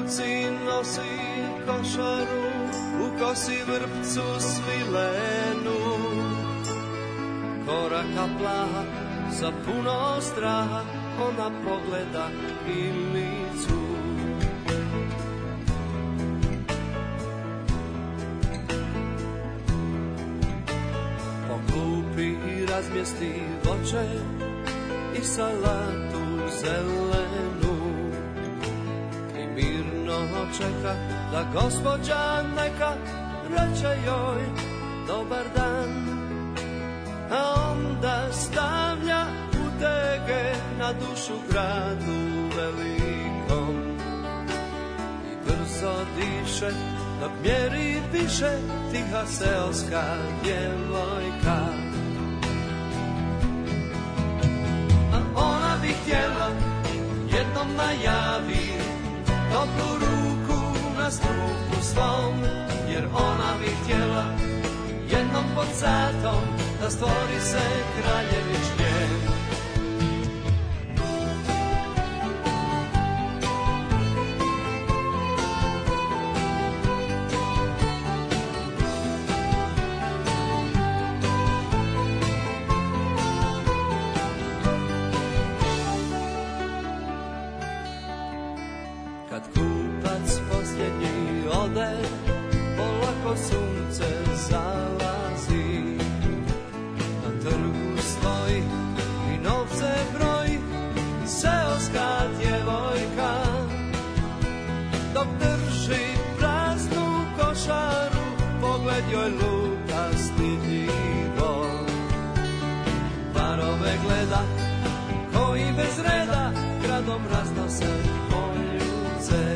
ruci nosi košaru, u kosi vrpcu svilenu. Koraka plaha, sa puno straha, ona pogleda Milicu. Po klupi razmjesti voće i salatu zelenu i mirno čeka da gospođa neka reče joj dobar dan, a onda stavlja utege na dušu gradu velikom i brzo diše dok mjeri više tiha seoska djevojka. A ona bi htjela jednom najavi toplu ruku na struku svom, jer ona bi htjela jednom pod satom da stvori se kraljevičke. Kad kupac posljednji ode, polako sunce zalazi. Na trgu stoji i novce broji seoska djevojka, dok drži praznu košaru, pogled joj luta stidljivo. Parove gleda koji bez reda gradom raznose poljuce.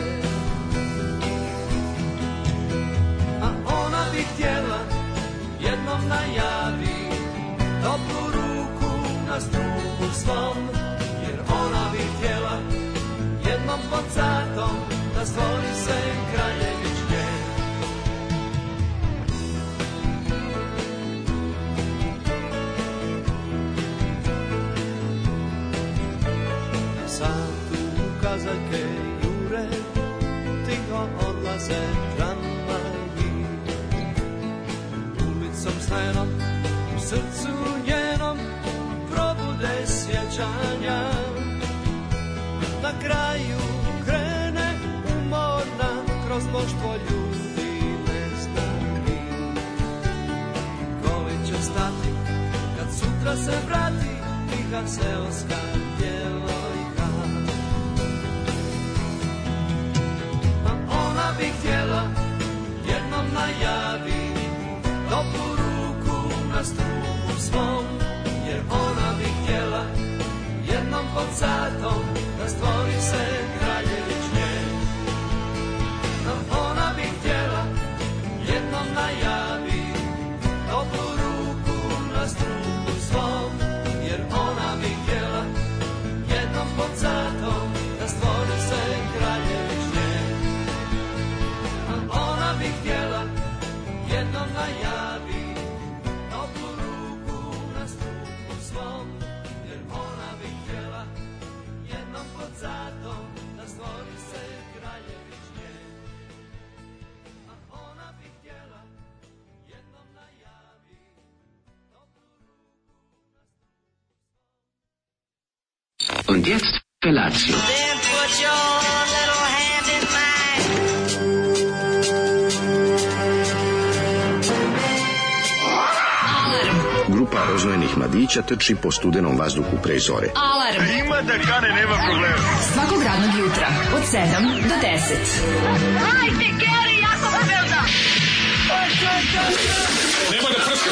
A ona bi htjela jednom najavi toplu ruku na struku svom, jer ona bi htjela jednom pod satom da stvori se kraljevičke. Na satu kazaljke jure, tiho odlaze tramvaji, ulicom slenom u srcu njenom probude sjećanja. Na kraju krene umorna kroz mnoštvo ljudi neznanih. Koji će stati kad sutra se vrati tiha seoska djevojka. A ona bi htjela jednom najavi toplu ruku na struku svom, jer ona bi htjela jednom pod satom da stvori se kraljevičke. A ona bi htjela jednom najavi toplu ruku na struku svom, jer ona bi htjela jednom pod satom da stvori se kraljevičke. A ona bi htjela jednom najavi toplu ruku na struku svom, jer ona bi htjela jednom pod satom da stvori se kraljevičke. A ona bi htjela jednom najavi toplu ruku na struku svom. Und jetzt Felatio. Then put your little hand in mine. Grupa rozvojenih mladića trči po studenom vazduhu pre zore. Alarm. Ima da kane, nema problema. Svakog radnog jutra od 7 do 10. Hajde, Geri, jako se velda. Nema da prska, nema da prska.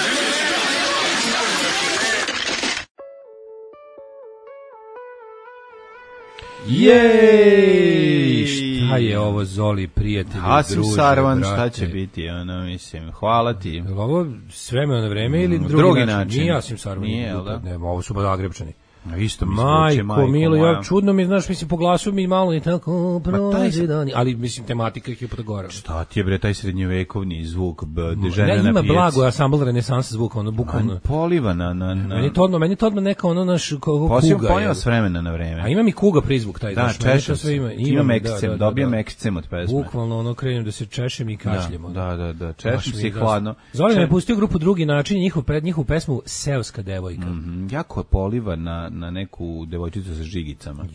Jej! Šta je ovo, Zoli, prijatelji, Hasim druže, Sarvan, brate? šta će biti, ono, mislim, hvala ti. Je li ovo s vremena na vreme ili drugi način? način. Nije Hasim Sarvan. Nije, jel da? Ne, ovo su Zagrebčani. Isto mi zvuče, majko milo, moja. ja čudno mi, znaš, mislim, po glasu mi malo i tako prolazi dani, ali mislim, tematika ih je potagora. Šta ti je bre taj srednjovekovni zvuk, žena Ne, na ima pijaci? blago ansambl renesansa zvuka, ono, bukvalno. Poliva na... Meni je to odmah neka ono naš kuga. Poniva s vremena na vreme. A ima mi kuga prizvuk taj. Da, znaš, meni to češem sve se. Imam ekscem, dobijem da. ekscem od pesme. Bukvalno ono krenem da se češem i kašljem. ono. Da, češem se i hladno. Zoli me je pustio grupu Drugi način, njihovu pesmu Seoska devojka. Jako poliva na neku devojčicu sa žigicama.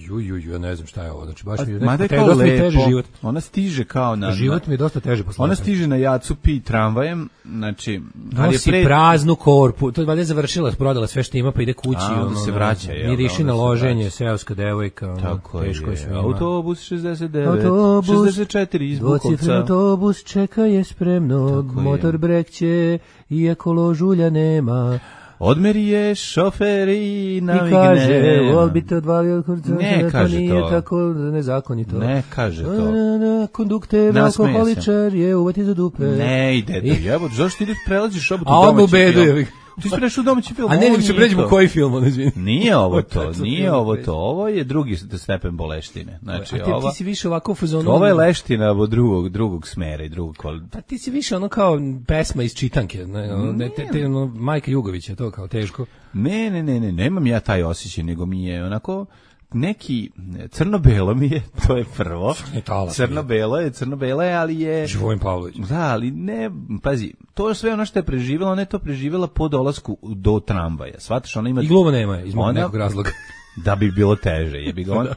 Ja ne znam šta je ovo, znači baš mi je Mada je nekako kao dosta mi teže lepo. život. Ona stiže kao na... Život mi je dosta teže posle. Ona stiže na Jacu Pi tramvajem, znači... Nosi praznu korpu, to je valjda završila, prodala sve što ima, pa ide kući. onda se vraća, jel da, miriši na onda se loženje, vraća. seoska devojka, Tako teško je je. sve ima. Autobus 69, 64 iz dvocifren Bukovca. autobus čeka je spremno, Tako je. motor brekće, iako ložulja nema. Odmeri je šofer i I navigne. kaže, vol bi te odvalio od kurca, Ne to kaže nije to. tako nezakonito. Ne kaže to. Kondukter, Nasmeje se. alkoholičar je uvati za dupe. Ne ide to. Jebote, zašto ti ideš prelaziš obotu A odmah u domaći bedu film? je. Ti si prešao u domaći film. A ne, ovo nego se nije pređemo to. u koji film, ono, izvini. Nije ovo to, Tačno nije film ovo pređe. to. Ovo je drugi stepen boleštine. Znači, A ti si više ovako u fazonu... ovo je leština od drugog smera i drugog kvaliteta. Pa ti si više ono kao pesma iz čitanke, ne, ono, ono, Majka Jugovića, to kao teško. Ne, nemam ja taj osjećaj, nego mi je onako neki crno-belo mi je, to je prvo. Crno-belo je, ali je... Živojin Pavlović. Da, ali ne, pazi, to je sve ono što je preživjela, ona je to preživjela po dolasku do tramvaja. Shvataš, ona ima... I gluma nema je, iz Ona- nekog razloga. Da bi bilo teže, jebi ga.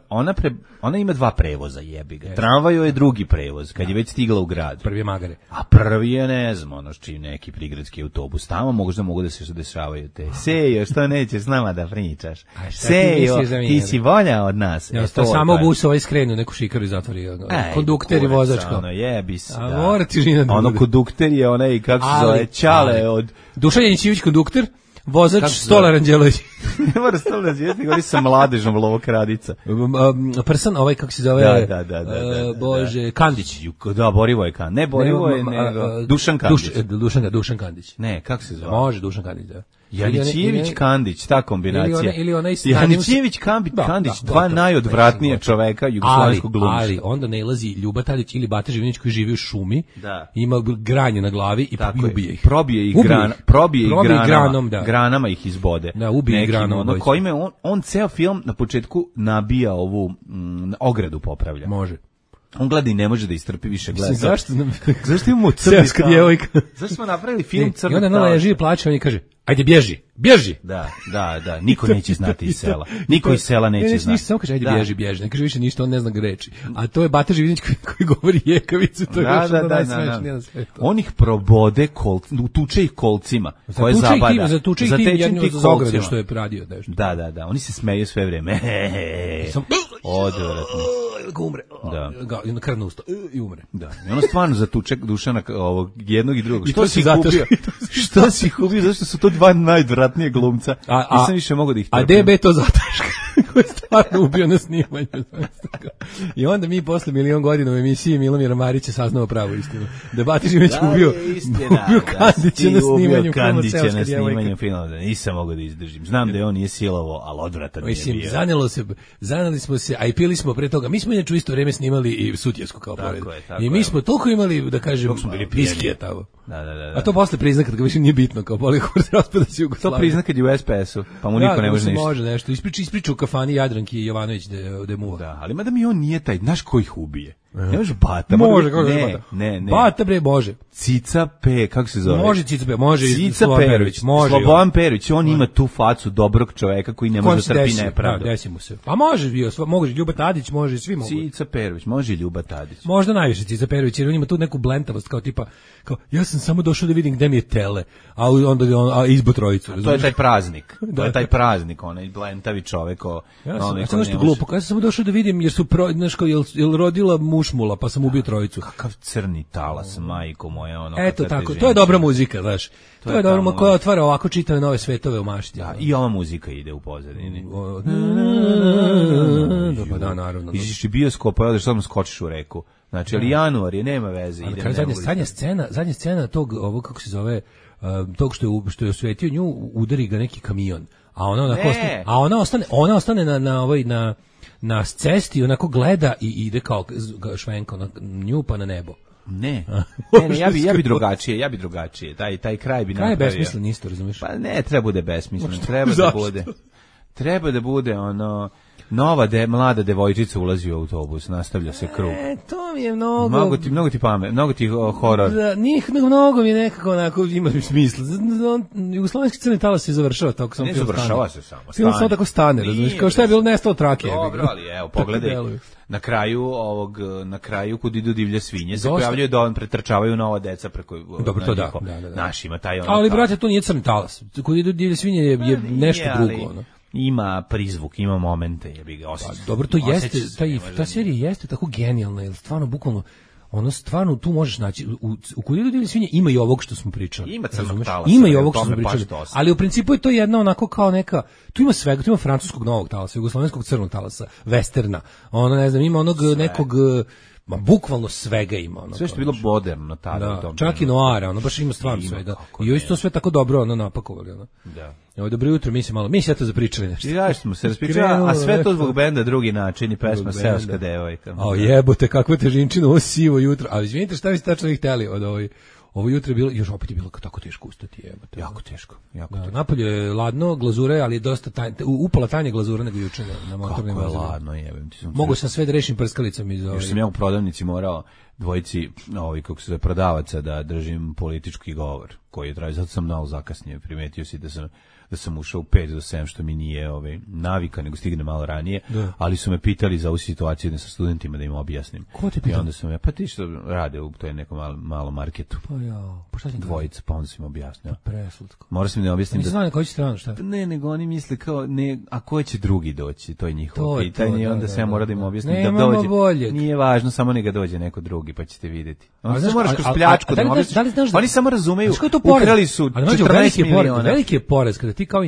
Ona ima dva prevoza, jebi ga. Tramvaj je drugi prevoz, kad je već stigla u grad. Prvi je Magare. A prvi je, ne znam, ono čiji neki prigradski autobus. Tamo možda mogu da se dešavaju te. Sejo, što nećeš s nama da pričaš? A šta ti Sejo, misliš da mi ti je? si bolja od nas. Ja, E, to samo je. bus ovaj skrenu, neku šikaru i zatvori. ono, Ej, kondukter i kurac, vozač kao. Ono, jebi se, A da. mora ti žina da Ono bude. kondukter je onaj, kako se zove, Ćale od... Dušan Janićević kondukter, vozač Kako se zove? Stolar Anđelović. Ne mora stavno nazivati, govori sa mladežom Lovokradica. Prsan, ovaj kako se zove? Da. Bože, Kandić. Da, Borivoje Kandić. Ne Borivoje, nego Dušan Kandić. Dušan Kandić. Ne, kako se zove? Može Dušan Kandić, da. Janićević Kandić, ta kombinacija. Ili onaj Janićević Kandić, dva najodvratnije čoveka jugoslovenskog glumišta. Ali onda nailazi Ljuba Tadić ili Bata Živinić koji živi u šumi, Da. ima granje na glavi i Tako je. ubije ih. Probije ih granom, da. granama ih izbode. Da, ubije ih Nekim, granom ono, obojica. kojime on ceo film na početku nabija ovu ogradu popravlja. Može. On gleda i ne može da istrpi više gleda. Mislim, Zašto imamo crni Seoska talent? djevojka. Zašto smo napravili film I crnog onda ona talenta? leži i plače, on je kaže, ajde bježi. Da, niko neće znati iz sela. Niko iz sela neće znati. Ništa, samo kaže, ajde Da. bježi. Ne kaže više ništa, on ne zna reči. A to je Bata Živinić koji govori jekavicu, to je još ono najsmešnije na svetu. On ih probode, tuče ih kolcima, koje zabada. Zatuče ih tim za ograde što je radio nešto. Da, oni se smeju sve vreme. Odvratno. Ga umre. Da. I na krvno usto. I umre. Da, i ono stvarno zatuče Dušana ovog jednog i drugog. I Što to si si ih zato ubio? Što si ih ubio? Zašto su to dva najodvratnije glumca? Nisam više mogao da ih trpim. A DB to zataška koji je stvarno ubio na snimanju. I onda mi posle milion godina u emisiji Milomira Marića saznao pravu istinu. Da je Bata Živinić ubio Kandića na snimanju filma Seoska djevojka. filma. Nisam mogao da izdržim. Znam da je on nije silovo, ali odvratan nije Mislim, bio. zaneli smo se, a i pili smo pre toga. Mi smo inače u isto vreme snimali i Sutjesku kao pored. I mi smo toliko imali, da kažem, viskije tamo. Da. A to posle prizna kad ga više nije bitno, kao Polihor raspada se Jugoslavija. To prizna kad je u SPS-u, pa mu niko ne može ništa. Može nešto. Ispriča u kafani Jadranki Jovanović de muva. Da, ali mada mi on nije taj, znaš ko ih ubije? Ne može Bata. Može, kako ne, Bata? Ne. Bata bre, može. Cica P, kako se zove? Može Cica P, može Cica Slobodan Perović, može. Slobodan Perović, on ima tu facu dobrog čoveka koji ne može da trpi nepravdu. Da, desi mu se. Pa može bio, može Ljuba Tadić, može svi mogu. Cica Perović, može i Ljuba Tadić. Možda najviše Cica Perović, jer on ima tu neku blentavost, kao tipa, kao, ja sam samo došao da vidim gde mi je tele, a onda on izbo trojicu. To je taj praznik, to je taj praznik, onaj blentavi čovek. Ja sam nešto glupo, ja sam samo došao da vidim, jer su, znaš kao, jel rodila mušmula, pa sam ubio trojicu. Kakav crni talas, majko moja, ono. Eto tako, to je dobra muzika, znaš. To je dobra muzika koja otvara ovako čitave nove svetove u mašti. Da, i ova muzika ide u pozadini. Pa da, naravno. Iziš i bioskopa, odeš samo skočiš u reku. Znači, ali januar je, nema veze. Zadnja scena tog, ovo kako se zove, tog što je osvetio nju, udari ga neki kamion. A ona ostane na cesti, onako gleda i ide kao švenka nju pa na nebo. Ne, ja bi drugačije. Taj kraj bi napravio. Kraj je besmislen isto, razumiješ? Pa ne, treba bude besmislen, treba da bude ono nova mlada devojčica ulazi u autobus, nastavlja se krug. To mi je mnogo... Mnogo ti pamet, mnogo ti horor. Da, mnogo mi nekako onako ima smisla. Jugoslovenski crni talas se završava tako samo. Ne završava se samo. Film samo tako stane, razumiješ, kao šta je bilo nestalo trake. Dobro, ali evo, pogledaj. Na kraju kud idu divlje svinje se pojavljuje da on pretrčavaju nova deca preko. Dobro, to da. Našima taj ono. Ali brate, to nije crni talas. Kud idu divlje svinje je nešto drugo, ono. Ima prizvuk, ima momente, jebi ga osjeća. Dobro, to jeste, ta serija jeste tako genijalna, jer stvarno, bukvalno, ono stvarno tu možeš naći, u Kud idu divlje svinje ima i ovog što smo pričali. Ima crnog talasa. Ima i ovog što smo pričali, ali u principu je to jedna onako kao neka, tu ima svega, tu ima francuskog novog talasa, jugoslovenskog crnog talasa, westerna, ono ne znam, ima onog nekog... bukvalno svega ima ono. Sve što je bilo moderno tada u tom. Čak i noara, ono baš ima stvarno svega. I ovo isto sve tako dobro ono napakovali ono. Da. Evo dobro jutro, mi se eto zapričali nešto. Ja smo se raspričali, a sve to zbog benda Drugi način i pesma Seoska devojka. A jebote, kakva težinčina, ovo sivo jutro. A izvinite, šta vi ste tačno hteli od ovo jutro je bilo, još opet je bilo tako teško ustati, jebote. Jako teško. Napolje je ladno, glazure, ali je dosta upala tanje glazura nego juče na motornim vozilima. Kako je ladno, jebem ti. Mogu sam sve da rešim prskalicom iz Još sam ja u prodavnici morao dvojici, kako se zove, prodavaca da držim politički govor koji je trajao, zato sam malo zakasnije, primetio si da sam ušao u 5 do 7, što mi nije navika, nego stigne malo ranije, ali su me pitali za ovu situaciju da sa studentima da im objasnim. Ko te pitao? I onda sam pa ti što rade u toj nekom malom marketu. Pa šta ti dvojica, pa onda sam im objasnio. Preslatko. Morao sam im da objasnim da... Znaju na koju stranu, šta? Ne, nego oni misle kao, a ko će drugi doći, to je njihovo pitanje, i onda sam ja morao da im objasnim da dođe. Boljeg. Nije važno, samo neka dođe neko drugi, pa ćete vidjeti. Onda se moraš kroz pljačku da im objasniš. Oni samo razumeju, ukrali su 14 miliona. Veliki je porez kada ti kao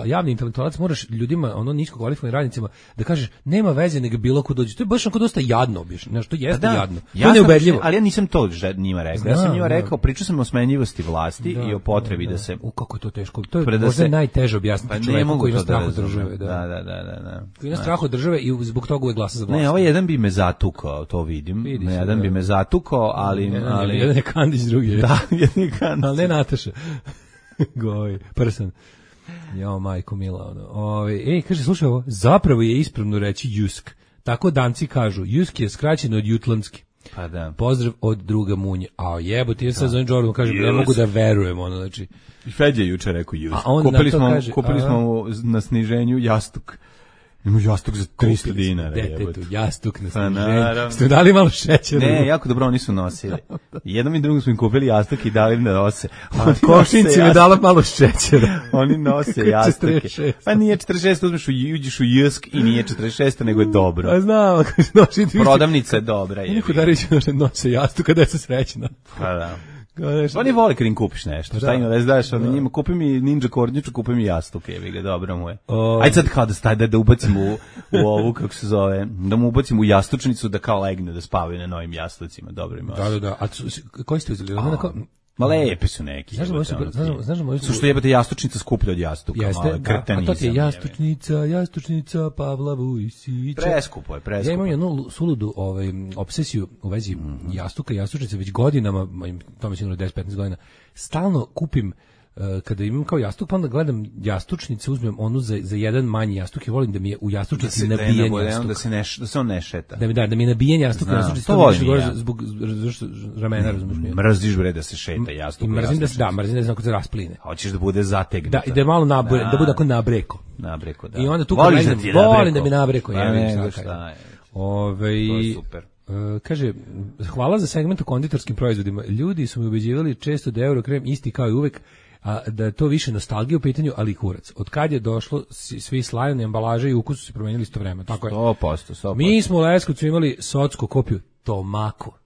javni intelektualac moraš ljudima, nisko kvalifikovanim radnicima, da kažeš nema veze nego bilo ko dođe. To je baš onako dosta jadno, znaš, to jeste jadno. To je neubedljivo. Ali ja nisam to njima rekao. Ja sam njima rekao, pričao sam o smenjivosti vlasti i o potrebi da se... Kako je to teško. To je možda najteže objasniti čovjeku koji ima strah od države. Da. Koji ima strah od države i zbog toga uvek glasa za vlast. Ne, ovaj jedan bi me zatukao, to vidim. Jedan bi me zatukao, ali... Jedan je Kandić, drugi je. Da, jedan je Kandić. Ali ne Nataša. Goj, prsan. Jo, majko mila, kaže, slušaj ovo, zapravo je ispravno reći Jusk. Tako Danci kažu, Jusk je skraćeno od jutlandski. Pa da. Pozdrav od druga Munje. A jebote, ja sad zovem Jordan, kažem, ne mogu da verujem, znači. I Feđa juče rekao Jusk. Kupili smo na sniženju jastuk. Ima jastuk za 300 dinara. Detetu, jastuk na sniženju. Ste dali malo šećera? Ne, jako dobro, oni su nosili. Jednom i drugom smo im kupili jastuk i dali im da nose. Košnici mi dala malo šećera. Oni nose jastuke. Pa nije 46, uđeš u Jusk i nije 46, nego je dobro. A znam, prodavnica je dobra. Niko da reći nose jastuka, da se srećna. Pa da. Oni vole kad im kupiš nešto. Šta ima da izdaš? Njima kupi mi ninja kornjaču, kupi mi jastuk, jebi ga, dobro mu je. Ajde sad kao da ubacim u ovu, kako se zove, da mu ubacim u jastučnicu da kao legne, da spavaju na novim jastucima, dobro ima. Da. A koji ste uzeli? Ma lepi su neki. Znaš su što jebate jastučnica skuplja od jastuka. Jeste, a to ti je jastučnica Pavla Vujsića. Preskupo je. Ja imam jednu suludu obsesiju u vezi jastuka i jastučnice već godinama, to mi sigurno 10-15 godina, stalno kupim kada imam kao jastuk, pa onda gledam jastučnice, uzmem onu za jedan manji jastuk i volim da mi je u jastučnici nabijen jastuk. Da se on ne šeta. Da mi je nabijen jastuk u jastučnici, to zbog ramena, razumiješ mi. Mrziš bre da se šeta jastuk. Mrzim da se znako se raspline. Hoćeš da bude zategnuta. Da je malo da bude ako nabreko. Nabreko, da. I onda tu volim da mi nabreko. To je super. Kaže, hvala za segment o konditorskim proizvodima. Ljudi su mi ubeđivali često da Eurokrem isti kao i uvek, a da je to više nostalgija u pitanju, ali i kurac. Od kad je došlo, svi slajani ambalaže i ukus su se promenili isto vreme. Tako je. 100%. Mi smo u Leskovcu imali socko kopiju Tomako.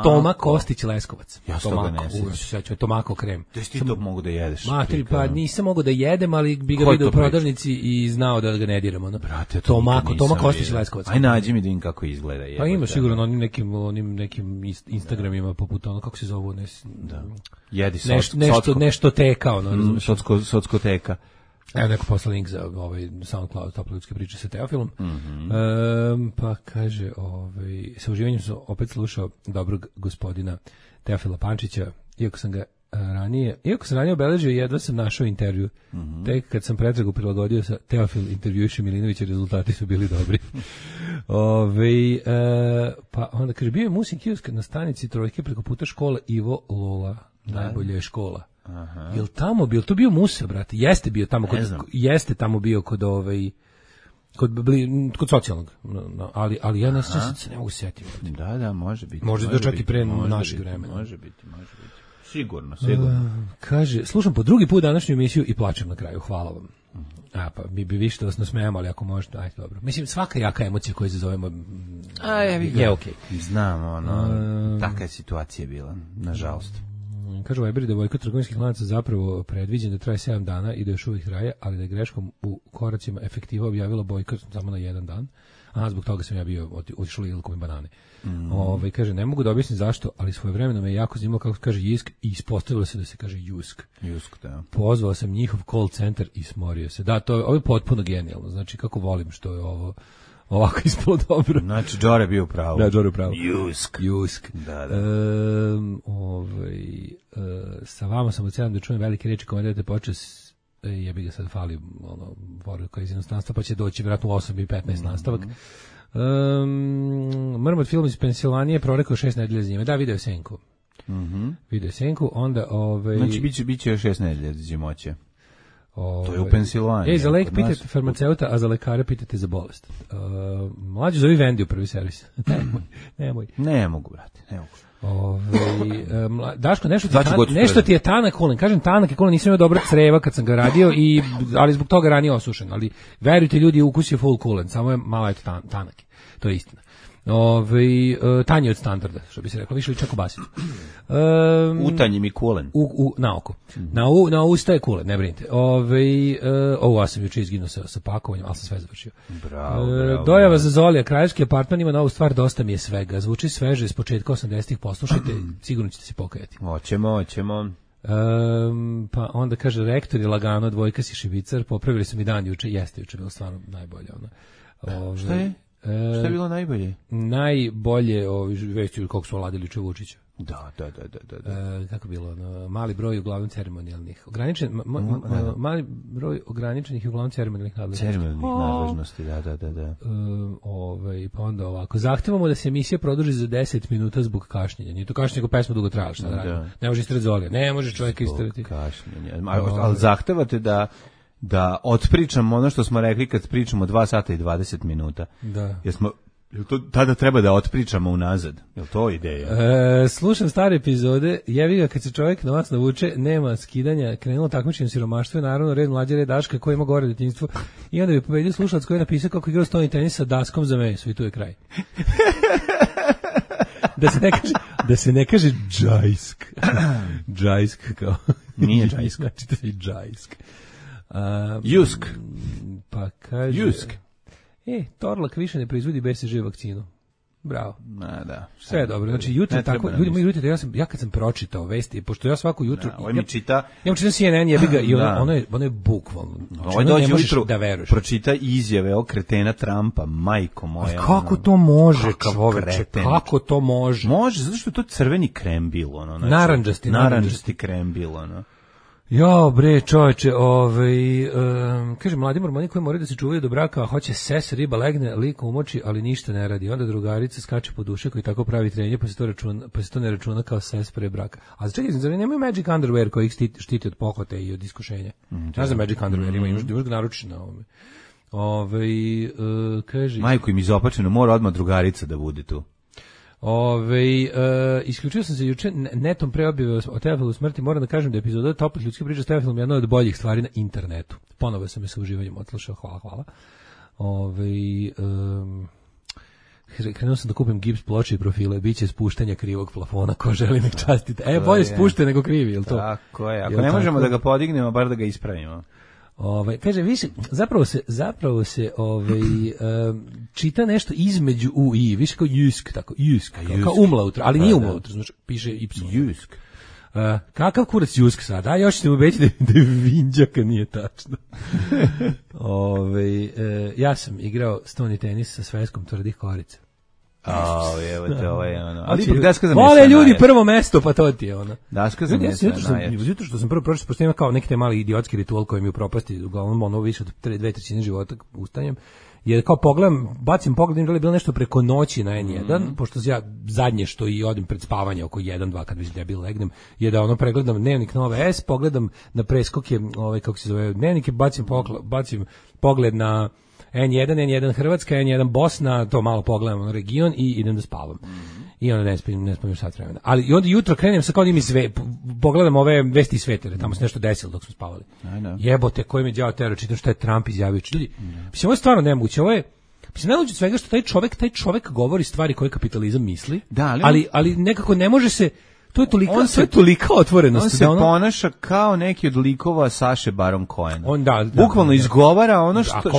Toma Kostić Leskovac. Ja se toga ne sjećam. Tomako krem. Da ti to mogu da jedeš? Matri, pa nisam mogao da jedem, ali bi ga vidio u prodavnici i znao da ga ne diramo. No? Brate, Toma Kostić Leskovac. Aj nađi mi da im kako izgleda. Pa ima sigurno onim nekim Instagramima poput ono, kako se zove, da. Jedi nešto teka, ono, sockoteka. Evo neko posla link za SoundCloud, tople ljudske priče sa Teofilom. Pa kaže, sa uživanjem sam opet slušao dobrog gospodina Teofila Pančića, iako sam ranije obeležio, jedva sam našao intervju. Tek kad sam pretragu prilagodio sa Teofil intervjuiše Milinovića, rezultati su bili dobri. Pa onda kaže, bio je Musin kiosk na stanici Trojke preko puta škola Ivo Lola, najbolja je škola. Aha. Jel tamo bio, to bio Musa, brate? Jeste bio tamo kod socijalnog. Ali ja ne mogu se setiti. Da, može biti. Može čak i pre našeg vremena. Može biti. Sigurno. Kaže, slušam po drugi put današnju emisiju i plačem na kraju. Hvala vam. Pa bi više da vas nasmejamo, ali ako možete, ajde, dobro. Mislim, svaka jaka emocija koju zazovemo je okej. Znam, taka je situacija bila, nažalost. Kaže Weber da bojkot trgovinskih lanaca zapravo predviđen da traje 7 dana i da još uvijek traje, ali da je greškom u koracima efektiva objavila bojkot samo na 1 dan. Zbog toga sam ja bio otišao Ilkom i banane. Kaže, ne mogu da objasnim zašto, ali svojevremeno me jako zanimalo kako se kaže Jisk i ispostavilo se da se kaže Jusk. Da. Pozvao sam njihov call center i smorio se. Da, ovo je potpuno genijalno. Znači, kako volim što je ovo ovako ispalo dobro. Znači, Džore bio pravo. Da, Džore pravo. Jusk. Da. Sa vama sam ocenam da čujem velike reči komentarite počas, jebi ga sad fali poruka iz inostranstva, pa će doći vjerojatno u 8:15 nastavak. Mrmot film iz Pensilvanije prorekao 6 nedelja zime. Da, video Senku. Video Senku, onda... Znači, bit će još 6 nedelja zimoće. To je u Pensilvaniji. Za lek pitate farmaceuta, a za lekare pitate za bolest. Mlađe zovi Vendi u prvi servis. Nemoj. Ne mogu, brate, ne mogu. Daško, nešto ti je tanak kulen. Kažem tanak je kulen, nisam imao dobra creva kad sam ga radio, ali zbog toga ranije osušen. Ali verujte ljudi, ukus je full kulen, samo je malo tanak. To je istina. Tanje od standarda, što bi se reklo, više li čak u basicu. Utanji mi kulen. Na oko. Na usta je kulen, ne brinite. Ja sam juče izginuo sa pakovanjem, ali sam sve završio. Bravo. Dojava za Zolija, kraljevski apartman ima novu stvar, dosta mi je svega. Zvuči sveže s početka 80-ih, poslušajte, sigurno ćete se pokajati. Hoćemo. Pa onda kaže, rektor je lagano, dvojka si šibicar, popravili su mi dan juče, jeste juče bilo stvarno najbolje. Šta je? Šta je bilo najbolje? Najbolje vešću kako su oladili juče Vučića. Da. Kako bilo? Mali broj uglavnom ceremonijalnih. Mali broj ograničenih i uglavnom ceremonijalnih nadležnosti. Da. Pa onda ovako. Zahtevamo da se emisija produži za 10 minuta zbog kašnjenja. Nije to kašnjenje, nego pesma dugo trajala. Šta da radimo? Ne može istrati Zolija. Ne može čovjeka istrati. Ali zahtevate da otpričamo ono što smo rekli kad pričamo 2 sata i 20 minuta. Da. Jel to tada treba da otpričamo unazad? Jel to ideja? Slušam stare epizode, jevi ga kad se čovjek na vas navuče, nema skidanja, krenulo takmičenje siromaštvo i naravno red mlađe, red Daška koji ima gore detinjstvo i onda bi pobedio slušalac koji je napisao kako igrao stoni tenis sa daskom za meso i tu je kraj. Da se ne kaže džajsk. Džajsk kao. Nije džajsk. Znači to je džajsk. Jusk. Pa kaže... Jusk. Torlak više ne proizvodi BCG vakcinu. Bravo. Da. Sve je dobro. Znači jutro tako, ljudi moji vidite, ja kad sam pročitao vesti, pošto ja svako jutro mi čita. Ja čitam CNN, jebi ga i ono je bukvalno. Ovo dođe ujutru da veruješ. Pročita izjave o kretena Trumpa, majko moja. Kako to može, čoveče? Kako to može? Može, zato što je to crveni krembil, znači. Narandžasti krembil, Jo, bre, čoveče, kaže, mladi mormoni koji moraju da se čuvaju do braka, a hoće ses, riba legne, lik umoči, ali ništa ne radi. Onda drugarica skače po duše koji tako pravi trenje, pa se to ne računa kao ses pre braka. A čekaj, zar nemaju Magic Underwear koji ih štiti od pohote i od iskušenja? Ne znam, Magic Underwear imaš ga naručiti na ovome. Kaže... Majko im izopačeno, mora odmah drugarica da bude tu. Isključio sam se juče netom pre objave o Teofilu smrti. Moram da kažem da je epizoda Toplih ljudskih priča s Teofilom jedna od boljih stvari na internetu. Ponovo sam je sa uživanjem odslušao, hvala. Krenuo sam da kupim gips ploče i profile, biće spuštanja krivog plafona, ko želi nek častite. Bolje spušte nego krivi, jel to? Tako je, ako ne možemo da ga podignemo, bar da ga ispravimo. Kaže, više, zapravo se čita nešto između u i, više kao jusk, tako, jusk, kao umlaut, ali nije umlaut, znači, piše y. Jusk. Kakav kurac jusk sad? Još ćete mu obećati da je vinđaka, nije tačno. Ja sam igrao stoni tenis sa svetskom tvrdih korica. Evo te ono. Ali vole ljudi prvo mesto, pa to ti je ono. Daška za mjesta najjače. Zato što sam prvo pročito, pošto ima kao neki te mali idiotski ritual koji mi u propasti, uglavnom ono više od 2/3 života ustanjem, jer kao bacim pogled, da li je bilo nešto preko noći na N1, pošto ja zadnje što i odim pred spavanje oko 1-2 kad mislim da ja bil legnem, je da ono pregledam dnevnik Nove S, pogledam na preskoke, kako se zove, dnevnike, bacim pogled na N1 Hrvatska, N1 Bosna, to malo pogledam na region i idem da spavam. I onda ne spavim sat vremena. Ali i onda jutro krenem sa kao pogledam ove vesti iz sveta, tamo se nešto desilo dok smo spavali. Jebote, koji me đavo tero, čitam što je Trump izjavio. Ljudi, mislim, ovo je stvarno nemoguće, ovo je nemoguće svega što taj čovek govori stvari koje kapitalizam misli, ali nekako ne može se. To je tolika otvorenost. On se ponaša kao neki od likova Saše Baron Cohena. Bukvalno izgovara ono što... Ako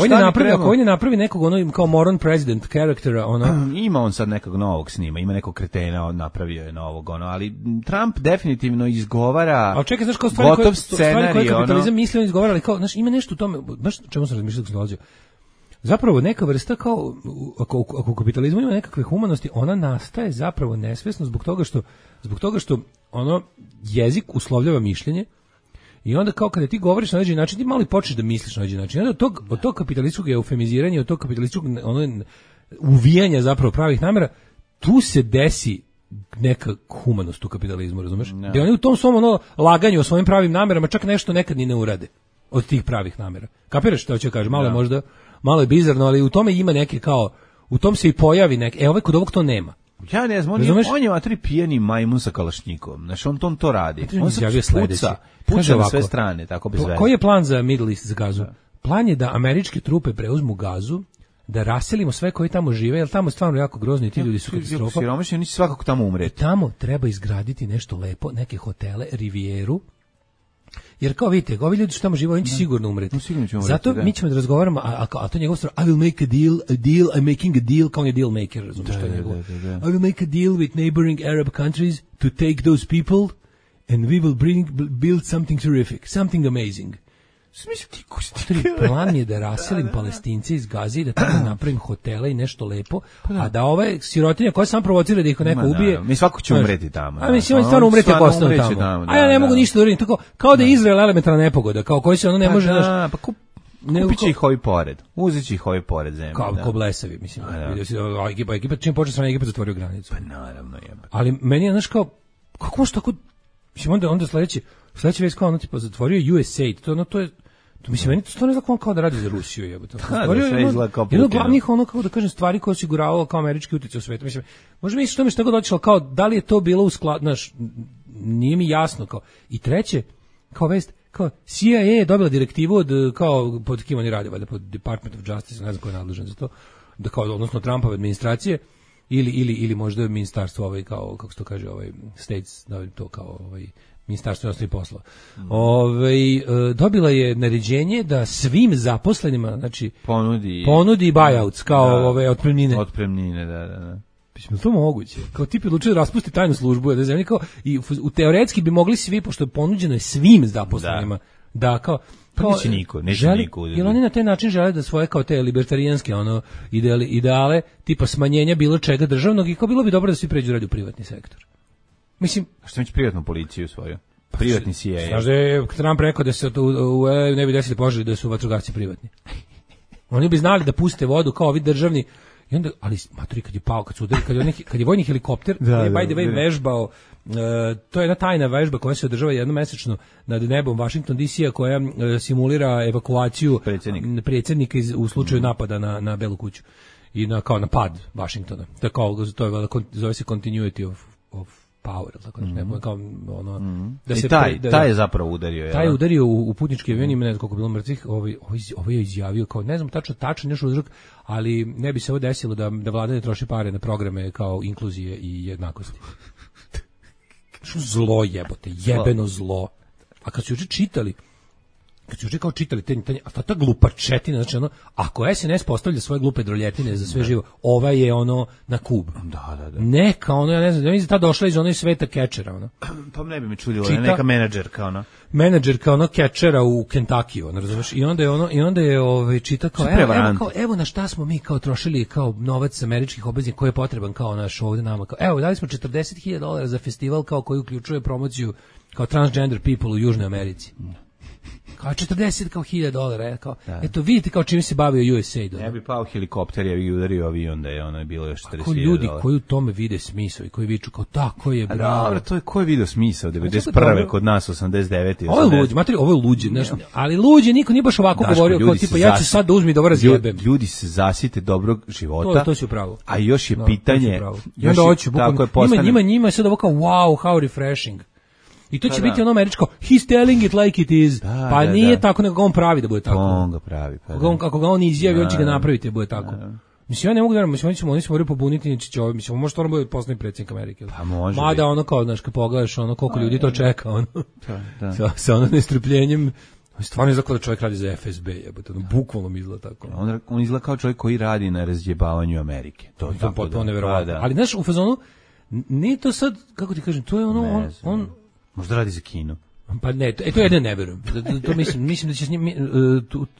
on ne napravi nekog ono kao moron president karaktera, ono... Ima on sad nekog novog snima, ima nekog kretena, napravio je novog, ono, ali Trump definitivno izgovara gotov scenarij, koje kapitalizam misli, on izgovara, ali kao, znaš, ima nešto u tome, znaš čemu sam razmišljao dok sam dolazio? Zapravo neka vrsta kao, ako u kapitalizmu ima nekakve humanosti, ona nastaje zapravo nesvesno zbog toga što ono jezik uslovljava mišljenje i onda kao kada ti govoriš na određeni način, ti malo i počneš da misliš na određeni način. I onda od tog kapitalističkog eufemiziranja, od tog kapitalističkog uvijanja zapravo pravih namera, tu se desi neka humanost u kapitalizmu, razumeš? Da oni u tom svom laganju o svojim pravim namerama čak nešto nekad ni ne urade od tih pravih namera. Kapiraš što hoće kažem? Malo je bizarno, ali u tome ima neke kao, u tom se i pojavi neke, kod ovog to nema. Ja ne znam, on je vatri pijeni majmun sa kalašnjikom, znači on to radi. On se puca na sve strane, tako bez veze. Koji je plan za Middle East, za Gazu? Plan je da američke trupe preuzmu Gazu, da raselimo sve koji tamo žive, jer tamo je stvarno jako grozno i ti ljudi su katastrofa. Siromašni, oni će svakako tamo umreti. Tamo treba izgraditi nešto lepo, neke hotele, rivijeru, jer kao vidite, ovi ljudi što tamo žive, oni će sigurno umreti. Zato mi ćemo da razgovaramo, a to njegov stvar, I will make a deal, I'm making a deal, kao on je deal maker, razumiješ što je njegov. I will make a deal with neighboring Arab countries to take those people and we will build something terrific, something amazing. Plan je da raselim Palestince iz Gaze i da tamo napravim hotele i nešto lepo, a da ove sirotinje koje sam provocira da ih neko ubije. Mi svako će umreti tamo. A mislim on stvarno umreti ako ostane tamo. A ja ne mogu ništa da uradim, tako kao da je Izrael elementarna nepogoda, kao koji se ono ne može kupit će ih ovi pored. Uzet će ih ovi pored zemlje. Kao blesavi, mislim. Ekipa čim počne strana Egipat zatvorio granicu. Pa naravno je. Ali meni je znaš kao kako može tako, mislim onda sledeći već kao ono tipa zatvorio USAID, to je mislim, meni to stvarno izgleda kao da radi za Rusiju, jebote. Jedno glavnih kako da kažem, stvari koje osiguravalo kao američki utjecaj u svijetu. Mislim, možda mi što mi što god došlo, kao da li je to bilo u skladu, znaš, nije mi jasno. Kao. I treće, kao vest, kao CIA je dobila direktivu od, kao, pod kim oni rade, valjda, pod Department of Justice, ne znam ko je nadležan za to, da kao, odnosno Trumpove administracije, ili možda ministarstvo, kao, kako se to kaže, States, da to kao, Ministarstvo inostranih poslova. Dobila je naređenje da svim zaposlenima, znači ponudi buyouts kao otpremnine. Otpremnine, da. Mislim, to moguće. Kao tip je odlučio da raspusti tajnu službu, da zemlji kao i teoretski bi mogli svi, pošto je ponuđeno je svim zaposlenima, da kao neće niko. Jer oni na taj način žele da svoje kao te libertarijanske ideale, tipa smanjenja bilo čega državnog, i kao bilo bi dobro da svi pređu radi u privatni sektor. Mislim, što će privatnu policiju svoju? Privatni CIA. Znaš da je Trump rekao da se ne bi desili požari da su vatrogasci privatni. Oni bi znali da puste vodu kao ovi državni. I onda, ali maturi kad je pao, kad je vojni helikopter, by the way vežbao, to je jedna tajna vežba koja se održava jednomesečno nad nebom Washington DC-a, koja simulira evakuaciju predsjednika u slučaju napada na Belu kuću i kao na pad Washingtona. To je zove se continuity of Power, tako nešto, kao ono da I se taj je zapravo udario. Taj je udario u putnički avion, ima ne znam koliko bilo mrtvih, ovaj je izjavio kao ne znam tačan još uzrok, ali ne bi se ovo desilo da vlada ne troši pare na programe kao inkluzije i jednakosti. Što zlo jebote, jebeno zlo. A kad su juče čitali ta glupačetina, znači ono, ako SNS postavlja svoje glupe droljetine za sve živo, ova je ono na kub. Da. Neka ono, ja ne znam, mislim ta došla iz onog sveta kečera, ono. Pa ne bi me čudilo, neka menadžerka, ono. Menadžerka ono kečera u Kentakiju, ono, razumeš? I onda je čita kao, evo na šta smo mi kao trošili kao novac američkih obveznika koji je potreban kao naš ovde nama. Kao, evo, dali smo $40.000 za festival kao koji uključuje promociju kao transgender people u Južnoj Americi. Kao 40 kao $1,000, kao eto vidite kao čime se bavio USAID. Ja bi pao helikopter, ja bi udario avion da je ono bilo još $40.000. Ako ljudi koji u tome vide smisao i koji viču kao tako je bravo. Dobro, to je ko je video smisao 91. kod nas 89. Ovo je luđe, nešto. Ali luđe niko nije baš ovako govorio kao tipa ja ću sad da uzmi da ovo razjebem. Ljudi se zasite dobrog života. To si upravo. A još je pitanje. I onda hoću njima je sad ovo kao wow, how refreshing. I to će biti ono američko, he's telling it like it is. Pa nije tako, nego on pravi da bude tako. On ga pravi. Ako ga on izjavi, on će ga napraviti da bude tako. Mislim, ja ne mogu da verujem, oni se moraju pobuniti, mislim, možda ono bude poslednji predsjednik Amerike. Pa može. Mada ono kao, znaš, kad pogledaš ono koliko ljudi to čeka, ono, sa ono nestrpljenjem, stvarno izgleda da čovjek radi za FSB, jebote, bukvalno mi izgleda tako. On izgleda kao čovjek koji radi na razjebavanju Amerike. To je potpuno neverovatno. Ali znaš, u fazonu, nije to sad, kako ti kažem, to je ono, on možda radi za kino. Pa ne, to ja ne verujem. To mislim da će s njim,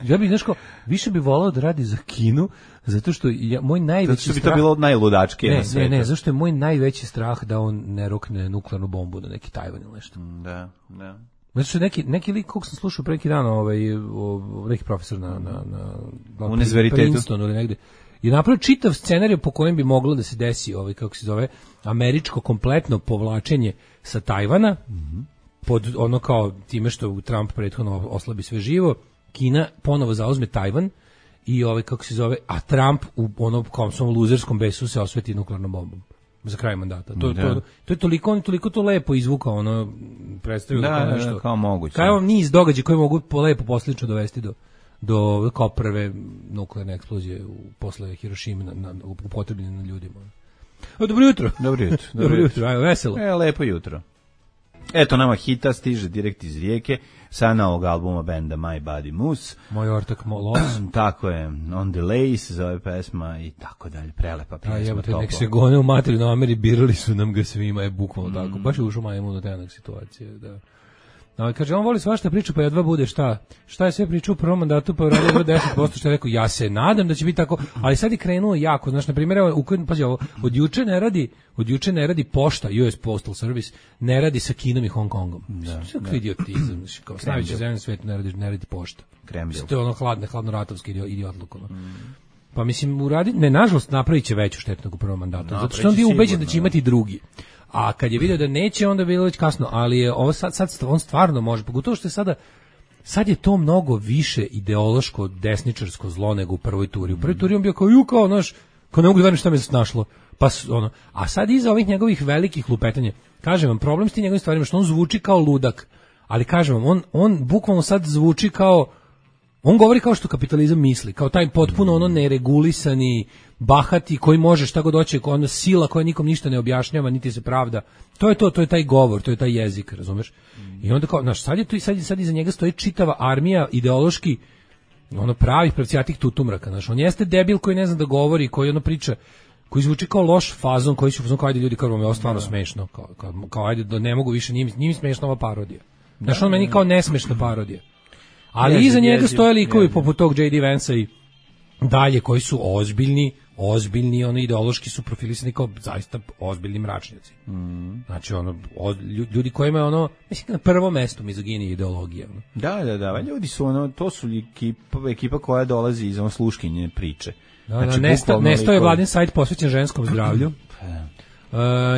ja bih nešto više bi voleo da radi za kino, zato što moj najveći strah. Zato što bi to bilo najludačke na svetu. Ne, zašto je moj najveći strah da on ne rokne nuklearnu bombu na neki Tajvan ili nešto. Da. Zato što neki lik kog sam slušao pre neki dan, neki profesor na Princetonu ili negde, je napravio čitav scenarij po kojem bi moglo da se desi kako se zove, američko kompletno povlačenje sa Tajvana, pod ono kao time što Trump prethodno oslabi sve živo, Kina ponovo zauzme Tajvan i kako se zove, a Trump u ono kao svom luzerskom besu se osveti nuklearnom bombom za kraj mandata. To je toliko to lepo izvukao, ono predstavio kao nešto. Kao moguće. Kao niz događaja koji mogu lepo poslično dovesti do kao prve nuklearne eksplozije posle Hirošime upotrebljene na ljudima. Dobro jutro. Dobro jutro, ajmo veselo. Lepo jutro. Eto nama hita stiže direkt iz Rijeke sa novog albuma benda My Body Moose. Moj ortak Molos. Tako je, On Delay se zove pesma i tako dalje, prelepa pesma. Nek se gone u materinu Ameri, birali su nam ga svima, je bukvalno tako. Baš je ušao majmun od jednog situacije, da. Kaže, on voli svašta priča, pa jedva bude šta je sve pričao u prvom mandatu, pa je radio 10%, što je rekao, ja se nadam da će biti tako, ali sad je krenuo jako, znaš, na primjer, pazi ovo, od juče ne radi pošta, US Postal Service, ne radi sa Kinom i Hong Kongom. Sve idiotizam, znači, kao s najveće zemlje na svetu ne radi pošta. Kremljev. To je ono hladno-ratovski idiotluk, ono. Pa mislim, nažalost, napravit će veću štetu nego u prvom mandatu, zato što on bio ubeđen da će imati drugi. A kad je vidio da neće, onda je bilo već kasno, ali je ovo sad on stvarno može, pogotovo što je sad je to mnogo više ideološko desničarsko zlo nego u prvoj turi. U prvoj turi on bio kao ne mogu da verujem šta me snašlo. Pa a sad iza ovih njegovih velikih lupetanja, kažem vam, problem s tim njegovim stvarima što on zvuči kao ludak, ali kažem vam, on bukvalno sad zvuči kao, on govori kao što kapitalizam misli, kao taj potpuno ono neregulisani, bahati koji može šta god hoće, ona sila koja nikom ništa ne objašnjava, niti se pravda. To je taj govor, to je taj jezik, razumeš? I onda kao, znaš, sad iza njega stoji čitava armija ideološki, ono pravih pravcijatih tutumraka, znaš, on jeste debil koji ne zna da govori, koji ono priča, koji zvuči kao loš fazon, koji će fazon kao ajde ljudi, kao ovo je stvarno smešno, kao ajde da ne mogu više, njim smešna ova parodija. Znaš, on meni kao nesmešna parodija. Ali iza njega stoje likovi poput tog J.D. Vansa i dalje koji su ozbiljni, ono ideološki su profilisani kao zaista ozbiljni mračnjaci. Znači ljudi koji imaju ono, mislim na prvom mestu mizogini ideologija. Ono. Da, ljudi su ono, to su ekipa koja dolazi iz ono sluškinje priče. Znači, Nesto je vladin sajt posvećen ženskom zdravlju.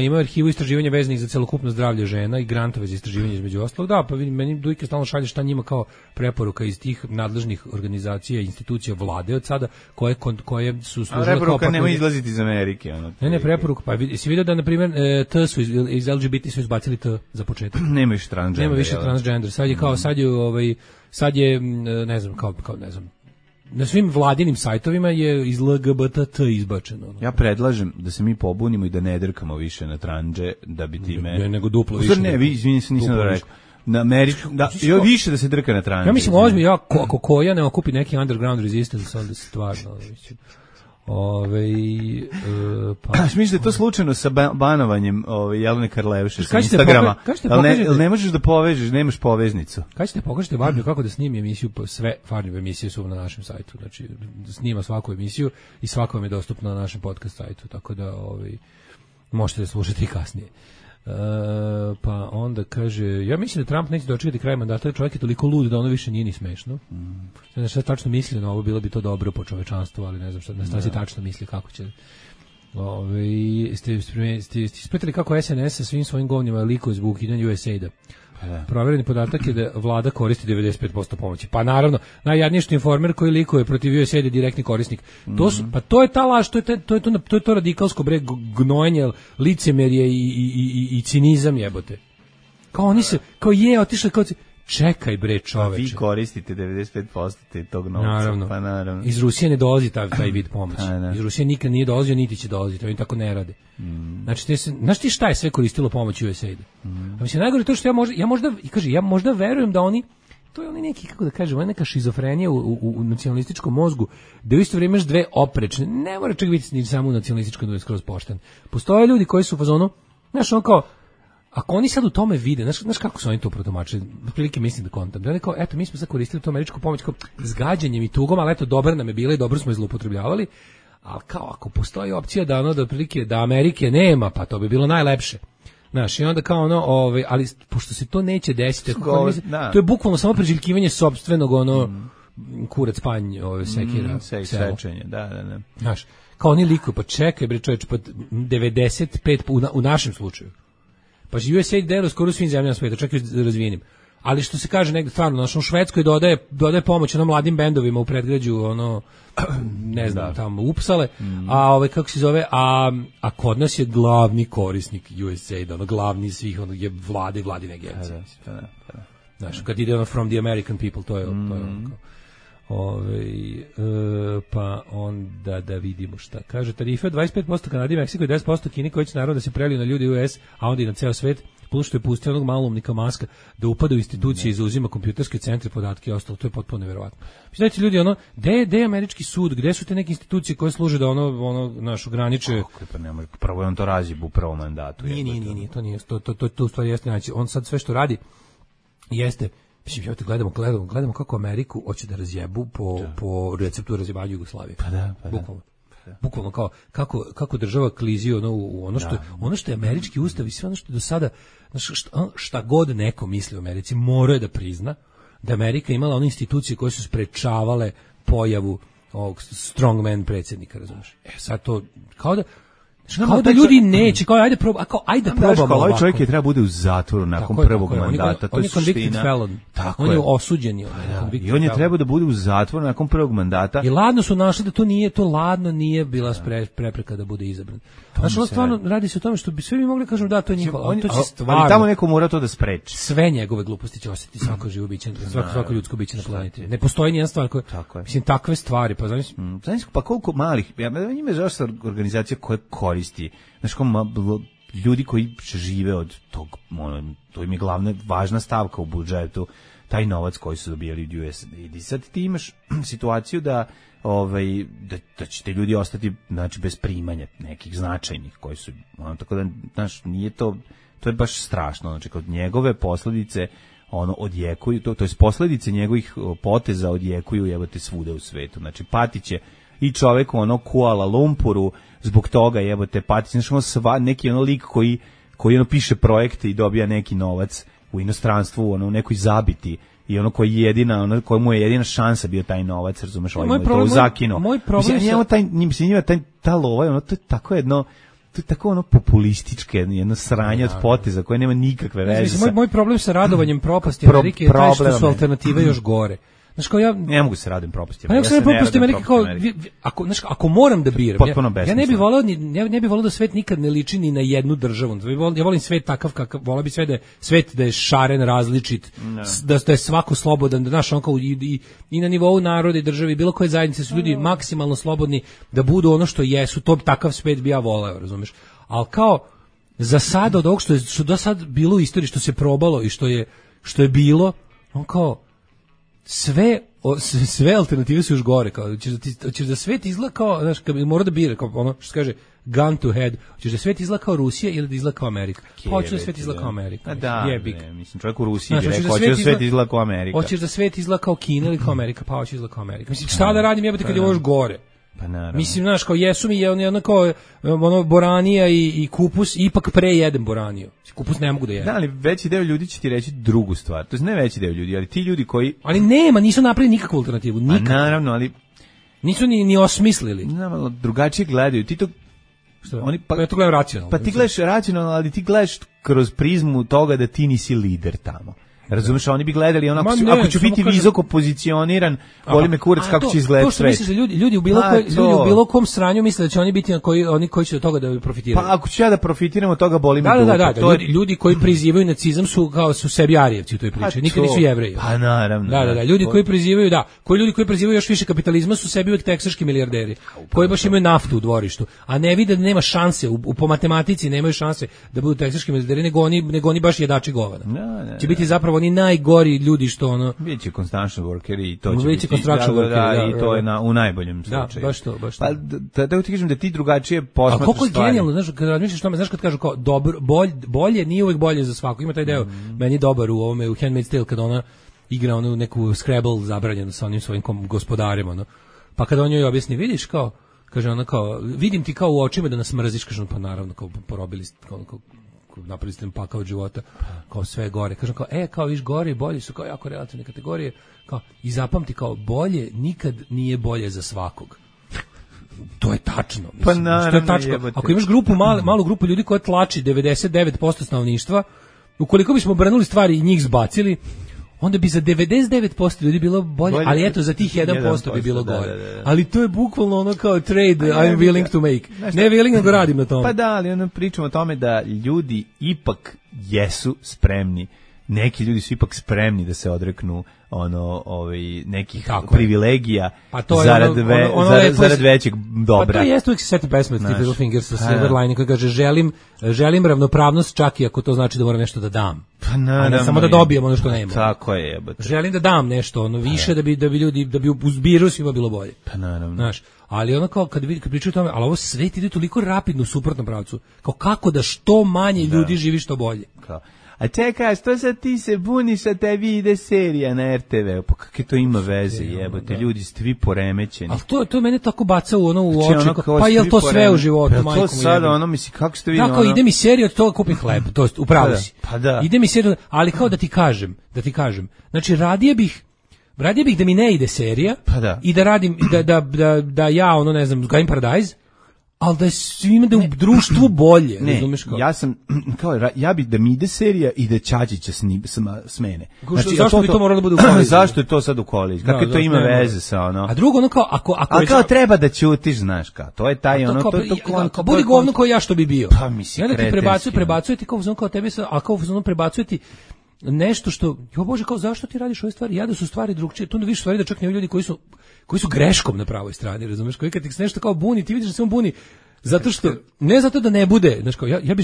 Ima arhivu istraživanja vezanih za celokupno zdravlje žena i grantove za istraživanje između ostalog. Da, pa vidim, meni Dujke stalno šalje šta njima kao preporuka iz tih nadležnih organizacija i institucija vlade od sada, koje su služile kao... Preporuka nema izlaziti iz Amerike. Ne, preporuka. Pa si vidio da, na primjer, T su iz LGBT su izbacili T za početak. Nema više transgender. Nema više transgender. Sad je, ne znam, ne znam, na svim vladinim sajtovima je iz LGBT izbačeno. Ja predlažem da se mi pobunimo i da ne drkamo više na tranđe, da bi time... Ne, nego duplo više. Ne, izvini se, nisam da rekao. Na Američku, više da se drka na tranđe. Ja mislim, ozbiljno, ako koja ne okupi neki underground resistance, onda se stvarno... Misliš da je to slučajno sa banovanjem Jelene Karleuše sa Instagrama? Ne možeš da povežeš, nemaš poveznicu. Kad ćete pokažete Barbiju kako da snimi emisiju, sve Farnjeve emisije su na našem sajtu, znači snima svaku emisiju i svako vam je dostupno na našem podcast sajtu, tako da možete da slušate i kasnije. Pa onda kaže, ja mislim da Trump neće dočekati kraj mandata, čovjek je toliko lud da ono više nije ni smešno. Ne znam šta tačno misli na ovo, bilo bi to dobro po čovečanstvu, ali ne znam šta si tačno misli, kako će... Ste ispratili kako SNS sa svim svojim govnjima likuje zbog ukidanja USAID-a. Provereni podatak je da vlada koristi 95% pomoći. Pa naravno, najjadnije što Informer koji likuje protiv USAID je direktni korisnik. To je ta laž, to je to radikalsko gnojenje, licemerje i cinizam jebote. Kao oni se, otišli kao... Čekaj bre čoveče. Vi koristite 95% tog novca. Naravno. Pa naravno. Iz Rusije ne dolazi taj vid pomoći. Iz Rusije nikad nije dolazio, niti će dolaziti. Oni tako ne rade. Znači, znaš ti šta je sve koristilo pomoć USAID? A mislim, najgore to što ja možda verujem da oni, to je oni neki, kako da kažem, neka šizofrenija u nacionalističkom mozgu, da u isto vrijeme imaš dve oprečne, ne mora čak biti ni samo nacionalističko, da je skroz pošten. Postoje ljudi koji su u fazonu, znaš, on kao, ako oni sad u tome vide, znaš kako su oni to protumačili, otprilike mislim da kontam, da oni kao, eto, mi smo sad koristili tu američku pomoć kao s gađanjem i tugom, ali eto, dobra nam je bila i dobro smo je zloupotrebljavali, ali kao, ako postoji opcija da da otprilike, da Amerike nema, pa to bi bilo najlepše. Znaš, i onda kao ali pošto se to neće desiti, to je bukvalno samo preželjkivanje sopstvenog, kurac panj, sekira, sečenje, da. Znaš, kao oni likuju, pa čekaj, bre čovječ, pa 95 u našem slučaju. Pa USAID deluje skoro svim zemljama sveta, čak i razvijenim. Ali što se kaže negde stvarno, u Švedskoj dodaje pomoć mladim bendovima u predgrađu, ne znam, tamo Upsale, a kako se zove, a kod nas je glavni korisnik USAID, glavni svih, je vlade i vladine agencije. Znaš, kad ide from the American people, to je pa onda da vidimo šta kaže. Tarife 25% Kanadi, Meksiko i 10% Kini, koji će naravno da se preliju na ljudi u US, a onda i na ceo svet, plus što je pustio onog maloumnika Maska da upada u institucije i zauzima kompjuterske centre, podatke i ostalo, to je potpuno nevjerovatno. Mislite ljudi, gde je američki sud, gde su te neke institucije koje služe da naš ograniče... Prvo je on to razi u prvom mandatu. Nije, to u stvari jeste, znači, on sad sve što radi jeste. Mislim, gledamo kako Ameriku hoće da razjebu po receptu razjebanja Jugoslavije. Pa da. Bukvalno kao kako država klizi u ono što je američki ustav i sve ono što do sada, šta god neko misli o Americi, moraju da prizna da Amerika imala one institucije koje su sprečavale pojavu ovog strongman predsjednika, razumiješ? Sad to, kao da ljudi neće, kao ajde probamo ovaj čovjek je treba bude u zatvoru nakon prvog mandata, to je suština. On je osuđen. I on je trebao da bude u zatvoru nakon prvog mandata. I ladno su našli da to ladno nije bila prepreka da bude izabran. Znači, stvarno radi se o tome što bi sve mi mogli kažem da to je njihovo, to će stvarno. Ali tamo neko mora to da spreči. Sve njegove gluposti će osjetiti svako živo biće, svako ljudsko biće na planeti. Ne postoji nijedna stvar koja, mislim, takve stvari, pa znaš, pa koliko malih, njima je zašto organizacija koja koristi, znaš, ljudi koji žive od tog, to im je glavna, važna stavka u budžetu, taj novac koji su dobijali od USAID. I sad ti imaš situaciju da će te ljudi ostati, znači, bez primanja nekih značajnih koji su, tako da, znaš, nije to je baš strašno, znači, kod njegove posljedice odjekuju, to je posljedice njegovih poteza odjekuju jebote svuda u svetu, znači patiće i čovek u Kuala Lumpuru zbog toga jebote patiće, znači neki lik koji piše projekte i dobija neki novac u inostranstvu, u nekoj zabiti i koji je jedina, kojemu je jedina šansa bio taj novac, razumeš, to zakinuo. Moj problem ta lova, to je tako jedno, to je tako ono populističke, jedno sranje od poteza koje nema nikakve veze. Mislim, moj problem sa radovanjem propasti Amerike je taj što su alternative još gore. Znaš, kao ja ne mogu se radim propasti. Pa ja se propasti Amerike kao ako moram da biram. Ja ne bih voleo ne bih voleo da svet nikad ne liči ni na jednu državu. Ja volim svet takav kakav, voleo bih sve da je svet da je šaren, različit, da je svako slobodan, da naš on kao i na nivou naroda i države, bilo koje zajednice su ljudi maksimalno slobodni da budu ono što jesu. To takav svet bi ja voleo, razumeš? Al kao za sada od ovog što do sad bilo u istoriji, što se probalo i što je bilo, on kao sve alternative su još gore, kao ćeš da svet izgleda kao, znaš, kad bi morao da bira, kao ono što se kaže gun to head, ćeš da svet izgleda kao Rusija ili da izgleda kao Amerika. Pa hoćeš da svet izgleda kao Amerika. Da, mislim, čovjek u Rusiji bi rekao, hoćeš da svet izgleda kao Amerika. Hoćeš da svet izgleda kao Kina ili kao Amerika, pa hoćeš izgleda kao Amerika. Mislim, šta da radim jebote kad je ovo još gore? Pa naravno. Mislim, znaš, kao jesu mi jedno kao ono boranija i kupus, ipak prejedem boraniju. Kupus ne mogu da jedem. Da, ali veći deo ljudi će ti reći drugu stvar. To je ne veći deo ljudi, ali ti ljudi koji... Ali nisu napravili nikakvu alternativu. Nikakvu. A naravno, ali... Nisu ni osmislili. Naravno, drugačije gledaju. Ti to... Ja to gledam racionalno. Pa ti gledaš racionalno, ali ti gledaš kroz prizmu toga da ti nisi lider tamo. Razumeš, oni bi gledali onako, ako ću biti visoko pozicioniran, boli me kurac kako će izgledati svet. To što misliš da ljudi u bilo kom sranju misle da će oni biti oni koji će od toga da profitiraju. Pa ako ću ja da profitiram od toga, boli me dupe. Da, ljudi koji prizivaju nacizam su sebi arijevci u toj priči, nikad nisu Jevreji. Pa naravno. Da, ljudi koji prizivaju, ljudi koji prizivaju još više kapitalizma su sebi uvek teksaški milijarderi, koji baš imaju naftu u dvorištu, a ne vide da nema šanse, po matematici nemaju šanse da budu teksaški milijarderi, nego oni baš jedači govana. Će biti zapravo oni najgori ljudi što ono biće construction workeri i to će biti i to je u najboljem slučaju. Da, baš to. Pa da ti kažem da ti drugačije posmatraš stvari. A koliko je genijalno, znaš, kad razmišljaš tome, znaš kad kažu kao dobro, bolje nije uvek bolje za svako. Ima taj deo meni dobar u ovome u Handmaid's Tale kad ona igra onu neku Scrabble zabranjenu sa onim svojim gospodarem, ono. Pa kad on joj objasni, vidiš kao, kaže ona kao, vidim ti kao u očima da nas mrziš, kaže pa naravno kao porobili kao napravili ste pakao od života, kao sve gore. Kažem kao, kao viš gore i bolje su kao jako relativne kategorije, kao, i zapamti kao bolje nikad nije bolje za svakog. To je tačno. Mislim, pa naravno, što je tačno. Ako imaš malu grupu ljudi koja tlači 99% stanovništva, ukoliko bismo obrnuli stvari i njih zbacili, onda bi za 99% ljudi bilo bolje, ali eto za tih 1% bi bilo gore. Da. Ali to je bukvalno ono kao trade I'm willing to make. Ne willing, nego radim na tome. Pa da, ali ono pričamo o tome da ljudi ipak jesu spremni. Neki ljudi su ipak spremni da se odreknu nekih privilegija zarad većeg dobra. Pa to jeste uvijek se seti pesme Steve Littlefingers sa Silver Lining koji kaže želim ravnopravnost čak i ako to znači da moram nešto da dam. Pa naravno. A ne samo da dobijem ono što nema. Tako je, jebote. Želim da dam nešto, više da bi ljudi da bi uzbiru svima bilo bolje. Pa naravno. Znaš, ali ono kao kad pričaju o tome, ali ovo svet ide toliko rapidno u suprotnom pravcu. Kao kako da što manje ljudi živi što bolje. Kao a čekaj, što sad ti se buniš, a tebi ide serija na RTV? Pa kakve to ima veze, jebote, ljudi ste vi poremećeni. Ali to mene tako baca u oči, pa je li to sve u životu, majko mu to sada, misli, kako ste vi... Da, kao ide mi serija, od toga kupim hleb, to upravo si. Pa da. Ide mi serija, ali kao da ti kažem, znači radije bih da mi ne ide serija, i da radim, da ja, ne znam, gajim Paradise, ali da je svima da u društvu bolje, razumeš kao? Ja bih da mi ide serija i da Čačića smene. Znači, zašto bi to moralo da bude u koliziji? Zašto je to sad u koliziji? Kakve to ima veze sa ono? A drugo, kao, ako kao treba da ćutiš, znaš kao, to je taj kao budi govno kao ja što bi bio. Pa mislim, i onda ti prebacuje ti kao tebi, a kao prebacuje ti nešto što, Bože, kao zašto ti radiš ove stvari? Ja da su stvari drugčije, tu vidiš stvari da čak ne ljudi koji su greškom na pravoj strani, razumeš? Koji kad ti se nešto kao buni, ti vidiš da se on buni zato što ne zato da ne bude, znači kao ja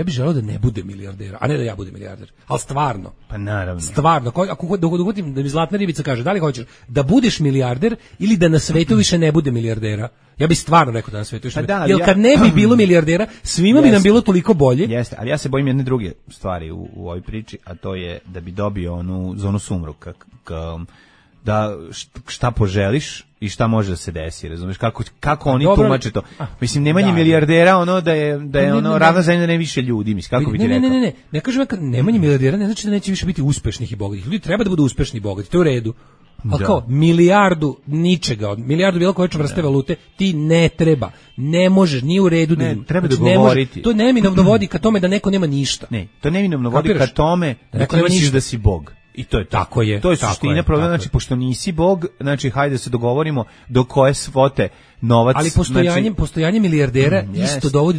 bih želeo da ne bude milijardera, a ne da ja budem milijarder. Al stvarno. Pa naravno. Stvarno, ako dogodim da mi zlatna ribica kaže, da li hoćeš da budeš milijarder ili da na svetu više ne bude milijardera? Ja bih stvarno rekao da na svetu više. Jer kad ne bi bilo milijardera, svima bi nam bilo toliko bolje. Jeste, ali ja se bojim jedne druge stvari u ovoj priči, a to je da bi dobio onu zonu sumruka, da šta poželiš i šta može da se desi, razumeš, kako oni tumače to. Mislim, nemanje milijardera, da je ravna zemlja da ne više ljudi, mislim, kako bi ti rekao? Ne kažem, nemanje milijardera ne znači da neće više biti uspešnih i bogatih. Ljudi treba da budu uspešni i bogati, to je u redu. Ali kao milijardu ničega, milijardu bilo koje vrste valute ti ne treba, ne možeš, nije u redu. Ne, treba znači, dogovoriti. To neminovno vodi ka tome da neko nema ništa. Ne, to neminovno vodi ka tome da neko ti nema misliš ništa. da si Bog. I to je to. Tako je. To je suština problema, znači pošto nisi Bog, znači hajde da se dogovorimo do koje svote novac. Ali postojanje milijardera isto jest. dovodi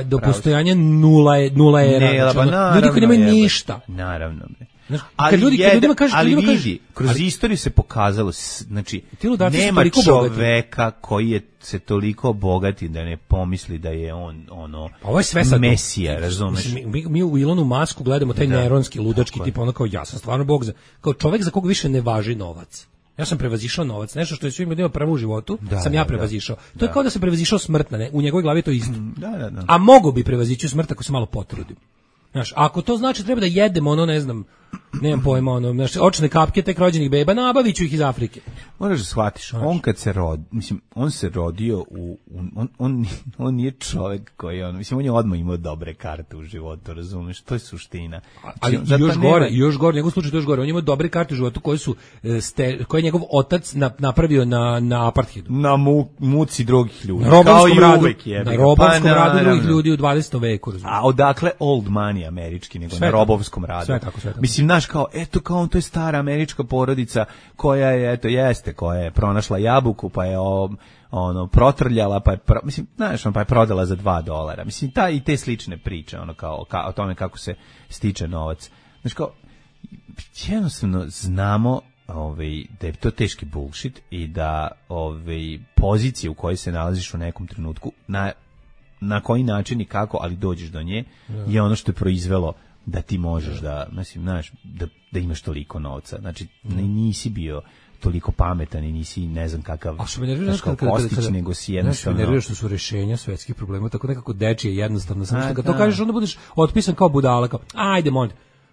do postojanja nula era. Ne, znači, naravno, ljudi koji nemaju ništa. Naravno. Znaš, Ali ljudima kažeš, vidi, kroz istoriju se pokazalo, znači, nema čoveka koji je se toliko bogati da ne pomisli da je on pa ovo je sve sad mesija, razumeš? Mi u Ilonu Masku gledamo taj neronski, ludački tip, ono kao ja sam stvarno bog, kao čovek za koga više ne važi novac. Ja sam prevazišao novac, nešto što je svim ljudima prvo u životu, sam ja prevazišao. To je kao da sam prevazišao smrt, ne? U njegovoj glavi je to isto. A mogu bi prevazići smrt ako se malo potrudim. Znaš, ako to znači treba da jedemo ono, ne znam, nemam pojma, ono, znaš, očne kapke tek rođenih beba, nabavit ću ih iz Afrike. Moraš da shvatiš, on kad se mislim, on se rodio on nije čovjek koji mislim, on je odmah imao dobre karte u životu, razumeš, to je suština. Ali još gore, njegov slučaj to još gore, on je imao dobre karte u životu koje je njegov otac napravio na apartheidu. Na muci drugih ljudi. Na robovskom radu drugih ljudi u 20. veku, razumeš. A odakle old money američki, nego sve na robovskom radu. Sve tako. Mislim, znaš, kao, on to je stara američka porodica koja je, koja je pronašla jabuku, pa je protrljala, pa je, mislim, znaš, pa je prodala za $2. Mislim, i te slične priče, kao o tome kako se stiče novac. Znaš, kao, jednostavno znamo da je to teški bullshit i da pozicije u kojoj se nalaziš u nekom trenutku, na koji način i kako, ali dođeš do nje, je ono što je proizvelo da ti možeš da, mislim, znaš, da imaš toliko novca. Znači, nisi bio toliko pametan i nisi ne znam kakav postić, nego si jednostavno... Nervira što su rešenja svetskih problema, tako nekako dečije jednostavno. Samo što kad to kažeš, onda budeš otpisan kao budala, kao, ajde, molim.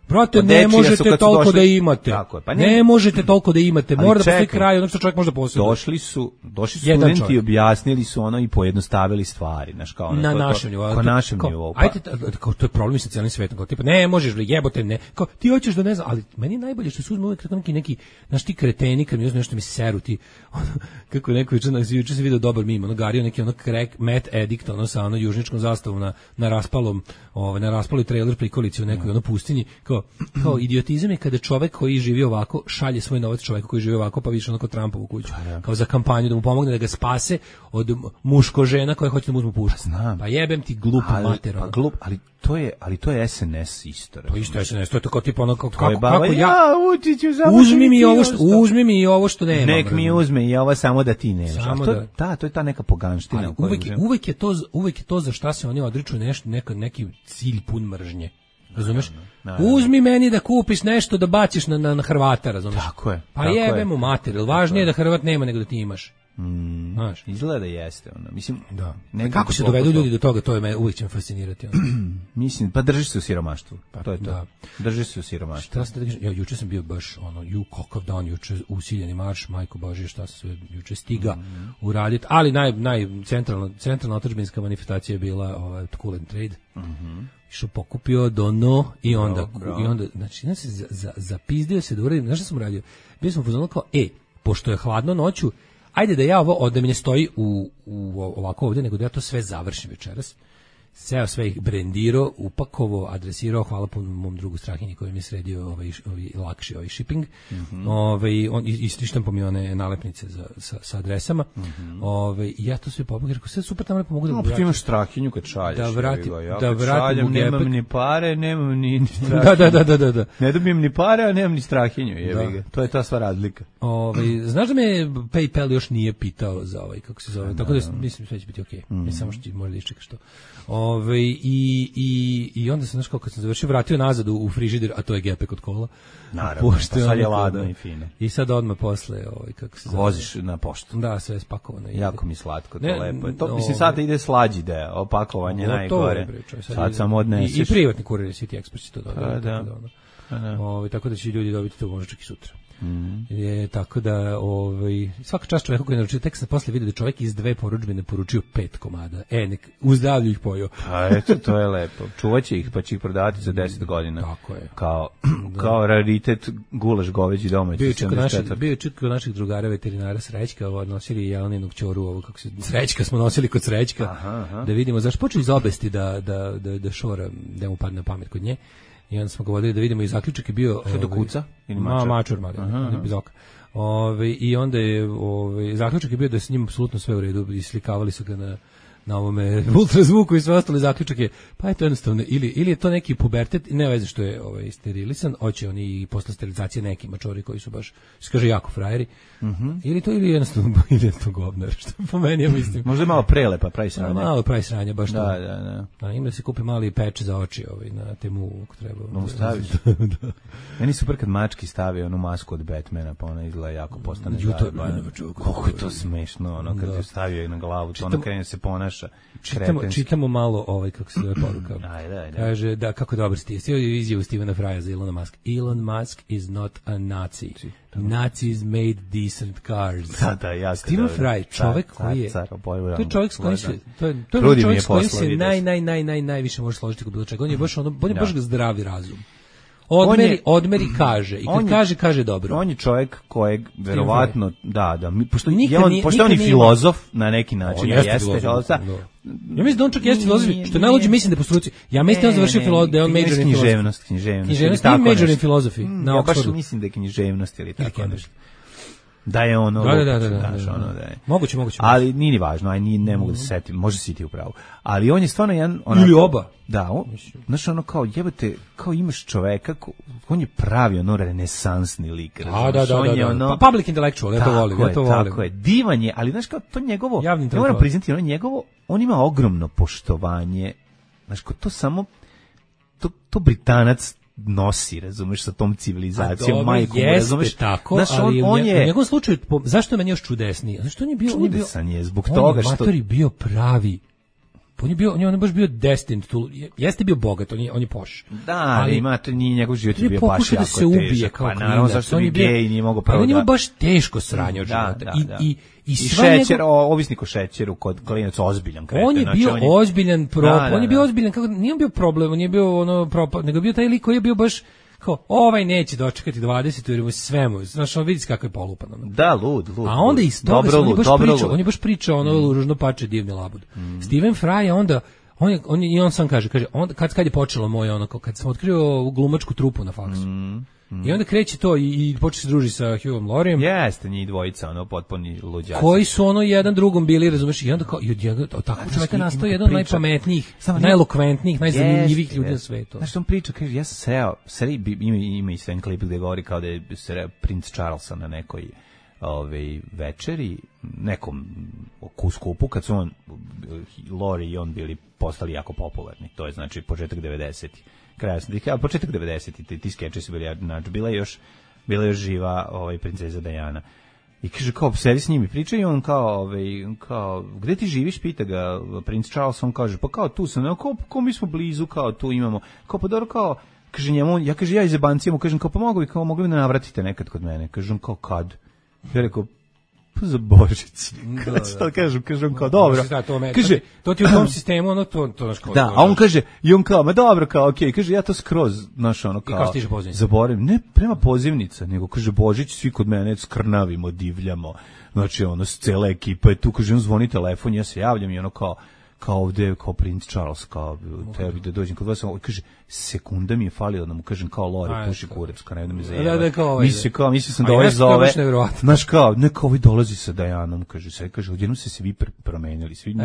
Brate, ne možete toliko da imate. Ne možete toliko da imate. Mora da postoji kraj, ono što čovjek može da posjeduje. Došli su studenti, objasnili su i pojednostavili stvari, znaš, kao na našem nivou. Kao našem nivou. Ajde, to je problem sa cijelim svetom, kao tipa ne možeš, jebote, ne. Kao ti hoćeš da ne znam, ali meni je najbolje što se uzme uvek neki, znaš, ti kreteni kad mi uzme nešto mi seru ti. Kako neko juče se video dobar mim, gario neki crack Matt Addict, sa južničkom zastavom na raspaloj trailer prikolici u nekoj pustinji. Kao idiotizam je kada čovek koji živi ovako šalje svoj novac čoveku koji živi ovako, pa više onako Trumpovu kuću. Kao za kampanju da mu pomogne da ga spase od muško žena koje hoće da mu uzmu pušku. Pa jebem ti glup mater. Pa glup, ali to je SNS isto. To isto je SNS, to je tako tipa ono kako ja uzmi mi ovo što nema. Nek mi uzme i ovo samo da ti nemaš. To je ta neka poganština. Uvek je to za šta se oni odriču neki cilj pun mržnje. Razumeš? Uzmi meni da kupiš nešto da baciš na Hrvata, razumeš? Tako je. Pa jebemo material, važnije je da Hrvat nema nego da ti imaš. Znaš, izgleda jeste mislim, da. Kako se dovedu ljudi do toga, to je uvijek će me fascinirati. Mislim, pa drži se u siromaštvu. To je to. Da. Drži se u siromaštvu. Juče sam bio baš kakav dan, juče usiljeni marš, majko Božje, šta se sve juče stiga uraditi, ali centralna otadžbinska manifestacija je bila Cool and Trade. Što pokupio dono i onda znači zapizdio se da uradim, znaš šta sam uradio? Bio sam pozvano kao, pošto je hladno noću, ajde da ja da mi ne stoji u ovako ovdje, nego da ja to sve završim večeras. Seo sve ih brendirao, upakovao, adresirao, hvala po mom drugu Strahinji koji mi je sredio lakši shipping. On istištam po mi one nalepnice sa adresama. Ja to sve pobog, rekao, sve super, tamo lepo mogu da vratim. Ti imaš Strahinju kad šalješ. Da vratim u gepek. Nemam ni pare, nemam ni Strahinju. Da. Ne dobijem ni pare, a nemam ni Strahinju. To je ta sva razlika. Znaš da me PayPal još nije pitao za kako se zove, tako da mislim sve će biti okej. Samo što možda iščekaš to. I onda sam, znaš, kao kad sam završio, vratio nazad u frižider, a to je gepek od kola. Naravno, pa sad je ladno i fine. I sad odmah posle, kako se zove. Voziš na poštu. Da, sve je spakovano. Jako mi slatko, to lepo je. To, mislim, sad ide slađi deo, opakovanje najgore. Sad sam odneseš. I privatni kurir City Express će to dodati. Tako da će ljudi dobiti to možda čak i sutra. Je, tako da svaka čast čoveku koji je naručio, tek sam posle vidio da čovjek iz 2 porudžbine poručio 5 komada. Nek u zdravlju ih pojeo. A eto, to je lepo. Čuvaće ih, pa će ih prodavati za 10 godina. Tako je. Kao raritet gulaš goveđi domaći. Bio je čut kod naših drugara veterinara Srećka, nosili Jeleninog ćoru, Srećka smo nosili kod Srećka, da vidimo zašto počeo iz obesti da šora, da mu padne na pamet kod nje. I onda smo ga vodili da vidimo i zaključak je bio... Što do kuca? Mačor, bez oka. I onda je zaključak je bio da je s njim apsolutno sve u redu i slikavali su ga na ovome ultrazvuku i sve ostale. Zaključak je, pa je to jednostavno, ili je to neki pubertet, ne veze što je sterilisan, hoće oni i posle sterilizacije neki mačori koji su baš, kaže, jako frajeri, ili jednostavno govnar, što po meni ja mislim. Možda je malo prelepa, pravi sranja. Malo pravi sranja, baš to. Da. Ima da se kupi mali peč za oči na temu, ako treba. No, staviš. Meni super kad mački stavi onu masku od Batmana, pa ona izgleda jako postane zajebana. Koliko je to smešno, kad je stavio na glavu, to ona krene se ponaša. Čitamo malo kako se zove poruka. Ajde. Kaže da kako dobar Steve. Steve izjavu Stevena Frya za Elona Musk. Elon Musk is not a Nazi. Nazis made decent cars. Da, jako. Steven Fry, čovjek koji je... To je čovjek s kojim se... To je čovjek s kojim se najviše može složiti kod bilo čega. On je baš zdravi razum. Odmeri kaže. I kad kaže dobro. On je čovjek kojeg verovatno, pošto on je filozof na neki način. Jeste filozof. Ja mislim da on čak jeste filozof, što najluđe mislim da po struci. Ja mislim da on završio da je on major in književnost. Književnost i major in filozofiji na Oxfordu. Ja baš mislim da je književnost ili tako nešto. Da je ono, da. Moguće. Ali nije ni važno, ne mogu da se setim, može si ti upravo. Ali on je stvarno jedan... Ili oba. Da, znaš kao jebate, kao imaš čoveka, on je pravi renesansni lik. Da. Public intellectual, ja to volim. Tako je, divan je, ali znaš kao to njegovo, ja moram priznati, on ima ogromno poštovanje, znaš kao to samo, to Britanac nosi, razumeš, sa tom civilizacijom, majkom, razumeš, tako, znaš, ali u njegovom slučaju, zašto je meni još čudesniji? Zašto on je bio... Čudesan je, zbog toga što... On je matori bio pravi. On je baš bio destined to... Jeste bio bogat, on je poš. Da, ali nije njegov život je bio baš jako se ubije kao klinac. Pa naravno, zašto bi gej nije mogao pravo da... On je baš teško sranje od života. I šećer, ovisnik o šećeru kod klinac ozbiljan kreten. On je bio ozbiljan problem. On je bio ozbiljan, nije on bio problem, on je bio nego bio taj lik koji je bio baš kao, ovaj neće dočekati 20 jer mu sve mu, znaš, on vidi kako je polupan. Da, lud. A onda iz toga on je baš pričao ono ružno pače divni labud. Steven Fry je onda, on sam kaže, kad je počelo moje ono, kad sam otkrio glumačku trupu na faksu. I onda kreće to i počne se druži sa Hughom Lauriem. Jeste, njih dvojica, potpuni luđaci. Koji su jedan drugom bili, razumeš, i onda kao, tako čovjeka nastao jedan od najpametnijih, najelokventnijih, najzanimljivijih ljudi na svetu. Znaš što on priča, kaže, ja sam sreo, ima i sve klip gde govori kao da je sreo princ Charlesa na nekoj večeri, nekom skupu, kad su Laurie i on bili postali jako popularni. To je znači početak 90-ih. Početak 90-ih, ti skeče su bili, znači, bila je još živa princeza Diana. I kaže, kao, sedi s njimi, priča i on kao, gde ti živiš, pita ga princ Charles, on kaže, pa kao tu sam, kao mi smo blizu, kao tu imamo, kao pa dobro, kao, kaže njemu, ja iz jebancija mu kažem, kao pa mogli bi da navratite nekad kod mene, kaže on kao kad, ja rekao, pa za Božić. Kažem kao, dobro. Kaže, to ti u tom sistemu, ono, to naš kao... Da, a on kaže, i on kao, ma dobro, kao, okej, kaže, ja to skroz, znaš, ono, kao... I kao stiže pozivnica? Zaboravim, ne prema pozivnica, nego, kaže, Božić, svi kod mene skrnavimo, divljamo, znači, ono, cela ekipa je tu, kaže, on zvoni telefon, ja se javljam i ono, kao ovde, kao princ Charles, kao tebi da dođem kod vas, kaže, sekunda mi je falila da mu kažem kao Lori, puši kurac, kao ne da mi zajeva. Mislio sam da ovaj zove, znaš kao, neka ovaj dolazi sa Dajanom, kaže, odjednom se svi promenili, svi,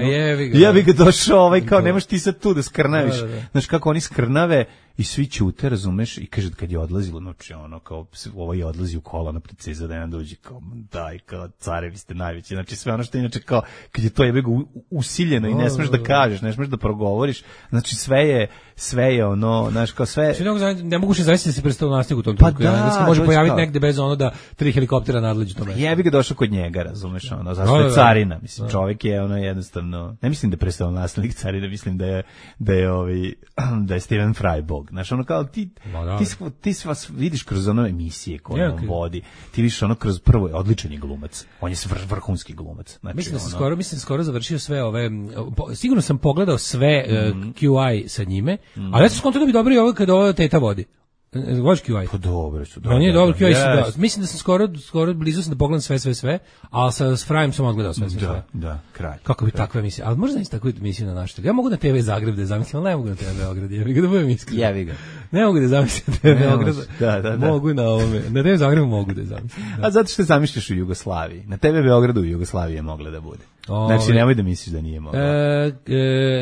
ja bi ga došao, kao nemaš ti sad tu da skrnaviš, znaš kako oni skrnave i svi ćute, razumeš, i kaže, kad je odlazilo, znači ono, kao, ovo je odlazi u kola na princeza Dajan dođe, kao, daj, kao, carevi ste najveći, znači sve ono što inače, kao, kad je to usiljeno i ne smeš da kažeš, ne smeš da progovoriš, znači sve je ono, znaš, kao sve... Ne mogu se zavisiti da se predstavio nastigu u tom trenutku. Pa može pojaviti negde bez ono da 3 helikoptera nadleđu tome. Ja bih ga došao kod njega, razumeš, ono, zašto je carina, mislim, čovjek je ono jednostavno, ne mislim da je predstavio nastavnik carina, mislim da je Steven Fry bog, drugog. Znaš, ono kao ti vas vidiš kroz ono emisije koje on vodi. Ti vidiš ono kroz prvo, odličan je glumac. On je vrhunski glumac. Znači, mislim da sam skoro završio sve ove, sigurno sam pogledao sve QI sa njime, ali ja sam skontao da bi dobro i ovo kada ova teta vodi. Voliš QI? Pa dobro su. On je dobro QI. Mislim da sam skoro blizu sam da pogledam sve, ali s Frajem sam odgledao sve. Da, kraj. Kako bi takva emisija? Ali možda znači takvu emisiju na našoj. Ja mogu na TV Zagreb da zamislim, ali ne mogu na TV Beograd. Ja bih da budem iskren. Jevi ga. Ne mogu da zamislim TV Beograd. Da. Mogu na ovome. Na TV Zagrebu mogu da zamislim. A zato što zamišljaš u Jugoslaviji. Na TV Beogradu u Jugoslaviji je mogla da bude. Znači, nemoj da misliš da nije mogla.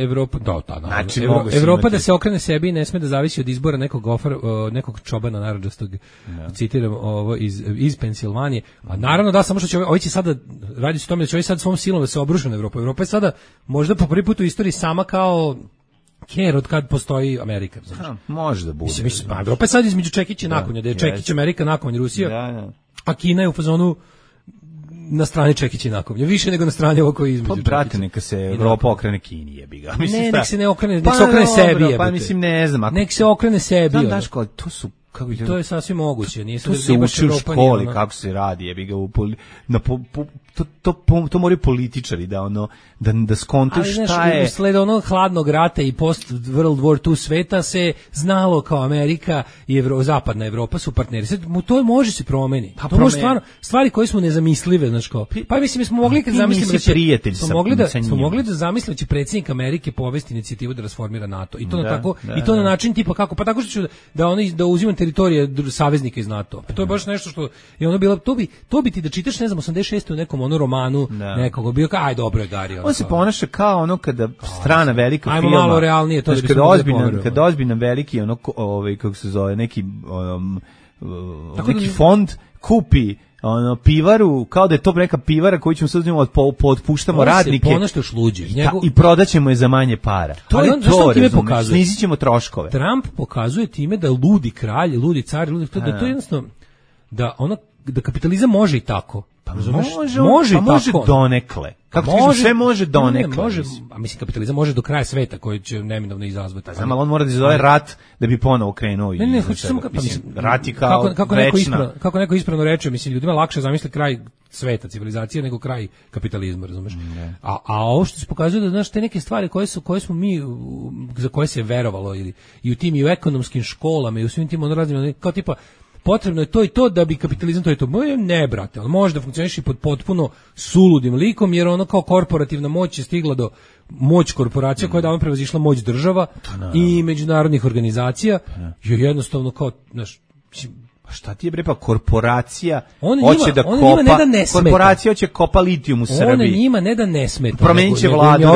Evropa, znači, Evropa da se okrene sebi i ne sme da zavisi od izbora nekog čobana narandžastog, citiram ovo iz Pensilvanije. A naravno da, samo što će ovi će sada, radi se o tome da će ovi sad svom silom da se obruše na Evropu. Evropa je sada možda po prvi put u istoriji sama kao ker od kad postoji Amerika. Znači. Može da bude. Mislim, Evropa je sad između Čekića i nakonja, da je Čekić Amerika, nakonja Rusija, a Kina je u fazonu na strani Čekića i nakovnja, više nego na strani ovo koji između. Pa brate, neka se Evropa okrene Kini, jebi ga. Mislim, ne, nek se ne okrene, nek se okrene sebi, jebote. Pa mislim, ne znam. Nek se okrene sebi. Znaš kao, to su, kako bi to je sasvim moguće. Nije to se uči u školi, kako se radi, jebi ga, to moraju političari da ono, da skontuju šta je. Usled onog hladnog rata i post World War II sveta se znalo kao Amerika i zapadna Evropa su partneri. Sad, to može se promeni. To može stvarno, stvari koje smo nezamislive, znači kao. Pa mislim, mi smo mogli kad zamislimo da će, smo mogli da zamislimo da će predsjednik Amerike povesti inicijativu da rasformira NATO. I to na tako, i to na način tipa kako, pa tako što ću da uzimam teritorije saveznika iz NATO. Pa to je baš nešto što je ono bilo, to bi ti da čitaš, ne znam, 86. u nekom ono romanu nekog bio kao aj dobro je Gari. On se ponaša kao ono kada strana velika firma. Ajmo malo realnije to da kada ozbiljan veliki ono kako se zove neki fond kupi ono pivaru, kao da je to neka pivara koju ćemo sad uzimati otpuštamo radnike. On se šluđi. I prodaćemo je za manje para. To je to, snizit ćemo troškove. Trump pokazuje time da ludi kralj, ludi car, da to je jednostavno da ono da kapitalizam može i tako. Pa može donekle. Kako ti sve može donekle? Može, a mislim kapitalizam može do kraja sveta koji će neminovno izazvati. Znam, ali on mora da izazove rat da bi ponovo krenuo. Ne, hoću samo rat je kao kako neko ispravno reče, mislim ljudima lakše zamisli kraj sveta, civilizacije nego kraj kapitalizma, razumeš? A ovo što se pokazuje da znaš te neke stvari koje smo mi za koje se verovalo ili i u tim i u ekonomskim školama i u svim tim raznim kao tipa potrebno je to i to da bi kapitalizam to i to. Ne, brate, ali može da funkcioniše pod potpuno suludim likom, jer ono kao korporativna moć je stigla do moć korporacija koja je davno prevazišla moć država i međunarodnih organizacija, jer jednostavno kao, znaš, pa šta ti je bre, pa korporacija hoće da kopa, korporacija hoće kopa litijum u Srbiji. Ona njima ne da ne smeta. Promenit će vladu.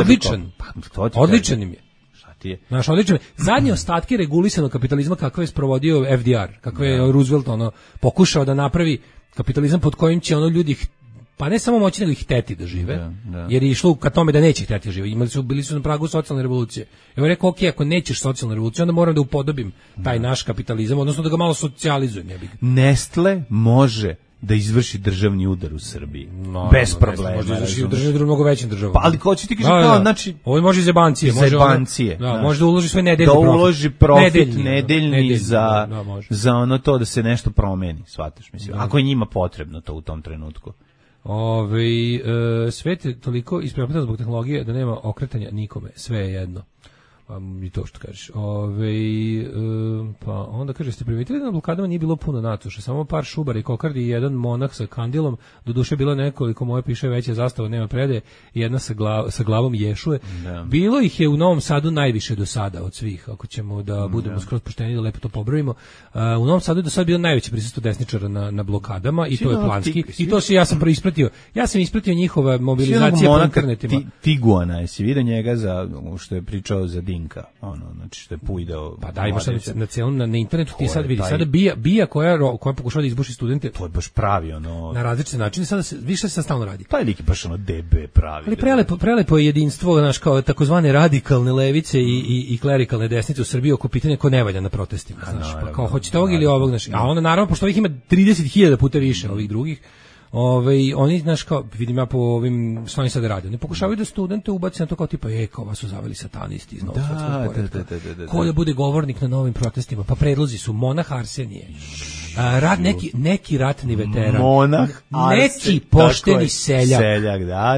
Odličan im je. Naš odličan. Zadnje ostatke regulisanog kapitalizma kakve je sprovodio FDR, kakve je Roosevelt pokušao da napravi kapitalizam pod kojim će ljudi pa ne samo moći nego ih hteti da žive, jer je išlo ka tome da neće hteti da žive. Bili su na pragu socijalne revolucije. Evo rekao, ok, ako nećeš socijalnu revoluciju, onda moram da upodobim taj naš kapitalizam, odnosno da ga malo socijalizujem. Nestle može da izvrši državni udar u Srbiji. Bez problema. Može izvrši državni udar u mnogo većim državama. Pa ali ko će ti kaže kao, znači... Ovo može iz jebancije. Može da uloži sve nedeljni profit. Da uloži profit nedeljni za ono to da se nešto promeni, shvataš, mislim. Ako je njima potrebno to u tom trenutku. Svet je toliko isprepleten zbog tehnologije da nema okretanja nikome. Sve je jedno. I to što kažeš. Pa onda kaže, ste primetili da na blokadama nije bilo puno NATO, samo par šubara i kokardi i jedan monah sa kandilom, doduše bilo nekoliko, moje piše veća zastava, nema predaje, i jedna sa glavom Ješuje. Bilo ih je u Novom Sadu najviše do sada od svih, ako ćemo da budemo skroz pošteni da lepo to pobrojimo. U Novom Sadu je do sada bilo najveće prisustvo desničara na blokadama i to je planski. I to ja sam ispratio. Ja sam ispratio njihova mobilizacija po internetima. Tiguana, jesi vidio njega što je pričao za Dinka, znači što je pujdao. Pa da, imaš na celom na internetu ti sad vidi, sada bija koja pokušava da izbuši studente. To je baš pravi na različite načine, sada više se stalno radi. Taj lik je baš DB pravi. Ali prelepo je jedinstvo, znaš, kao takozvane radikalne levice i klerikalne desnice u Srbiji oko pitanja ko ne valja na protestima, znaš, pa kao hoćete ovog ili ovog, znaš. A onda naravno pošto ovih ima 30.000 puta više ovih drugih, Oni, znaš, kao, vidim ja po ovim, što oni sad rade, oni pokušavaju da studente ubaci na to kao tipa, kao vas su zaveli satanisti iz novog svetskog poretka. Ko da bude govornik na novim protestima, pa predlozi su monah Arsenije, neki ratni veteran, monah neki pošteni seljak,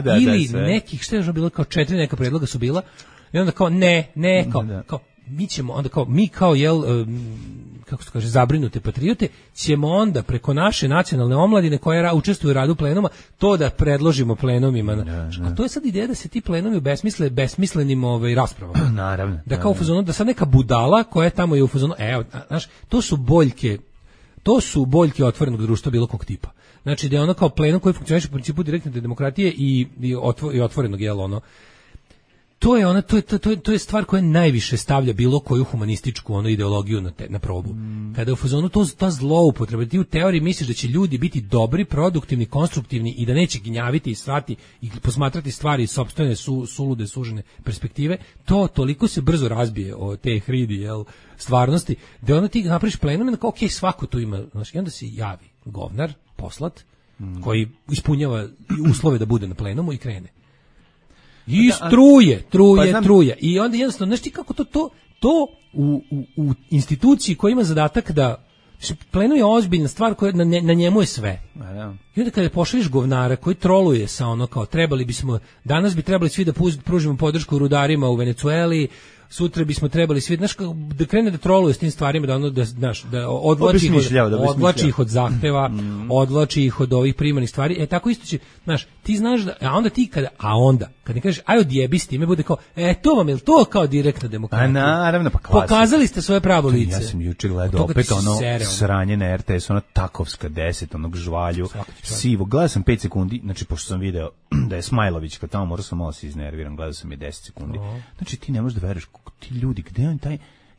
da, ili sve. nekih, što je još bilo, kao 4 neka predloga su bila, i onda kao, kao, mi ćemo, onda kao, mi kao, kako se kaže, zabrinute patriote, ćemo onda preko naše nacionalne omladine koja učestvuju u radu plenuma, to da predložimo plenumima. A to je sad ideja da se ti plenumi obesmisle besmislenim raspravama. Naravno. Da kao u fazonu, da sad neka budala koja tamo je u fazonu, znaš, to su boljke otvorenog društva bilo kog tipa. Znači da je ono kao plenum koji funkcioniše u principu direktne demokratije i otvorenog, to je stvar koja najviše stavlja bilo koju humanističku ideologiju na probu. Kada je u fazonu ta zloupotreba, ti u teoriji misliš da će ljudi biti dobri, produktivni, konstruktivni i da neće gnjaviti i srati i posmatrati stvari iz sopstvene sulude, sužene perspektive, to toliko se brzo razbije o te hridi, stvarnosti, da onda ti napraviš plenum, ok, svako tu ima, znači, i onda se javi govnar, poslat, koji ispunjava uslove da bude na plenumu i krene. I truje. I onda jednostavno, znaš ti kako to u instituciji koja ima zadatak da plenum je ozbiljna stvar koja na njemu je sve. I onda kada pošalješ govnara koji troluje sa kao danas bi trebali svi da pružimo podršku rudarima u Venecueli, sutra bismo trebali svi, znaš, da krene da troluje s tim stvarima, da odvlači ih od zahteva, odvlači ih od ovih primarnih stvari. Tako isto će, znaš, ti znaš da, onda kad ne kažeš aj odjebi s time, bude kao, to vam je to kao direktna demokratija. Naravno, pa klasika. Pokazali ste svoje pravo lice. Ja sam juče gledao opet sranje na RTS, Takovska 10, onog žvalju, sivo. Gledao sam 5 sekundi, znači pošto sam video da je Smajlović, kad tamo morao sam malo se iznerviram, gledao sam je 10 sekundi. Znači ti ne možeš da veruješ ti ljudi, gde on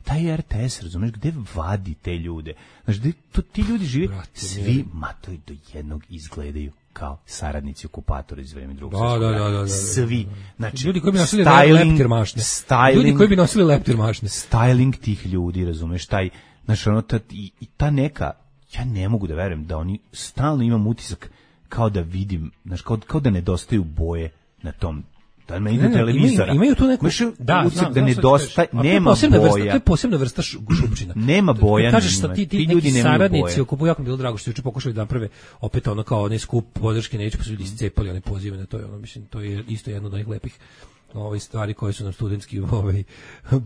taj RTS, razumeš, gde vadi te ljude? Znači, ti ljudi žive, svi matovi do jednog izgledaju kao saradnici okupatora iz vremena Drugog svjetskog rata. Svi. Znači, ljudi koji bi nosili leptir mašne. Styling tih ljudi, razumeš, znači, ta neka, ja ne mogu da verujem da oni stalno imam utisak kao da vidim, znači, kao da nedostaju boje na tom. Da me ide televizora. Imaju tu neku da nedostaje, nema boja. To je posebna vrsta šupčina. Nema boja. Kažeš što ti ljudi saradnici okupuju, jako mi bilo drago što juče pokušali da naprave opet kao onaj skup podrške, neće pa su ljudi iscepali one pozive na to, mislim, to je isto jedno od onih lepih stvari koje su nam studentski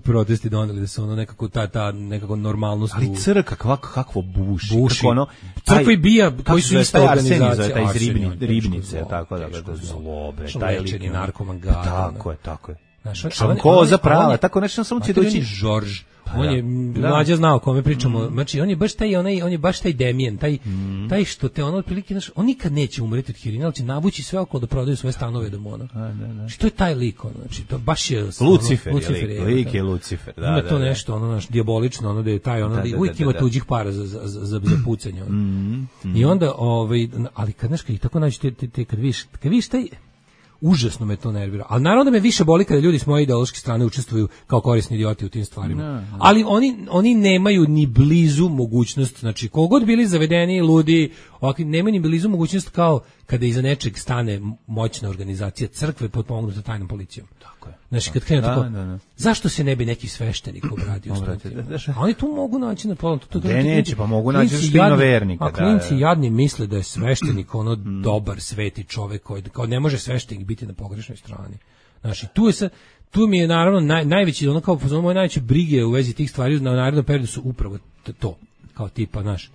protesti doneli, da se nekako ta nekako normalnost. Ali crkva kakvo buši. Crkva i bija koji su ista organizacija. Taj iz Ribnice, tako da zlobre, taj lečeni narkoman gada. Tako je. Šankoza prava, tako nešto samo će doći. Žorž. On je mlađa znao o kome pričamo. Znači on je baš taj Demijen, taj što te otprilike, znaš, on nikad neće umreti od heroina, ali će navući sve okolo da prodaju svoje stanove do mona. Znači to je taj lik, znači to baš je Lucifer, lik je Lucifer, da. Ima to nešto, naš dijabolično, da je taj, uvijek ima tuđih para za pucanje. I onda, ali kad znaš, kad tako naći kad vidiš taj, užasno me to nervira. Ali naravno me više boli kada ljudi s moje ideološke strane učestvuju kao korisni idioti u tim stvarima. Ali oni nemaju ni blizu mogućnost, znači kogod bili zavedeni, ludi, nemaju ni blizu mogućnost kao kada iza nečeg stane moćna organizacija crkve potpomognuta tajnom policijom. Tako je. Znači kad krenu tako, zašto se ne bi neki sveštenik obradio? A oni tu mogu naći na polom. Neće, pa mogu naći štino vernika. A klinci jadni misle da je sveštenik dobar, sveti čovek koji kao ne može sveštenik biti na pogrešnoj strani. Znači tu mi je naravno najveći moje najveće brige u vezi tih stvari na narednom periodu su upravo to, kao tipa, znaš,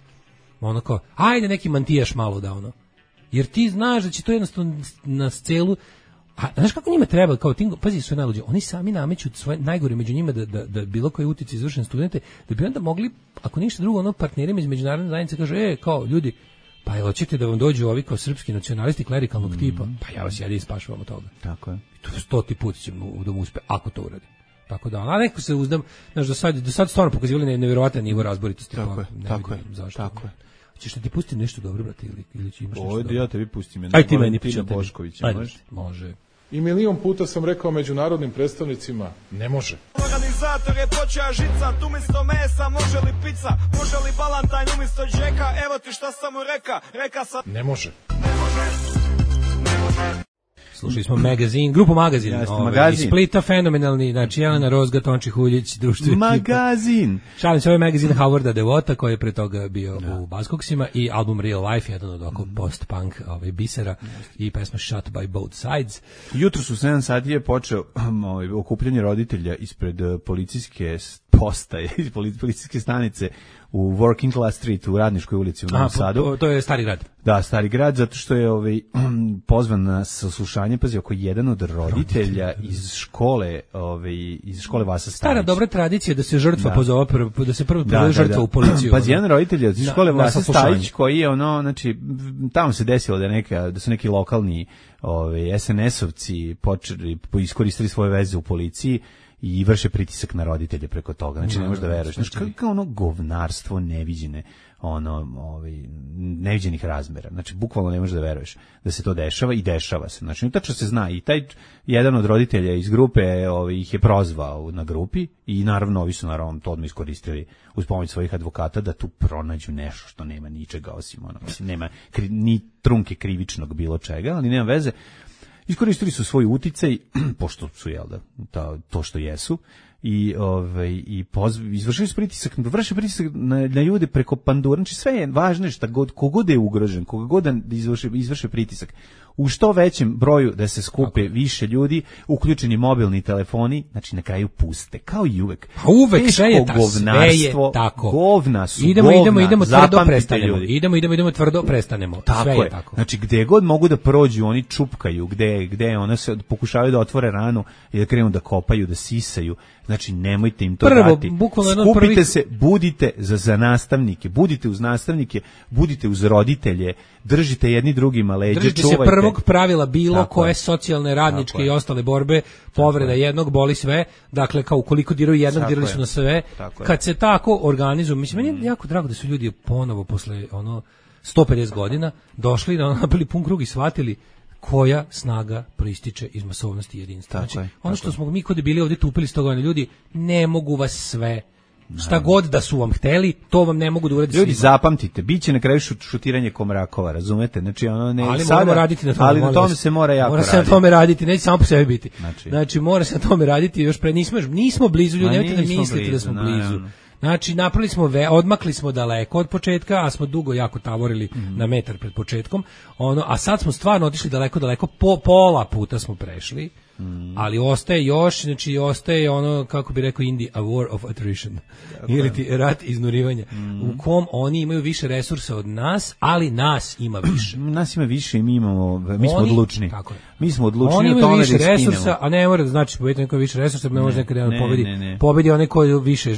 kao ajde neki mantijaš malo da jer ti znaš da će to jednostavno na celu. A znaš kako njima treba, kao tim, pazi, su najluđe, oni sami nameću svoje najgore među njima da bilo koji utici izvršen studente, da bi onda mogli, ako ništa drugo, partnerima iz međunarodne zajednice kaže, kao ljudi, pa jel hoćete da vam dođu ovi kao srpski nacionalisti klerikalnog tipa, pa ja vas jedin spašavam od toga. Tako je. To 100 put ćemo da mu uspe, ako to uradi. Tako da, a neko se uzdam, znaš, do sad stvarno pokazivali nevjerovatan nivo razboritosti. Tako je. Ćeš ti pustiti nešto dobro, brate, ili će imaš nešto dobro? Ja tebi pustim. Aj ti meni Tina Boškovića, može. I milion puta sam rekao međunarodnim predstavnicima, ne može. Organizator je počeo žicat, umjesto mesa može li pizza, može li balantajn umjesto džeka, evo ti šta sam mu reka sam... Ne može. Slušali smo magazin, grupu Magazin, iz Splita, fenomenalni, znači Jelena Rozga, Tonči Huljić, društvo Magazin. Šalim se, ovaj magazin Howarda Devota, koji je pre toga bio u Buzzcocksima, i album Real Life, jedan od oko post-punk bisera, i pesma Shot by Both Sides. Jutro su 7 sati je počeo okupljanje roditelja ispred policijske postaje, policijske stanice u Working Class Street u Radničkoj ulici u Novom Sadu. To je Stari grad. Da, Stari grad, zato što je pozvan na saslušanje, pazi, oko jedan od roditelja iz škole Vasa Stajić. Stara dobra tradicija da se žrtva pozove, da se prvo pozove žrtva u policiju. Pazi, jedan roditelj iz škole Vasa Stajić koji je znači tamo se desilo da su neki lokalni SNS-ovci iskoristili svoje veze u policiji i vrše pritisak na roditelje preko toga. Znači ne možeš da veruješ. Znači kako ono govnarstvo neviđene, neviđenih razmera. Znači bukvalno ne možeš da veruješ da se to dešava i dešava se. Znači tačno se zna i taj jedan od roditelja iz grupe ih je prozvao na grupi i naravno ovi su to odmah iskoristili uz pomoć svojih advokata da tu pronađu nešto što nema ničega osim mislim nema ni trunke krivičnog bilo čega, ali nema veze. Iskoristili su svoj uticaj, pošto su, to što jesu, i izvršili su pritisak, vrše pritisak na ljude preko pandura. Znači sve je važno šta kogod je ugrožen, kogod da izvrše pritisak. U što većem broju da se skupe više ljudi, uključeni mobilni telefoni, znači na kraju puste, kao i uvek. A uvek sve je tako. Govna su, idemo tvrdo prestanemo. Idemo tvrdo prestanemo. Tako sve je tako. Znači gde god mogu da prođu, oni čupkaju, gde one se pokušavaju da otvore ranu i da krenu da kopaju, da sisaju. Znači nemojte im to dati. Skupite se, budite za nastavnike, budite uz nastavnike, budite uz roditelje, držite jedni drugima leđa, držite čuvajte. Se prvog pravila bilo koje socijalne, radničke i ostale borbe, povreda jednog boli sve, dakle kao ukoliko diraju jednog, dirali su na sve. Kad se tako organizuju, mislim, meni je jako drago da su ljudi ponovo posle 150 godina došli, napili pun krug i shvatili koja snaga proističe iz masovnosti i jedinstva. Znači, ono što smo mi kod bili ovdje tupili 100 godina, ljudi, ne mogu vas sve. Šta god da su vam hteli, to vam ne mogu da uradi. Ljudi, zapamtite, biće na kraju šutiranje komrakova, razumete? Znači, ali moramo raditi na tome. Ali na tome se mora jako raditi. Mora se na tome raditi, neće samo po sebi biti. Znači, mora se na tome raditi, još nismo blizu, ljudi, nemojte da mislite da smo blizu. Znači, napravili smo odmakli smo daleko od početka, a smo dugo jako tavorili na metar pred početkom. A sad smo stvarno otišli daleko, pola puta smo prešli. Ali ostaje još, znači ostaje kako bi rekao Indi, a war of attrition. Ili ti rat iznurivanja. U kom oni imaju više resursa od nas, ali nas ima više. Nas ima više i mi smo odlučni. Mi smo odlučni. Oni imaju više resursa, a ne mora da znači pobedi neko više resursa, ne može nekada pobedi onaj ko više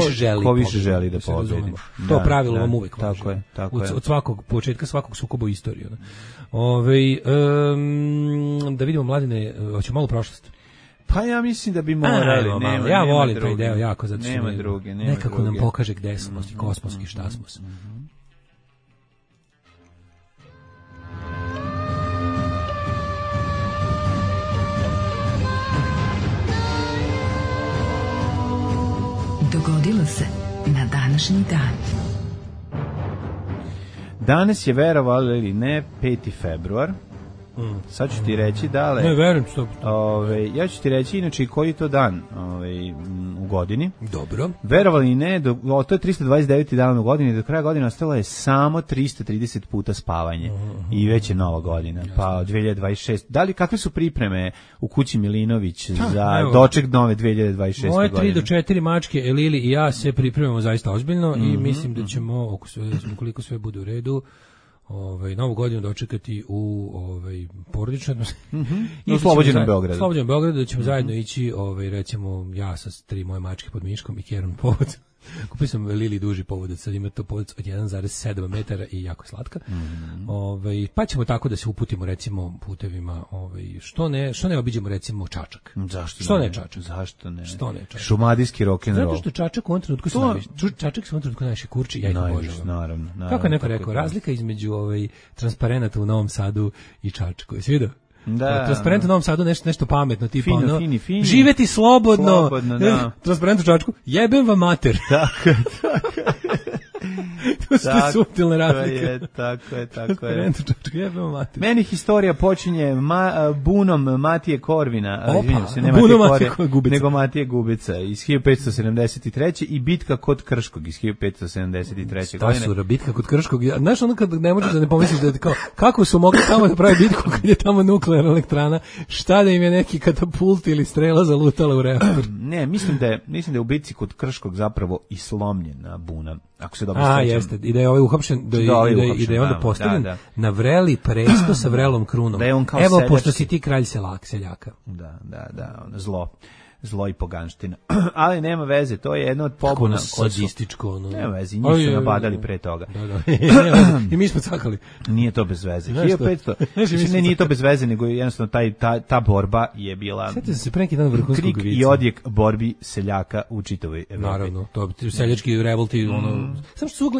želi. Ko više želi da pobedi. To pravilo vam uvek važi. Tako je. Od svakog početka svakog sukoba u istoriji. Da vidimo, Mladine, hoćemo malo prošlost. Pa ja mislim da bi morali. Ja volim taj deo jako, zato što nema druge. Nekako nam pokaže gde smo i kosmos i šta smo. Dogodilo se na današnji dan. Danas je, verovali ili ne, 5. februar. Sad ću ti reći dale. Ne, verujem što. Ja ću ti reći inače koji je to dan u godini. Dobro. Verovali ne, to je 329. dan u godini, do kraja godine ostalo je samo 330 puta spavanje. I već je nova godina. Pa 2026. Kakve su pripreme u kući Milinović za doček nove 2026. Moje godine? 3 do 4 mačke, Elili i ja se pripremamo zaista ozbiljno i mislim da ćemo, ukoliko sve bude u redu, novu godinu dočekati u porodičnoj atmosferi. U Slobođenom Beogradu. Slobođenom Beogradu, da ćemo zajedno ići, recimo, ja sa 3 moje mačke pod miškom i Kjerom povod. Kupio sam Lili duži povodac, sad ima to povodac od 1,7 metara i jako je slatka. Pa ćemo tako da se uputimo, recimo, putevima, što ne obiđemo, recimo, Čačak. Zašto što ne Čačak? Zašto ne? Što ne Čačak? Šumadijski rock'n'roll. Zato što Čačak u ovom trenutku Čačak se u ovom trenutku najviše kurči, ja ih obožavam. Naravno. Kako je neko rekao, razlika između transparenata u Novom Sadu i Čačku. Jesi vidio? Da. Transparent u Novom Sadu nešto pametno, tipa fini. Živeti slobodno da. Transparent u Čačku, jebem vam mater. Tako. To su te suptilne razlike. Tako je. Rento čočka, jebemo mati. Meni historija počinje bunom Matije Korvina, Opa, se ne bunom Matije Matije Gubica. nego Matije Gubica iz 1573. i bitka kod Krškog iz 1573. Ta godine. su bitka kod Krškog. Znaš, ono kad ne možeš da ne pomisliš da je kao, kako su mogli tamo da pravi bitku kad je tamo nuklearna elektrana, šta da im je neki katapult ili strela zalutala u reaktor. Ne, mislim da je u bitci kod Krškog zapravo i slomljena buna. Ako se dobro sećam. Jeste. I da je ovaj uhapšen, da je onda postavljen na vreli presto sa vrelom krunom. Da je on kao evo, seljački. pošto si ti kralj seljaka. Da, ono zlo i poganština. Ali nema veze, to je jedno od pobuna. Kako ono sadističko. Ono. Nema veze, njih su nabadali pre toga. Da. I mi smo cakali. Nije to bez veze. 1500. Nije to bez veze, nego jednostavno ta borba je bila Sjetite se pre neki dan vrhunskog krik vica. i odjek borbi seljaka u čitavoj Evropi. Naravno, to seljački revolti, ono. Samo što su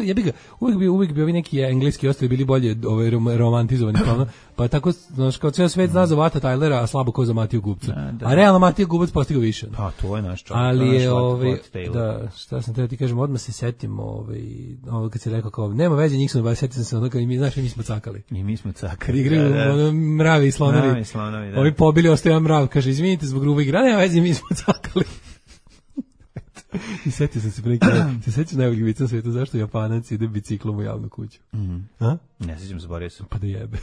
uvijek bi ovi neki engleski ostali bili bolje romantizovani, pa tako, znaš, kao cijel svet zna za Vata Tylera, a slabo ko za Matiju Gubca. A realno Matija Gubac postigao više. Pa, to je naš čovjek. Ali je, šta sam treba ti kažem, odmah se setim, kad si rekao kao, nema veze, njih smo, setim se ono, znaš, mi smo cakali. I mi smo cakali. Igraju mravi i slonovi. Da. Ovi pobili, ostaje mrav, kaže, izvinite zbog grube igre, nema veze, mi smo cakali. I setio sam se pre neki, se sećaš najboljeg vica na svijetu, zašto Japanac ide biciklom u javnu kuću? A? Ne sećam, zaboravio sam. Pa da jebe.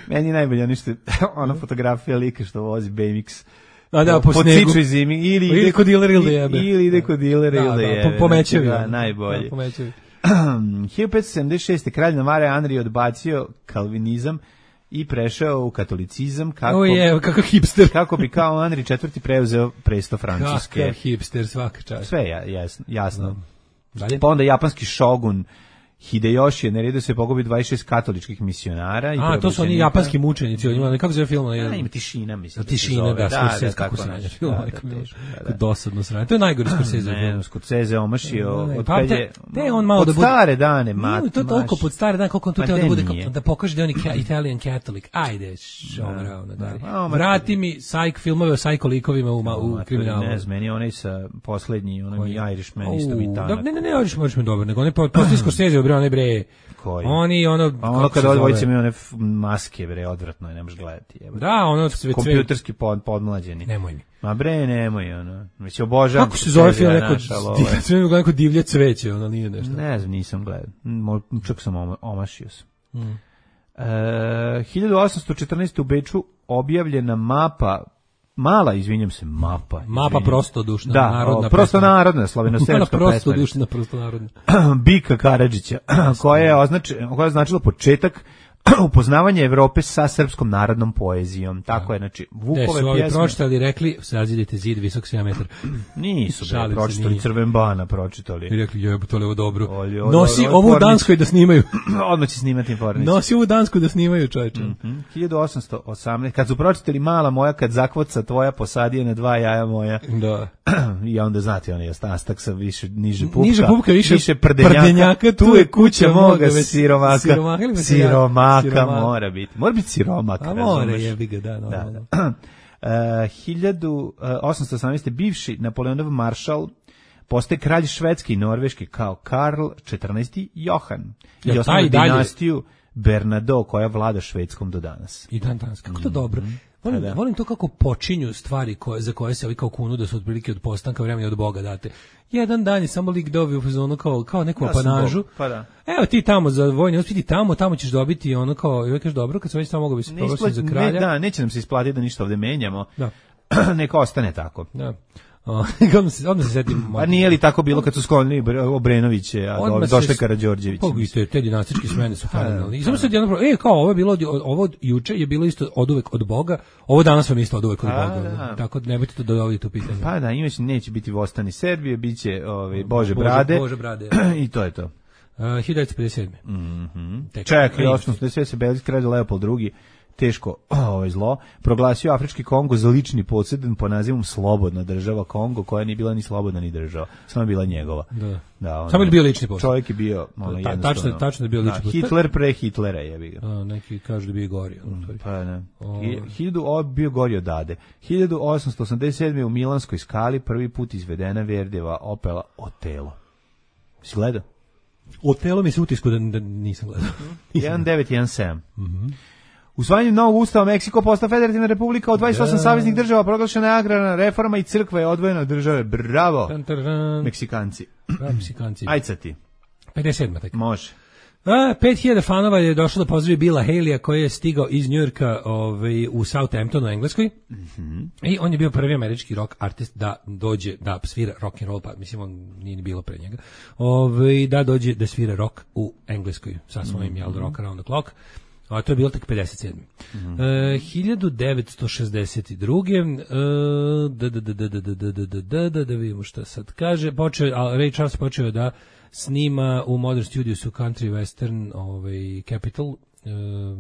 Meni je najbolje ona fotografija lika što vozi BMX. A da, po snegu. Ciču zimi, ili kod dilera ili da jebe. Ili ide kod dilera ili da jebe. Po mečevi. Da, najbolje. Po mečevi. 1576. kralj Navare Andrij odbacio kalvinizam i prešao u katolicizam kakav hipster. Kako bi kao Andrij IV preuzeo presto Francuske. Kakav hipster, svaka čast. Sve je jasno. Dalje? Pa onda japanski šogun Hideyoshi je naredio se pogubi 26 katoličkih misionara. A, to su oni japanski mučenici, kako se zove film? Ima Tišina, mislim. Tišina, da, Scorsese, kako se nanja film. Dosadno sranje. To je najgori Scorsese film. Scorsese omašio. Te on malo da bude... Pod stare dane, to je toliko pod stare dane, koliko on tu treba da bude, da pokaže da je on Italian Catholic. Ajde, šomravno. Vrati mi filmove o psycho likovima u kriminalu. Ne znam, meni je onaj sa poslednji, onaj Irishman, isto mi tanak. Ne, Irishman dobar, nego on je poslije Scorsese, onaj bre. Koji? Oni ono kad odvojice mi one maske bre, odvratno je, ne možeš gledati. Da, ono sve kompjuterski podmlađeni. Nemoj mi. Ma bre, nemoj ono. Već obožavam. Kako se zove film neko divlje cveće, ono nije nešto. Ne znam, nisam gledao. Čak sam omašio sam. 1814 u Beču objavljena mapa Mapa prostodušna, narodna. Prosto narodna, slaveno-srpska prostodušna, prosto narodna. Bika Karadžića, koja je označila početak upoznavanje Evrope sa srpskom narodnom poezijom. Tako je, znači, Vukove pjesme. Su ovi pročitali, rekli, sazidite zid visok 7 metara. Nisu pročitali, Crvenbana pročitali. I rekli, jebutole, ovo dobro. Nosi ovu u Danskoj da snimaju. Odmah će snimati informicu. Nosi ovu Dansku da snimaju, čovječe. 1818. Kad su pročitali Mala moja, kad zakvoca tvoja posadije na 2 jaja moja. Da. I onda znate, on je astak sa niže pupka. Niže pupka, više prdenjaka. Tu je kuća moga siromaka. Mora biti siromak. A mora, jebi ga, da, normalno. 1818. bivši Napoleonov maršal postaje kralj Švedske i Norveške kao Karl XIV. Johan. I osnovnu dinastiju Bernadotte koja vlada Švedskom do danas. I dan danas. Kako to dobro. Volim to kako počinju stvari za koje se ovi kao kunu da su otprilike od postanka vremena od Boga date. Jedan dan je samo lik dobio u fazonu kao neku apanažu. Pa da. Evo ti tamo za vojni uspjeti tamo ćeš dobiti ono kao, i kažeš dobro, kad se već tamo mogu bi se proglasiti za kralja. Da, neće nam se isplatiti da ništa ovde menjamo. Da. Neka ostane tako. Da. Odmah se setim. A nije li tako bilo kad su sklonili Obrenoviće, a došli Karađorđević? Isto te dinastičke smene su fenomenalne. I samo sad jedno kao ovo je bilo, ovo juče je bilo isto oduvek od Boga, ovo danas vam isto oduvek od Boga. Tako nemojte to dovoditi u pitanje. Pa da, neće biti Vostani Srbije, biće Bože Brade. I to je to. 1957. Čekaj, 800 se Belgijski kralj Leopold II teško zlo, proglasio Afrički Kongo za lični podsjedan po nazivom Slobodna država Kongo, koja nije bila ni slobodna ni država, samo je bila njegova. Da, samo je bio lični podsjedan. Čovjek je bio jednostavno. Tačno je bio lični podsjedan. Hitler pre Hitlera je bio. Neki kažu da bio gori. Pa ne. Bio gori od Ade. 1887. u Milanskoj skali prvi put izvedena Verdijeva opera Otelo. Si gledao? Otelo mi se utisku da nisam gledao. 1917. Usvajanjem novog ustava Meksiko postao federativna republika od 28 saveznih država, proglašena je agrarna reforma i crkva je odvojena od države. Bravo! Meksikanci. Ajde sad ti. 57. Tek. Može. 5000 fanova je došlo da pozdravi Billa Haleya koji je stigao iz Njujorka u Southamptonu u Engleskoj. I on je bio prvi američki rock artist da dođe da svira rock and roll, pa mislim on nije ni bilo pre njega. Da dođe da svira rock u Engleskoj sa svojim Rock Around the Clock. A to je bilo tek 57. 1962. Da vidimo šta sad kaže. Ray Charles počeo da snima u Modern Studios u Country Western Capital,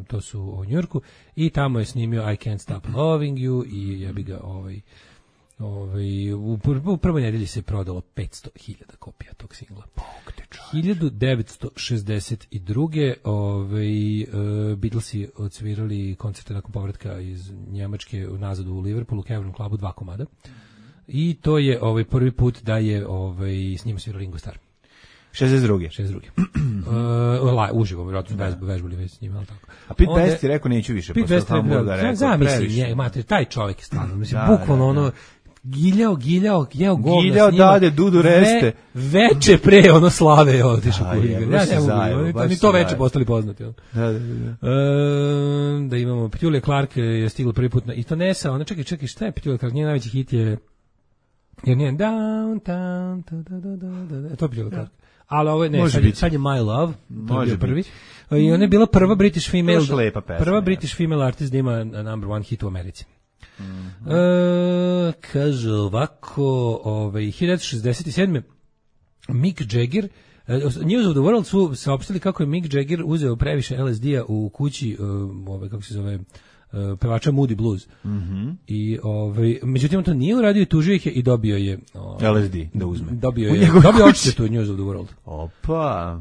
to su u Njujorku, i tamo je snimio I Can't Stop Loving You i jebi ga u prvoj nedelji se prodalo 500.000 kopija tog singla. 1962. Beatlesi odsvirali koncerte nakon povratka iz Njemačke nazad u Liverpoolu, u Cavern Clubu, 2 komada. I to je prvi put da je s njima svirao Ringo Starr. 62. Uživo, vjerojatno vežbali već s njima, ali tako. A Pete Best je rekao neću više, Pete Best je rekao, taj čovjek je stvarno, bukvalno giljao govna. Giljao dade Dudu Reste. Veče pre slave otišao kuriga. Ja ne mogu, ni to veče postali poznati. Da imamo, Petulija Clark je stigla prvi put i to Nesa, ona čekaj, šta je Petulija Clark, njen najveći hit je Downtown, to je Petulija Clark. Ali ovo je, sad je My Love, to je bio prvi. I ona je bila prva British female artist da ima number one hit u Americi. Kaže ovako, 1967. Mick Jagger, News of the World su saopštili kako je Mick Jagger uzeo previše LSD-a u kući, kako se zove, pevača Moody Blues. I međutim to nije uradio i tužio ih je i dobio je LSD da uzme. Dobio odštetu News of the World. Opa.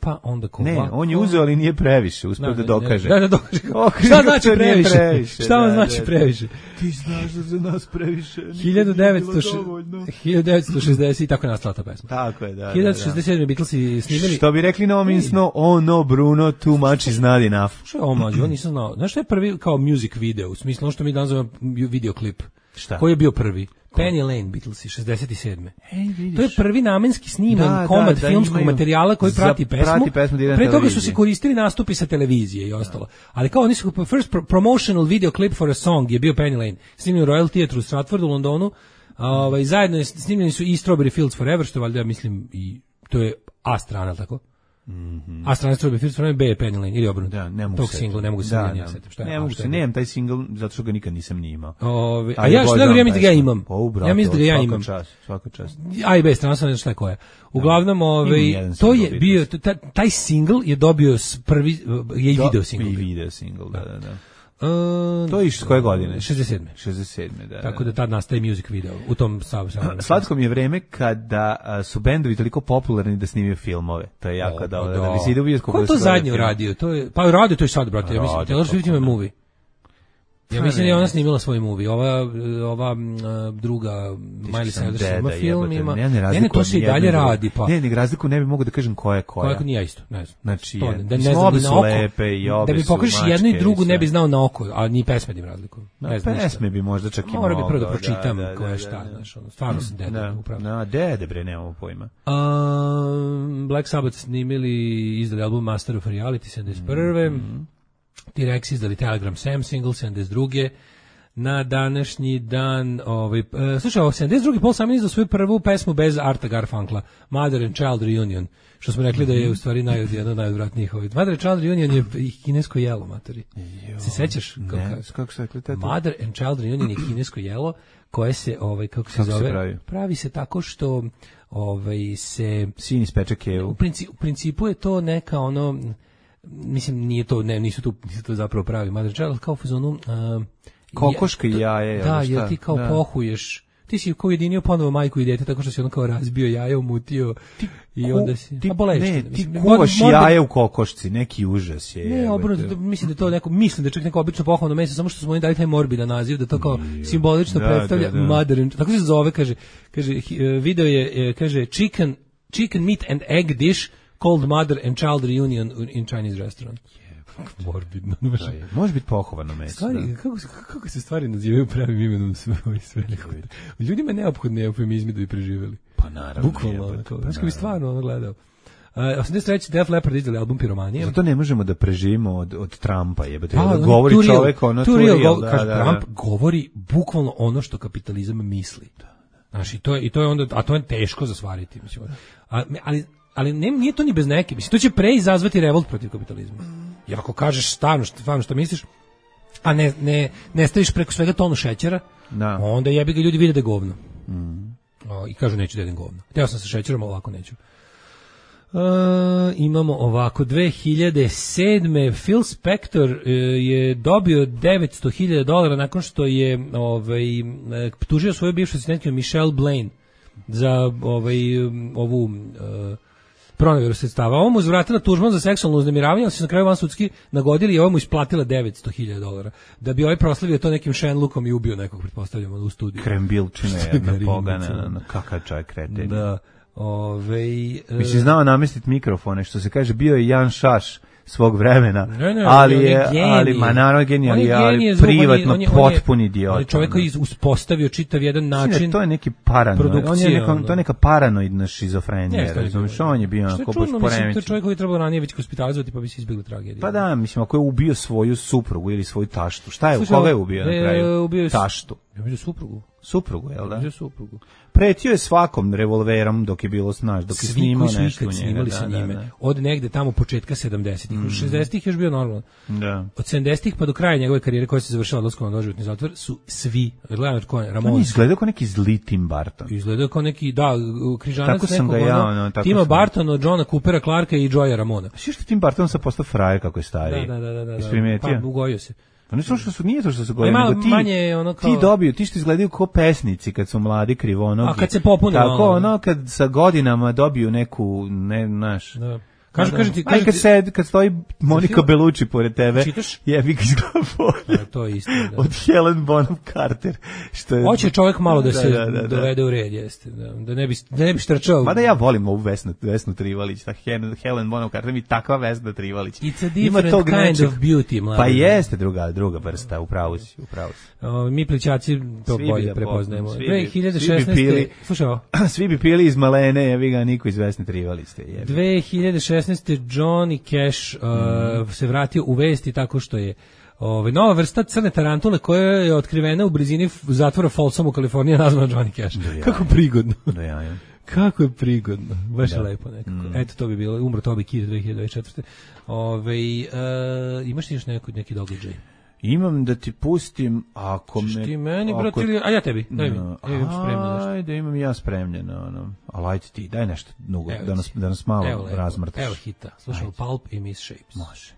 Pa onda on je uzeo, ali nije previše, uspio da dokaže. Da dokaže. Šta znači previše? Šta vam znači previše? Ti znaš da za nas previše. 1960 i tako je nastala ta pesma. Tako je, da. 1967 Beatlesi snimili. Što bi rekli na ominsno, no Bruno, too much is not enough. Što je omađi, on nisam znao. Znaš što je prvi kao music video, u smislu ono što mi danas zovemo videoklip? Šta? Koji je bio prvi? Penny Lane, Beatlesi, 67. To je prvi namenski sniman komad filmskog materijala koji prati pesmu. Pre toga su se koristili nastupi sa televizije i ostalo. Ali kao oni su, first promotional video clip for a song je bio Penny Lane. Snimljen u Royal Theatre u Stratfordu, u Londonu. Zajedno snimljeni su i Strawberry Fields Forever, što valjda mislim i to je A strana, tako? A strana Strawberry Fields Forever, B je Penny Lane, ili obrnuto. Da, ne mogu tog singla, ne mogu se sjetiti. Ne mogu se, nemam taj singl, zato što ga nikad nisam ni imao. A ja što ne mislim da ga imam. Ja mislim da ga ja imam. Svaka čast. A i B strana, sam ne šta je koja. Uglavnom, to je bio, taj singl je dobio prvi, je i video singl. I video singl, da. To je iz koje godine? 67. Da. Tako da tad nastaje music video u tom slatko mi je vreme kada su bendovi toliko popularni da snimaju filmove. To je jako dobro. Da bi se ide u bioskop. Ko je to zadnje uradio? Pa radio to i sad, brate. Ja mislim, Taylor Swift ima movie. Ja mislim da je ona snimila svoj movie. Ova druga Miley Cyrus ima film, ima. Ne, to se i dalje radi. Pa. Ne razliku ne bi mogu da kažem koja je koja. Koja nije isto, ne znam. Znači, da ne znam na oko. Da bi pokažeš jednu i drugu ne bi znao na oko, a ni pesme im razlikuju. Ne znam. Pesme bi možda čak i mogao. Mora bi prvo da pročitam koja je šta, znaš, stvarno sam deda upravo. Na dede bre, nemamo pojma. Black Sabbath snimili izdali album Master of Reality 71. T-Rex izdali Telegram Sam single 72. Na današnji dan, slušaj, 72. Paul Simon izdao svoju prvu pesmu bez Arta Garfunkla, Mother and Child Reunion, što smo rekli da je u stvari jedna od najodvratnijih. Mother and Child Reunion je kinesko jelo, matori. Se sećaš? Kako se rekli? Mother and Child Reunion je kinesko jelo koje se, kako se zove? Pravi se tako što se... Sin ispeče kevu. U principu je to neka mislim, nisu to zapravo pravi mother and child, ali kao u fazonu... Kokoška i jaje. Da, jer ti kao pohuješ, ti si kao ujedinio ponovo majku i dete tako što si ono kao razbio jaje, umutio i onda si... Ti kuvaš jaje u kokošci, neki užas je. Ne, obrnuto, mislim da je to neko, mislim da je čak neko obično pohvalno meso, samo što smo oni dali taj morbidan naziv, da to kao simbolično predstavlja mother and, tako se zove, kaže, video je, kaže, chicken meat and egg dish called mother and child reunion in Chinese restaurant. Morbidno. Može biti pohovano meso. Stvari, kako se stvari nazivaju pravim imenom sve. Ljudima je neophodno eufemizmi da bi preživjeli. Pa naravno. Bukvalno. Znači kad bi stvarno ono gledao. 83. Def Leppard izdali album Piromanije. Zato ne možemo da preživimo od Trumpa, jebate. Govori čovek ono tu real. Trump govori bukvalno ono što kapitalizam misli. Znači, to je onda, a to je teško za stvariti. Mislim. Ali nije to ni bez neke. Mislim, to će pre izazvati revolt protiv kapitalizma. Jer ako kažeš stvarno što misliš, a ne staviš preko svega tonu šećera, onda jebi ga ljudi vide da je govno. I kažu neću da jedem govno. Hteo sam sa šećerom, ali ovako neću. Imamo ovako, 2007. Phil Spector je dobio $900,000 nakon što je tužio svoju bivšu asistentku Michelle Blaine za ovu proneveru sredstava. Ovo mu uzvratila tužbom za seksualno uznemiravanje, ali se na kraju vansudski nagodili i ovo mu isplatila $900,000. Da bi ovaj proslavio to nekim Shenlookom i ubio nekog, pretpostavljamo, u studiju. Krembilčina jedna pogana, kakav čaj kreten. Da. Mislim, znao namestiti mikrofone, što se kaže, bio je Jan Šaš svog vremena, ne, ali naravno genijalni, ali privatno potpuni idiot. Ali čovjek koji uspostavio čitav jedan način. To je neki paranoid, to je neka paranoidna šizofrenija, razumiješ, on je bio onako baš poremećen. To je čovjek koji je trebalo ranije već hospitalizovati pa bi se izbjegli tragedije. Pa da, mislim, ako je ubio svoju suprugu ili svoju taštu, šta je, koga je ubio na kraju? Taštu. Ja mislim suprugu. Suprugu, jel da? Suprugu. Pretio je svakom revolverom dok je bilo snaž, dok je snimao nešto u njega. Snimali sa njime. Od negde tamo početka 70-ih. U 60-ih je još bio normalno. Da. Od 70-ih pa do kraja njegove karijere koja se završila odlaskom na doživotni zatvor su svi, gledam ko je, Ramon. On izgledao kao neki zli Tim Burton. Izgledao kao neki, križanac tako nekog, Tima Burtona, od Johna Coopera, Clarka i Joya Ramona. A što Tim Burton sad postao frajer kako je stariji? Da. Isprimetio? Pa ugojio se. Pa nije to što su govorili, nego ti što izgledaju kao pesnici kad su mladi krivonogi. A kad se popune tako, kad sa godinama dobiju neku, Da. Kad stoji Monika Bellucci pored tebe, jebi ga izgleda to je isto, da. Od Helen Bonham Carter. Hoće čovjek malo da se dovede u red, jeste. Da ne bi štrčao. Mada ja volim ovu Vesnu Trivalić, Helen Bonham Carter mi takva Vesna Trivalić. It's a different kind of beauty, mladi. Pa jeste druga vrsta, upravo si. Mi plićaci to bolje prepoznajemo. 2016. Slušaj ovo. Svi bi pili iz malene, jebi ga, niko iz Vesne Trivalić. 2016. Johnny Cash se vratio u vesti tako što je nova vrsta crne tarantule koja je otkrivena u blizini zatvora Folsom u Kaliforniji nazvana Johnny Cash. Kako prigodno. Kako je prigodno. Baš je lepo nekako. Eto, to bi bilo. Umro Toby Keith 2024. Imaš ti još neki događaj? Imam da ti pustim, ako me... Ćeš ti meni, brate, ili... A ja tebi, daj mi. Ja imam spremno nešto. Ajde, imam ja spremljeno, ali ajde ti, daj nešto nugo, da nas malo razmrtaš. Evo hita, slušamo Pulp i Miss Shapes. Može.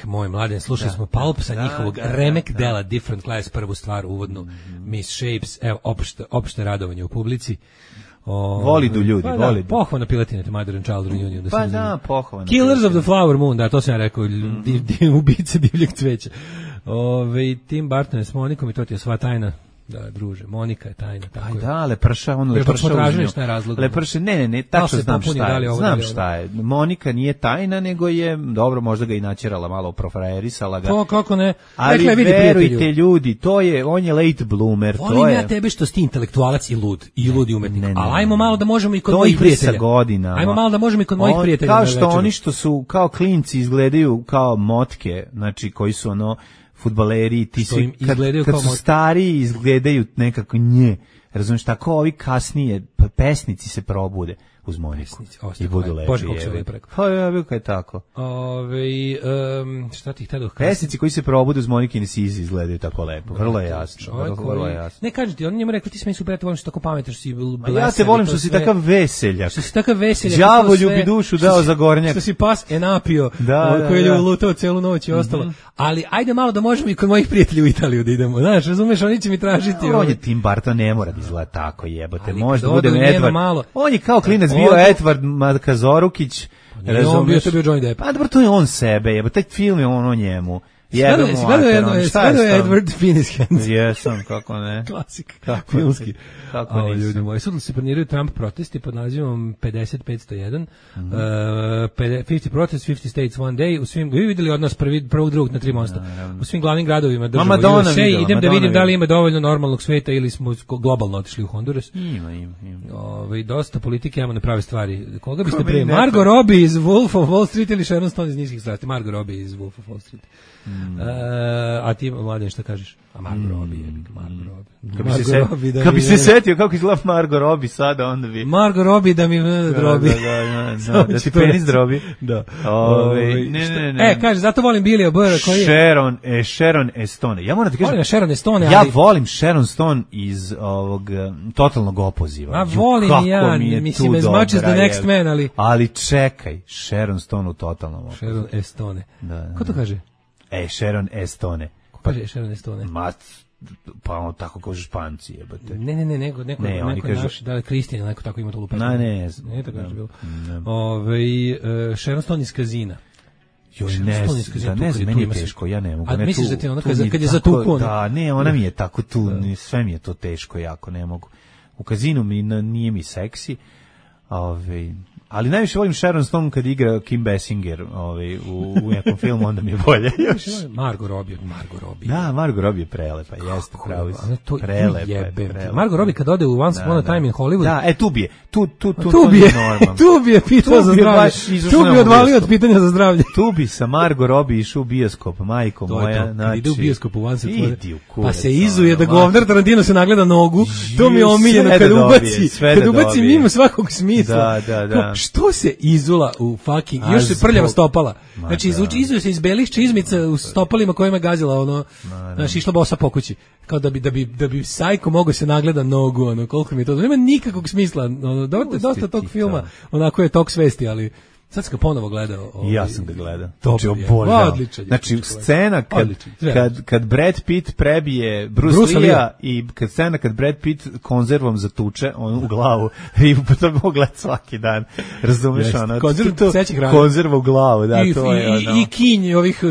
Moj mladen, slušali smo Pulp sa njihovog remek dela Different Class, prvu stvar, uvodnu, Miss Shapes, evo, opšte radovanje u publici. Voli du ljudi, voli du. Pohvalna piletine, te Mother and Child Reunion. Pa da, pohvalna. Killers of the Flower Moon, da, to sam ja rekao, ubice divljeg cveća. Tim Burton je s Monikom i to ti je sva tajna. Da, druže, Monika je tajna. Tako je. Da, Leprša tražili šta je razlog. Leprša, ne, tačno znam šta je. Znam šta je. Monika nije tajna, nego je, dobro, možda ga i načerala malo, profrajerisala ga. To kako ne. Ali verujte ljudi, on je late bloomer. Volim ja tebe što si ti intelektualac i lud i umetnik. Ali ajmo malo da možemo i kod mojih prijatelja. Sa godinama. Ajmo malo da možemo i kod mojih prijatelja. Kao što oni što su kao klinci izgledaju kao motke, znači koji su fudbaleri, ti svi kad su stariji izgledaju nekako Razumiješ, tako ovi kasnije pesnici se probude uz Moniku i budu lepi. Bože, kako se lepo rekao. Pa ja bih kaj tako. Šta ti ih tada pesnici koji se probude uz Monikine size izgledaju tako lepo. Vrlo je jasno. Vrlo je jasno. Ne kažem ti, on njemu rekao ti se meni super, volim što tako pametan, što si blesav. Ja te volim što si takav veseljak. Što si takav veseljak. Đavolju bi dušu dao za gornjak. Što si pas enapio, koji je lutao celu noć i ostalo. Ali ajde malo da možemo i kod mojih prijatelja u Italiju da idemo. Znaš, razumeš, oni će mi tražiti. On je Tim Burton, ne mora da izgleda tako, jebote. Možda bude Edward. On je kao klinac bio Edward Makazorukić. On bio Johnny Depp. Pa dobro, to je on sebe, jebote. Taj film je on o njemu. Gledao je Edward Finis Hands. Jesam, kako ne. Klasik, filmski. Kako ne. Ljudi moji, sutra se planiraju Trump protesti pod nazivom 50-501. 50 protest, 50 states one day. U svim, vi videli od nas prvog, drugog na 3 mosta. U svim glavnim gradovima država USA. Idem da vidim da li ima dovoljno normalnog sveta ili smo globalno otišli u Honduras. Ima. Dosta politike, imamo na prave stvari. Koga biste pre? Margot Robbie iz Wolf of Wall Street ili Sharon Stone iz Niskih strasti? Margot Robbie iz Wolf of Wall Street. A ti, Mladen, šta kažeš? A Margot Robbie je, Margot Robbie. Kad bi se setio kako izgleda Margot Robbie sada, onda bi... Margot Robbie da mi drobi. Da ti penis drobi. Da. Ne. Kaže, zato volim Billy O'Bara koji je... Sharon Stone. Ja moram ti kažem... Volim Sharon Stone, ja volim Sharon Stone iz ovog Totalnog opoziva. A volim ja, mislim, as much as the next man, ali... Ali čekaj, Sharon Stone u Totalnom opozivu. Sharon Stone. Ko to kaže? Sharon Stone. Ko kaže Sharon Stone? Pa on tako kaže Španci, jebate. Ne, neko naš, da li Kristijan, neko tako ima to lupetno. Ne, tako je bilo. Sharon Stone iz Kazina. Ne znam, meni je teško, ja ne mogu. A misliš da ti ona kad je zatuku? Da, ne, ona mi je tako tu, sve mi je to teško jako, ne mogu. U Kazinu nije mi seksi, ali najviše volim Sharon Stone kad igra Kim Basinger u nekom filmu, onda mi je bolje još. Margot Robbie. Da, Margot Robbie je prelepa, jeste pravo. Prelepa. Margot Robbie kad ode u Once Upon a Time in Hollywood. Da, tu bi je. Tu bi je pitao za zdravlje. Tu bi odvalio od pitanja za zdravlje. Tu bi sa Margot Robbie išao u bioskop, majko moja. Ide u bioskop u Once Upon a Time. Pa se izuje da govnar Tarantino se nagleda nogu. To mi je omiljeno kad ubaci mimo svakog smisla. Da. Što se izula u fucking, još se prljava stopala. Znači, izuje se iz belih čizmica u stopalima kojima je gazila, znači, išla bosa po kući. Kao da bi sajko mogao se nagleda nogu, koliko mi je to, nema nikakvog smisla, dosta tog filma, onako je tok svesti, ali sad sam ga ponovo gledao. Ja sam ga gledao. Odličan. Znači, scena kad Brad Pitt prebije Bruce Lee-a i scena kad Brad Pitt konzervom zatuče u glavu i to mogu gledati svaki dan. Razumeš ono? Konzerva u glavu, da, to je ono. I kinj ovih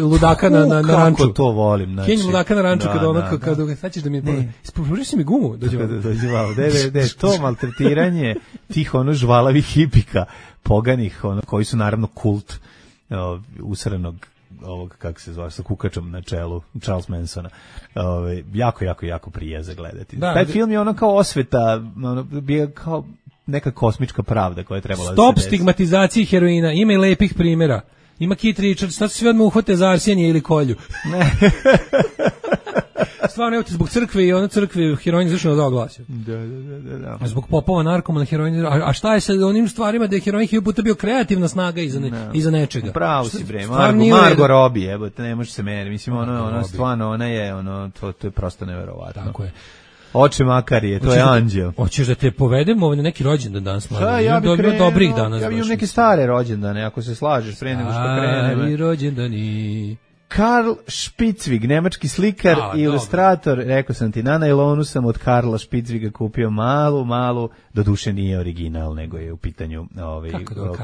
ludaka na ranču. Kako to volim. Kinj ludaka na ranču kada sad ćeš da mi... Pruži si mi gumu. Dođe vamo. To maltretiranje tih žvalavih hipika poganih, koji su naravno kult usranog ovog, kako se zove, sa kukačom na čelu, Charles Mansona. Jako prije za gledati. Taj film je kao osveta, bio kao neka kosmička pravda koja je trebala da se desi. Stop stigmatizaciji heroina, ima i lepih primjera. Ima Keith Richards, sad svi odmah uhvate za arsenije ili kolju. Stvarno, evo ti zbog crkve i crkve heroin izvršeno dao glasio. Da. Zbog popova narkomana heroin. A šta je sa onim stvarima da je heroin puta bio kreativna snaga iza nečega? Pravo si bre, Margot Robbie, evo te ne može se meri. Mislim, ona stvarno, ona je, to je prosto neverovatno. Tako je. Oče Makarije, to je anđeo. Hoćeš da te povedemo na neki rođendan danas? Ja bih krenuo dobrih danas. Ja bih neke stare rođendane, ako se slažeš, pre nego što krenemo. Stari rođendani. Karl Spitzwig, nemački slikar i ilustrator, rekao sam ti, na najlonu sam od Karla Spitzwiga kupio malu, doduše nije original, nego je u pitanju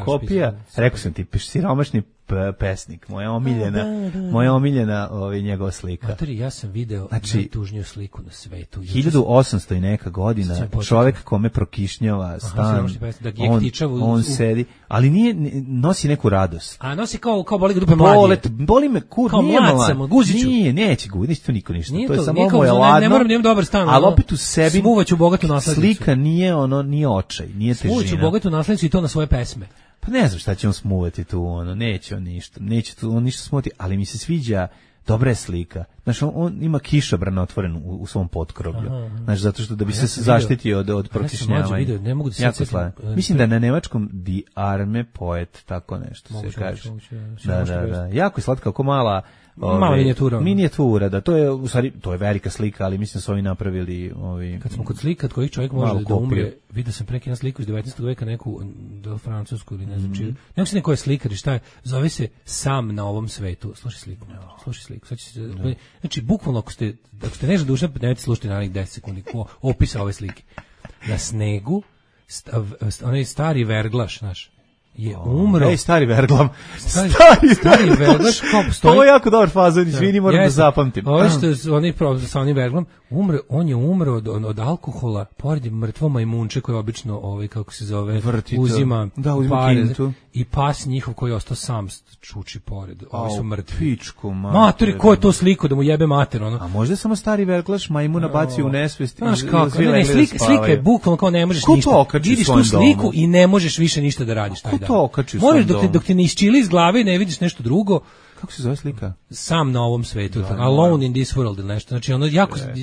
kopija. Rekao sam ti, siromašni pesnik, moja omiljena njegova slika. Matori, ja sam video najtužniju sliku na svetu. 1800 i neka godina, čovjek kome prokišnjava stan, on sedi, ali nosi neku radost. A nosi kao boli ga dupe mladije. Boli me kur, nije malo. Neće to niko ništa. To je samo moje ladno. Ne moram da imam dobar stan. Ali opet u sebi smuvaću bogatu naslednicu. Slika nije očaj, nije težina. Smuvaću bogatu naslednicu i to na svoje pesme. Pa ne znam šta će on smuvati tu, neće on ništa smuvati, ali mi se sviđa dobra je slika. Znaš, on ima kišobran otvoren u svom potkroblju. Znaš, zato što da bi se zaštitio od prokišnjavanja. Ne mogu da se jako slavan. Mislim da je na nemačkom Die arme Poet, tako nešto se kaže. Da. Jako je slatka, kako mala minijatura, da, to je u stvari, to je velika slika, ali mislim da su ovi napravili kad smo kod slika, kojih čovjek može da umre, vidio sam preki na sliku iz 19. veka, neku do francusku ili ne znam čiju. Neko se neko je slikar i šta je, zove se Sam na ovom svetu. Slušaj sliku. Sad će se, znači, bukvalno ako ste nešto duša, nemojte slušati na 10 sekundi opisa ove slike. Na snegu, onaj stari verglaš, znaš, je umro. Ej, stari verglam. Stari verglaš kao postoji. Ovo je jako dobar fazon, izvini, moram da zapamtim. Ovo što oni sa onim verglom, on je umro od alkohola, pored mrtvo majmunče koje obično, kako se zove, uzima pare, i pas njihov koji je ostao sam čuči pored. Ovi su mrtvi. Mater, ko je to sliko da mu jebe mater, ono? A možda samo stari verglaš majmuna bacio u nesvest. Znaš kako, slika je bukvalno kao ne možeš ništa. Vidiš tu sliku i ne možeš više ništa da radiš taj dan. Moraš dok te ne isčili iz glave i ne vidiš nešto drugo. Kako se zove slika? Sam na ovom svetu, Alone in this world ili nešto. Znači, ono,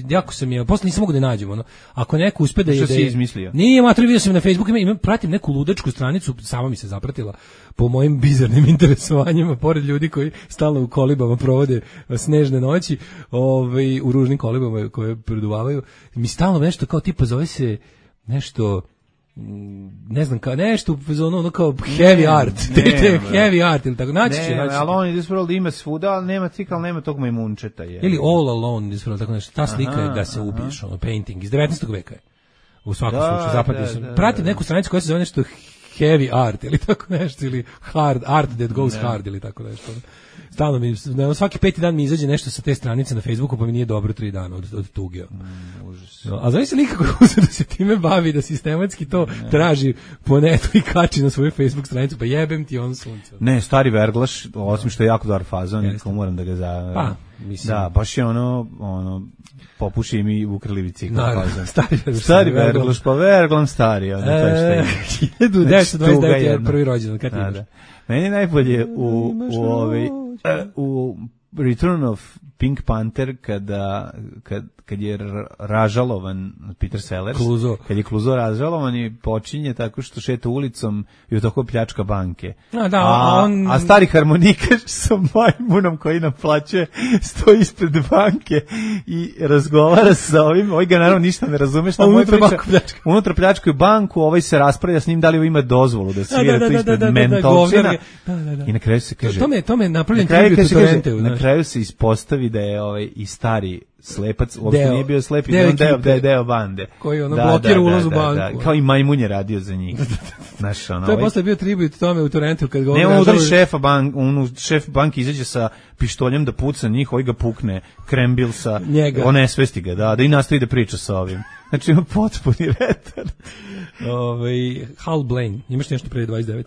jako sam je, posle nisam mogu da nađem, ono, ako neko uspe da je... Što si izmislio? Nije, mater, vidio sam na Facebooku, pratim neku ludačku stranicu, sama mi se zapratila po mojim bizarnim interesovanjima, pored ljudi koji stalno u kolibama provode snežne noći, u ružnim kolibama koje preduvavaju, mi stalno nešto kao tipa zove se nešto... ne znam, kao nešto ono kao heavy art, heavy art ili tako, naći će. Alone in this world ima svuda, ali nema tog majmunčeta. Ili All Alone in this world, tako nešto, ta slika je da se ubiješ, painting, iz 19. veka je. U svakom slučaju, zapamtio sam. Pratim neku stranicu koja se zove nešto heavy art ili tako nešto, ili hard art that goes hard ili tako nešto. Stalno mi, svaki 5. dan mi izađe nešto sa te stranice na Facebooku, pa mi nije dobro 3 dana od tuge. A znaš se nikako da se time bavi, da sistematski to traži po netu i kači na svoju Facebook stranicu, pa jebem ti on sunce. Ne, stari verglaš, osim što je jako dobar fazon, moram da ga Pa, mislim. Da, baš je ono popuši mi ukrali bicikl. Stari verglaš, pa verglam stari. 1929 je prvi rođendan, kad imaš? Meni je najbolje u Return of Pink Panther kad je ražalovan Peter Sellers, kad je Kluzo ražalovan i počinje tako što šeta ulicom i u toko pljačka banke. A stari harmonikaš sa majmunom koji naplaćuje stoji ispred banke i razgovara sa ovim, ovaj ga naravno ništa ne razume šta mu unutra pljačkaju banku, ovaj se raspravlja s njim da li ima dozvolu da svira to ispred mentalčina i na kraju se kaže tome je napravljen tribut u Torrenteu. Na kraju se ispostavi da je i stari slepac, uopšte nije bio slep i deo bande. Koji blokira ulaz u banku. Kao i majmun je radio za njih. To je posle bio tribut tome u Torrenteu. Nema udari šef banke izađe sa pištoljem da puca njih, ovaj ga pukne, krembil sa, onesvesti ga, da i nastavi da priča sa ovim. Znači ima potpuni retard. Hal Blaine, imaš nešto pre 29?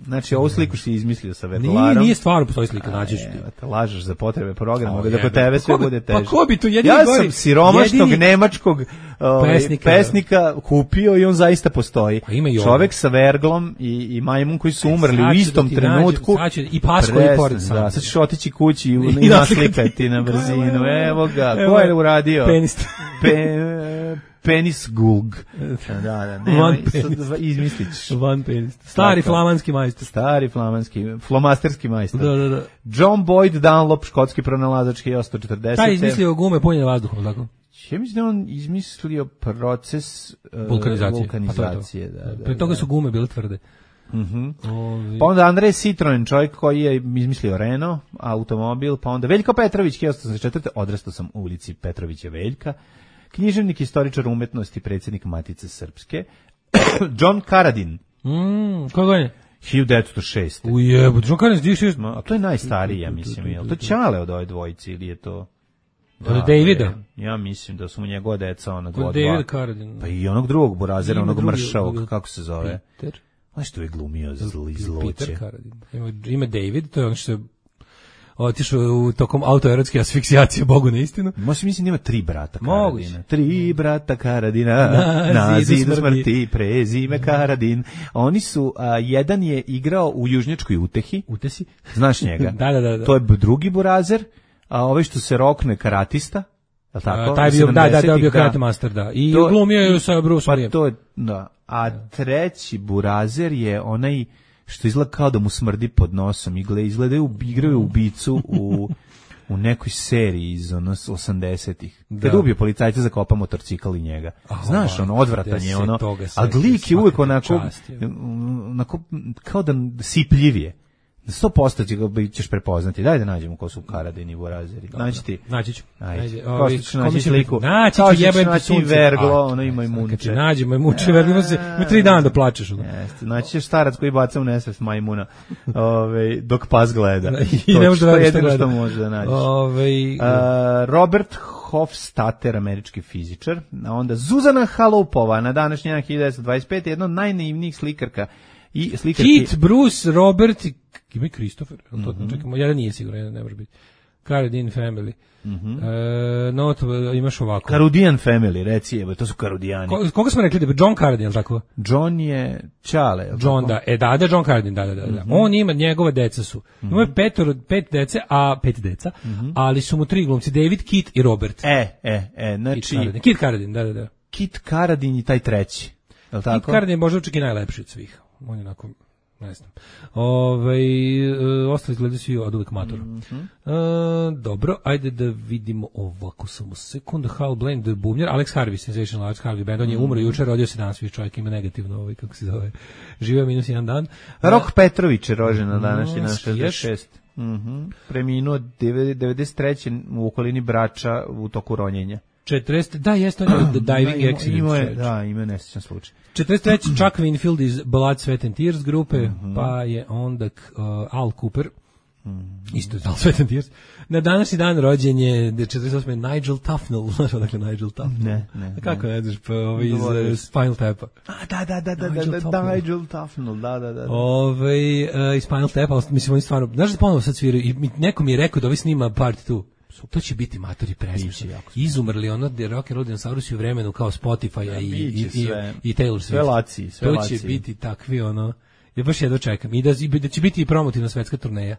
Znači, ovu sliku si izmislio sa verglarom. Nije stvarno postoji slika, nađeš ti. Lažeš za potrebe programa, da kod tebe sve bude teže. Pa ko bi tu jedini Ja sam siromašnog nemačkog pesnika kupio i on zaista postoji. Čovek sa verglom i majmun koji su umrli u istom trenutku. I pas koji pored sam. Da, sad ćeš otići kući i naslikati na brzinu. Evo ga, ko je uradio? Penis Gulg. Van penis. Izmislić. Van penis. Stari flamanski majstor. Flomasterski majstor. Da. John Boyd Dunlop, škotski pronalazač 1840. Taj izmislio gume punjene vazduhom, tako? Ja mislim da on izmislio proces vulkanizacije. Da. Pre toga su gume bile tvrde. Pa onda Andrej Citroen, čovjek koji je izmislio Renault automobil, pa onda Veljko Petrović 1884. Odrastao sam u ulici Petrovića Veljka. Književnik, istoričar umetnosti, predsjednik Matice Srpske. John Karadin. Koga je? 1906. Ujebut, John Karadin 1906. A to je najstariji, ja mislim. Je li to Ćale od ove dvojici ili je to... Od Davida? Ja mislim da su mu njegova deca ona dva. David Karadin. Pa i onog drugog burazera, onog mršavog, kako se zove? Peter? Znaš što je glumio zloće? Peter Karadin. Ima David, to je ono što je otišao u tokom autoerotske asfiksijacije, Bogu na istinu. Mislim, ima 3 brata Moguće. Karadina. 3 brata Karadina, na zidu smrti, prezime Karadin. Oni su, jedan je igrao u Južnjačkoj utehi. Utesi? Znaš njega? Da. To je drugi burazer, a ovaj što se rokne karatista. Tako? Taj bio, da, bio karate master, da. I glumio je sa Bruce Lee. Da. A treći burazer je onaj što izgleda kao da mu smrdi pod nosom. Igraju ubicu u nekoj seriji iz 80-ih. Kad ubio policajca, zakopa motorcikl i njega. Znaš, odvratan je a lik je uvijek onako kao da sipljivije. 100% ćeš prepoznati. Daj da nađemo ko su Karadini i burazeri. Naći ću. Ajde. Ko ćeš naći sliku? Naći ću, jebem ti sunce. Verglo, ono ima i munče. Nađemo i munče, verglo ima 3 dana da plačeš. Naći ćeš starac koji baca u nesvest majmuna dok pas gleda. I ne može da veruješ što može da nađeš. Robert Hofstadter, američki fizičar. Onda Zuzana Halupova, na današnji dan 1925, jedna od najnaivnijih slikarka. Kit, Bruce, Robert, ima i Christopher, čekamo, jedan nije siguran, ne može biti. Carradine Family. Imaš ovako. Carradine Family, reci, to su Carradijani. Koga smo rekli da je John Carradine, tako? John je Čale. John, da, John Carradine, da. On ima, njegove deca su. Ima 5 deca, ali su mu 3 glumci, David, Kit i Robert. Znači... Kit Carradine, da. Kit Carradine i taj treći. Kit Carradine je možda čak i najlepši od svih. On je onako, ne znam. Ostali izgledaju svi od uvijek mator. Dobro, ajde da vidimo ovako samo sekund. Hal Blaine, bubnjar, Alex Harvey, sensational Alex Harvey band, on je umro jučer, rodio se danas, čovjek ima negativno, kako se zove, živeo -1 dan. Rok Petrović je rođen na današnji na 66. Preminuo 93. u okolini Brača u toku ronjenja. 40, da, jeste on je diving accident. Ima nesjećan slučaj. 43. Chuck Winfield iz Blood, Sweat and Tears grupe, pa je onda Al Cooper, isto iz Blood, Sweat and Tears. Na današnji dan rođen je 48. Nigel Tufnell, znaš odakle Nigel Tufnell? Ne. Kako ne znaš, pa iz Spinal Tap-a. Da, Nigel Tufnell, da. Iz Spinal Tap-a, mislim, oni stvarno, znaš da ponovo sad sviraju, i neko mi je rekao da ovi snima part 2. To će biti matori presmišni. Izumrli ono rock and roll dinosaurusi u vremenu kao Spotify-a i Taylor Swift. Sve to će biti takvi ono. Ja baš jedno čekam. I da će biti i promotivna svetska turneja.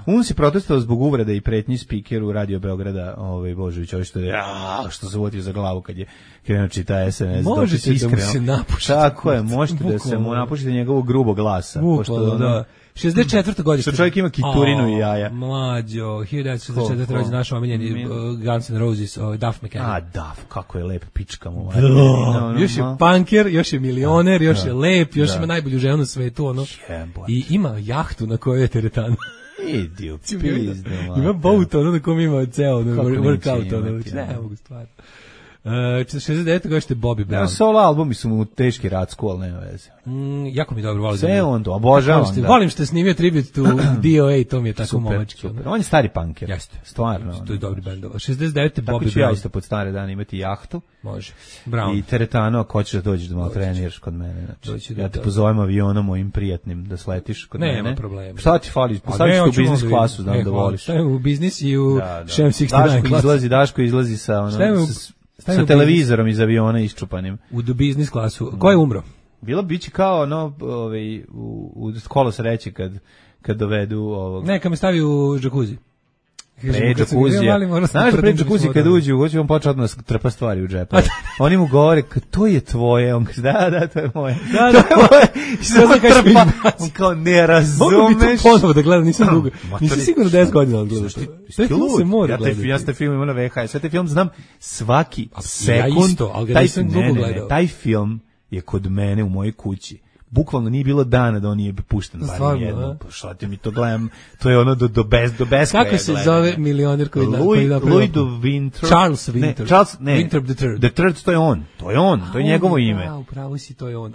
On si protestovao zbog uvrede i pretnji spikeru Radio Beograda, Božović, što se uvotio za glavu kad je krenuo čita SMS. Možete da mu se napušite. Tako je, možete da se mu napušite njegovog grubog glasa. Bukvalno, da. 64. godište. Što čovjek ima kiturinu i jaja. Mlađo, 1964. rođen naš omiljeni Guns N' Roses, Duff McKagan. Duff, kako je lep pička mu. Još je punker, još je milioner, još je lep, još ima najbolju ženu na svetu, ono. I ima jahtu na kojoj je teretana. Idiot, ima boat, ono na kom ima ceo workout, ono. Ne mogu stvarno. 69. godište Bobby Brown. Solo albumi su mu teški racku, ali nema veze. Jako mi dobro volim. Sve on to, obožavam. Volim što je snimio tribute to DOA, to mi je tako momački. On je stari punker. Jeste. Stvarno. To je dobri band. 69. Bobby Brown. Tako ću ja isto pod stare dane imati jahtu. Može. Brown. I teretano, ako hoćeš da dođeš da malo treniraš kod mene. Znači, ja te pozovem avionom mojim prijatnim da sletiš kod mene. Nema problema. Šta ti fali? Postaviš u biznis klasu, znam da voliš. Stavim u biznis i u Shem 69 klasu. Daško izlazi sa televizorom iz aviona iščupanim. U biznis klasu. Ko je umro? Bilo biće kao u kolo sreće kad dovedu ovog. Neka me stavi u džakuzi. Pre džakuzija. Znaš pre džakuzi kad uđu, hoće on početi odmah trpa stvari u džepa. Oni mu govore, to je tvoje. On kaže, da, to je moje. Da, on kao, ne razumeš. Mogu bi to ponovo da gledam, nisam dugo. Nisam sigurno 10 godina odgledao. To se mora gledati. Ja ste film imao na VHS, sve te film znam svaki sekund. Taj film je kod mene u mojoj kući. Bukvalno nije bilo dana da on nije pušten barem jedno. Šta ti mi to gledam? To je ono do bez kako se zove milioner koji Louis de Winter. Charles Winter. Winter the Third, to je on. To je njegovo ime. Upravo si, to je on.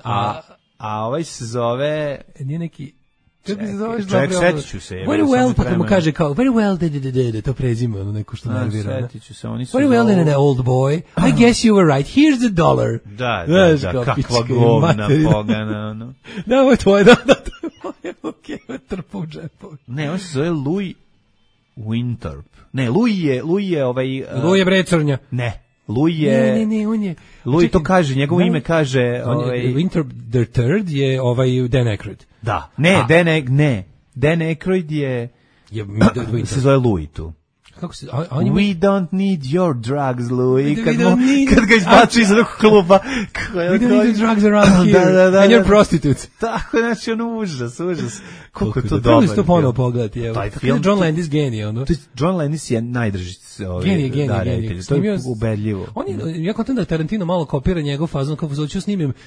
A ovaj se zove... Nije neki... Kako se zoveš? Čovjek, setit ću se. Very well, pa kad mu kaže kao, very well, to prezime, ono neko što nervira. Setit ću se, oni su... Very well, then an old boy. I guess you were right. Here's the $1. Da, kakva govna pogana, ono. Da, ovo je tvoje, da, to je moje, okej, trpa u džepovi. Ne, on se zove Louis Winthorpe. Ne, Louis je ovaj... Louis je bre crnja. Ne, Louis je... Ne, on je... Louis to kaže, njegovo ime kaže... Winthorpe the Third je ovaj Dan Aykroyd. Da, Dan Aykroyd je... se zove Louis tu. Kako se... We don't need your drugs, Louis. Kad ga izbači iz onog kluba. We don't need your drugs around here. And you're prostitutes. Tako, znači, užas. Koliko je to dobro. Trebali ste to ponovo pogledati. John Landis genije, ono. John Landis je najdrži genije. To je ubedljivo. Ja kontam da Tarantino malo kopira njegov fazon, kako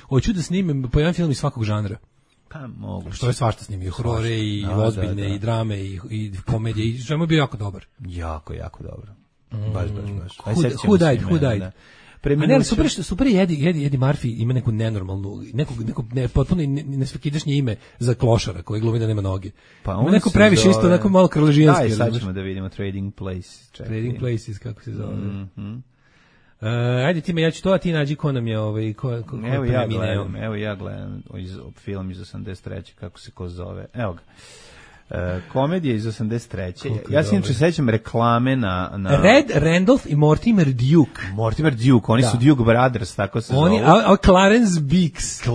hoću da snimim po jedan film iz svakog žanra. Pa mogu. Što je svašta snimio, horore i ozbiljne i drame i komedije, i što je bio jako dobar. Jako dobro. Baš. Who died? A ne, super je Eddie Murphy ima neku nenormalnu, potpuno nesvakidašnje ime za klošara koji glumi da nema noge. Pa on neko previše isto, onako malo krležijanski. Daj, sad ćemo da vidimo Trading Places. Trading Places, kako se zove. Ajde ti me, ja ću to, a ti nađi ko nam je Evo ja gledam film iz 83. kako se ko zove. Evo ga. Komedija iz 83. Ja se inače sećam reklame na... Red Randolph i Mortimer Duke. Oni su Duke Brothers, tako se zove. Clarence Beeks.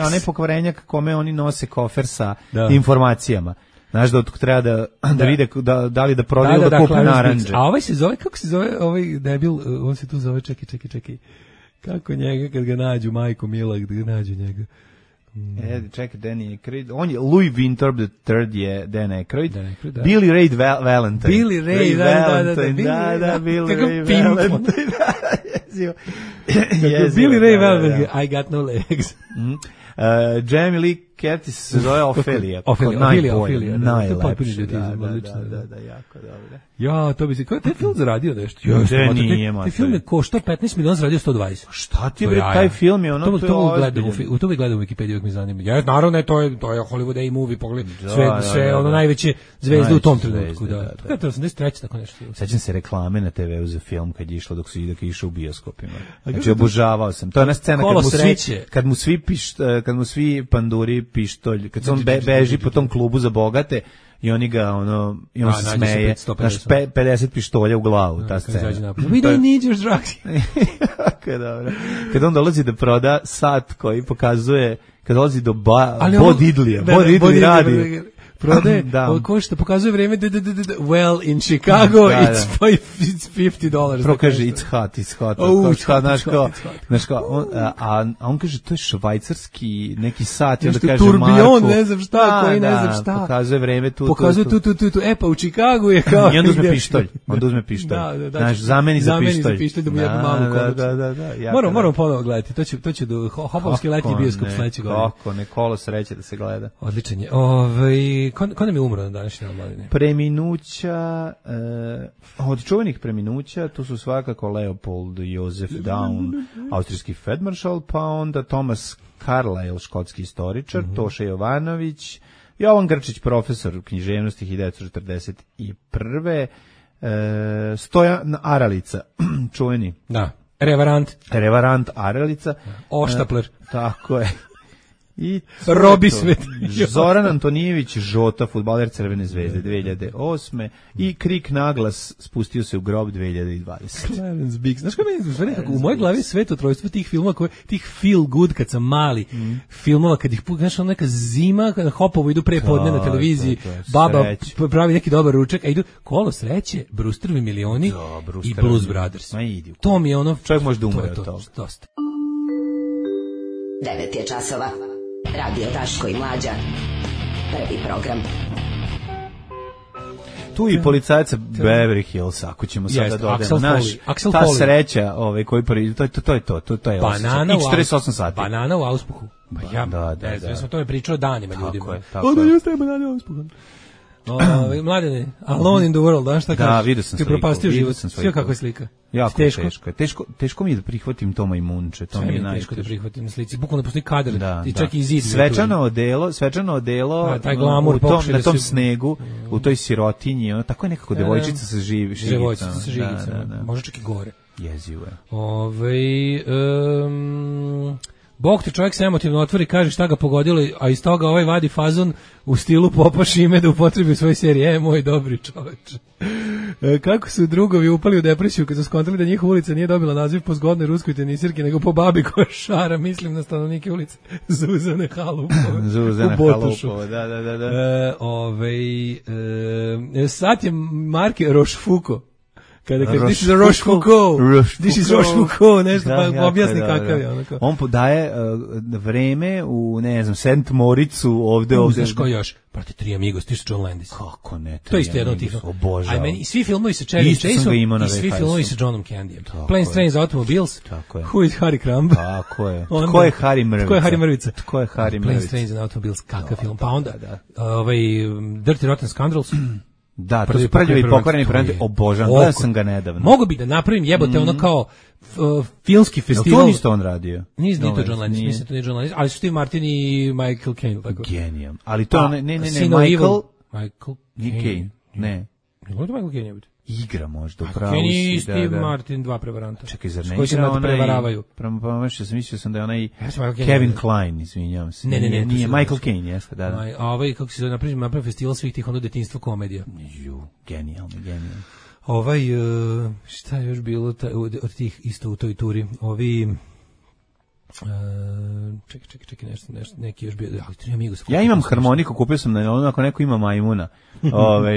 Onaj pokvarenjak kome oni nose kofer sa informacijama. Znaš da treba da vide da li da prodaju da kupi naranđe. A ovaj se zove, kako se zove ovaj debil, on se tu zove, čekaj. Kako njega kad ga nađu, majko mila, kad ga nađu njega. Čekaj, Danny Aykroyd. On je Louis Winthorpe III je Dan Aykroyd. Billy Ray Valentine. Billy Ray Valentine. Billy Ray Valentine. I got no legs. Jamie Lee Curtis se zove Ophelia. Ophelia. Najlepše. Da, jako dobro. Ja, to bi se... Taj film zaradio nešto. Taj film je koštao 15 miliona, zaradio 120. Šta ti bre, taj film je ono... To bi gledao u Wikipediji, uvijek mi zanima. Ja, naravno, to je Hollywood A-movie, pogledaj. Sve ono najveće zvezde u tom trenutku. To je 83. tako nešto. Sećam se reklame na TV-u za film kad je išlo dok je išao u bioskopima. Znači, obožavao sam. To je ona scena kad mu svi panduri pištolj, kad se on beži po tom klubu za bogate i oni ga i on se smeje, znaš, 50 pištolja u glavu, ta scena. We don't need your drugs. Kako dobro. Kad on dolazi da proda sat koji pokazuje, kad dolazi do Bod Idlija radi. Prodaje, ko što pokazuje vreme, well, in Chicago, it's $50. Prvo kaže, it's hot. Znaš kao, a on kaže, to je švajcarski neki sat, i onda kaže turbion, ne znam šta, koji ne znam šta. Pokazuje vreme tu. Pokazuje tu, pa u Chicagu je kao... I onda uzme pištolj. Znaš, zameni za pištolj. Da mu jednu malu konoću. Moramo ponovo gledati, to će do Hopovski letnji bioskop sledeće godine. Kako, ne, kolo sreće da se gleda. Odličan je. Ko nam je umro na današnji omladine? Preminuća, od čuvenih preminuća, tu su svakako Leopold Josef Daun, austrijski feldmaršal, pa onda Thomas Carlyle, škotski istoričar, Toša Jovanović, Jovan Grčić, profesor književnosti 1941. Stojan Aralica, čuveni. Da, Revarant Aralica. Oštapler. Tako je. I Robi Svet. Zoran Antonijević Žota, fudbaler Crvene zvezde 2008. I Krik naglas spustio se u grob 2020. Clarence Biggs. Znaš kako u mojoj glavi svetotrojstvo tih filmova, tih feel good kad sam mali filmova, kad ih znaš, neka zima, kad Hopovo idu pre podne na televiziji, baba pravi neki dobar ručak, a idu Kolo sreće, Brewsterovi milioni i Blues Brothers. To mi je ono... Čovjek može da umre od toga. Dosta. 9 je časova. Radio Daško i Mlađa. Prvi program. Tu i policajaca Beverly Hills, ako ćemo sada dodati naš, ta sreća koji prvi, to je to. Banana i 48 sati. Banana u auspuhu. Da. Ja sam o tome pričao danima ljudima. Tako je. Jeste banana u auspuhu. Mladene, Alone in the World, znaš šta kažeš? Da, vidio sam sliku. Ti propastio život, sve kakva je slika. Jako teško mi je da prihvatim to majmunče, to mi je teško da prihvatim na slici. Bukvalno postoji kadar, i čak i zid. Svečano odelo na tom snegu, u toj sirotinji, tako je nekako devojčica sa žigicama. Može čak i gore. Jezivo je. Bog te čovjek se emotivno otvori, kaže šta ga pogodilo, a iz toga ovaj vadi fazon u stilu Popa Šime da upotrebi u svojoj seriji. Moj dobri čoveče. Kako su drugovi upali u depresiju kad su skontali da njihova ulica nije dobila naziv po zgodnoj ruskoj tenisirki, nego po babi koja šara, mislim na stanovnike ulice Zuzane Halupove. Zuzane Halupove, da. Sad je marke Rochefoucauld. Kada kaže, this is a Rochefoucauld, this is Rochefoucauld, nešto pa objasni kakav je. Onako. On podaje vreme u, ne znam, St. Moricu ovde. Znaš ko još? Prati Tri Amigos, ti su John Landis. Kako ne? To je isto jedno od tih. Obožavam. A meni, svi filmovi sa Chevy Chaseom i svi filmovi sa Johnom Candyjem. Planes, Trains, Automobiles, Who is Harry Crumb? Tako je. Tko je Harry Mrvica? Tko je Harry Mrvica? Tko je Harry Mrvica? Planes, Trains, Automobiles, kakav film. Pa onda, Dirty Rotten Scoundrels. Da, to su prljavi pokvareni predmeti, obožavam, gledao sam ga nedavno. Mogu bi da napravim jebote ono kao filmski festival. To nisto on radio. Nije to John Landis, mislim to nije John Landis, ali su Steve Martin i Michael Caine. Tako. Genijam. Ali to, Michael Caine. Ne. Michael Caine je biti. Igra možda, upravo si. Caine i Steve Martin, dva prevaranta. Čekaj, zar ne igra onaj... Mislio sam da je onaj Kevin Kline, izvinjavam se. Ne. Nije Michael Caine, jeste, da. A ovaj, kako se zove, napravio festival svih tih ono detinjstva komedija. Genijalno. Šta je još bilo od tih isto u toj turi? Čekaj, nešto, neki još bio, ali Tri Amigos. Ja imam harmoniku, kupio sam na ono, ako neko ima majmuna,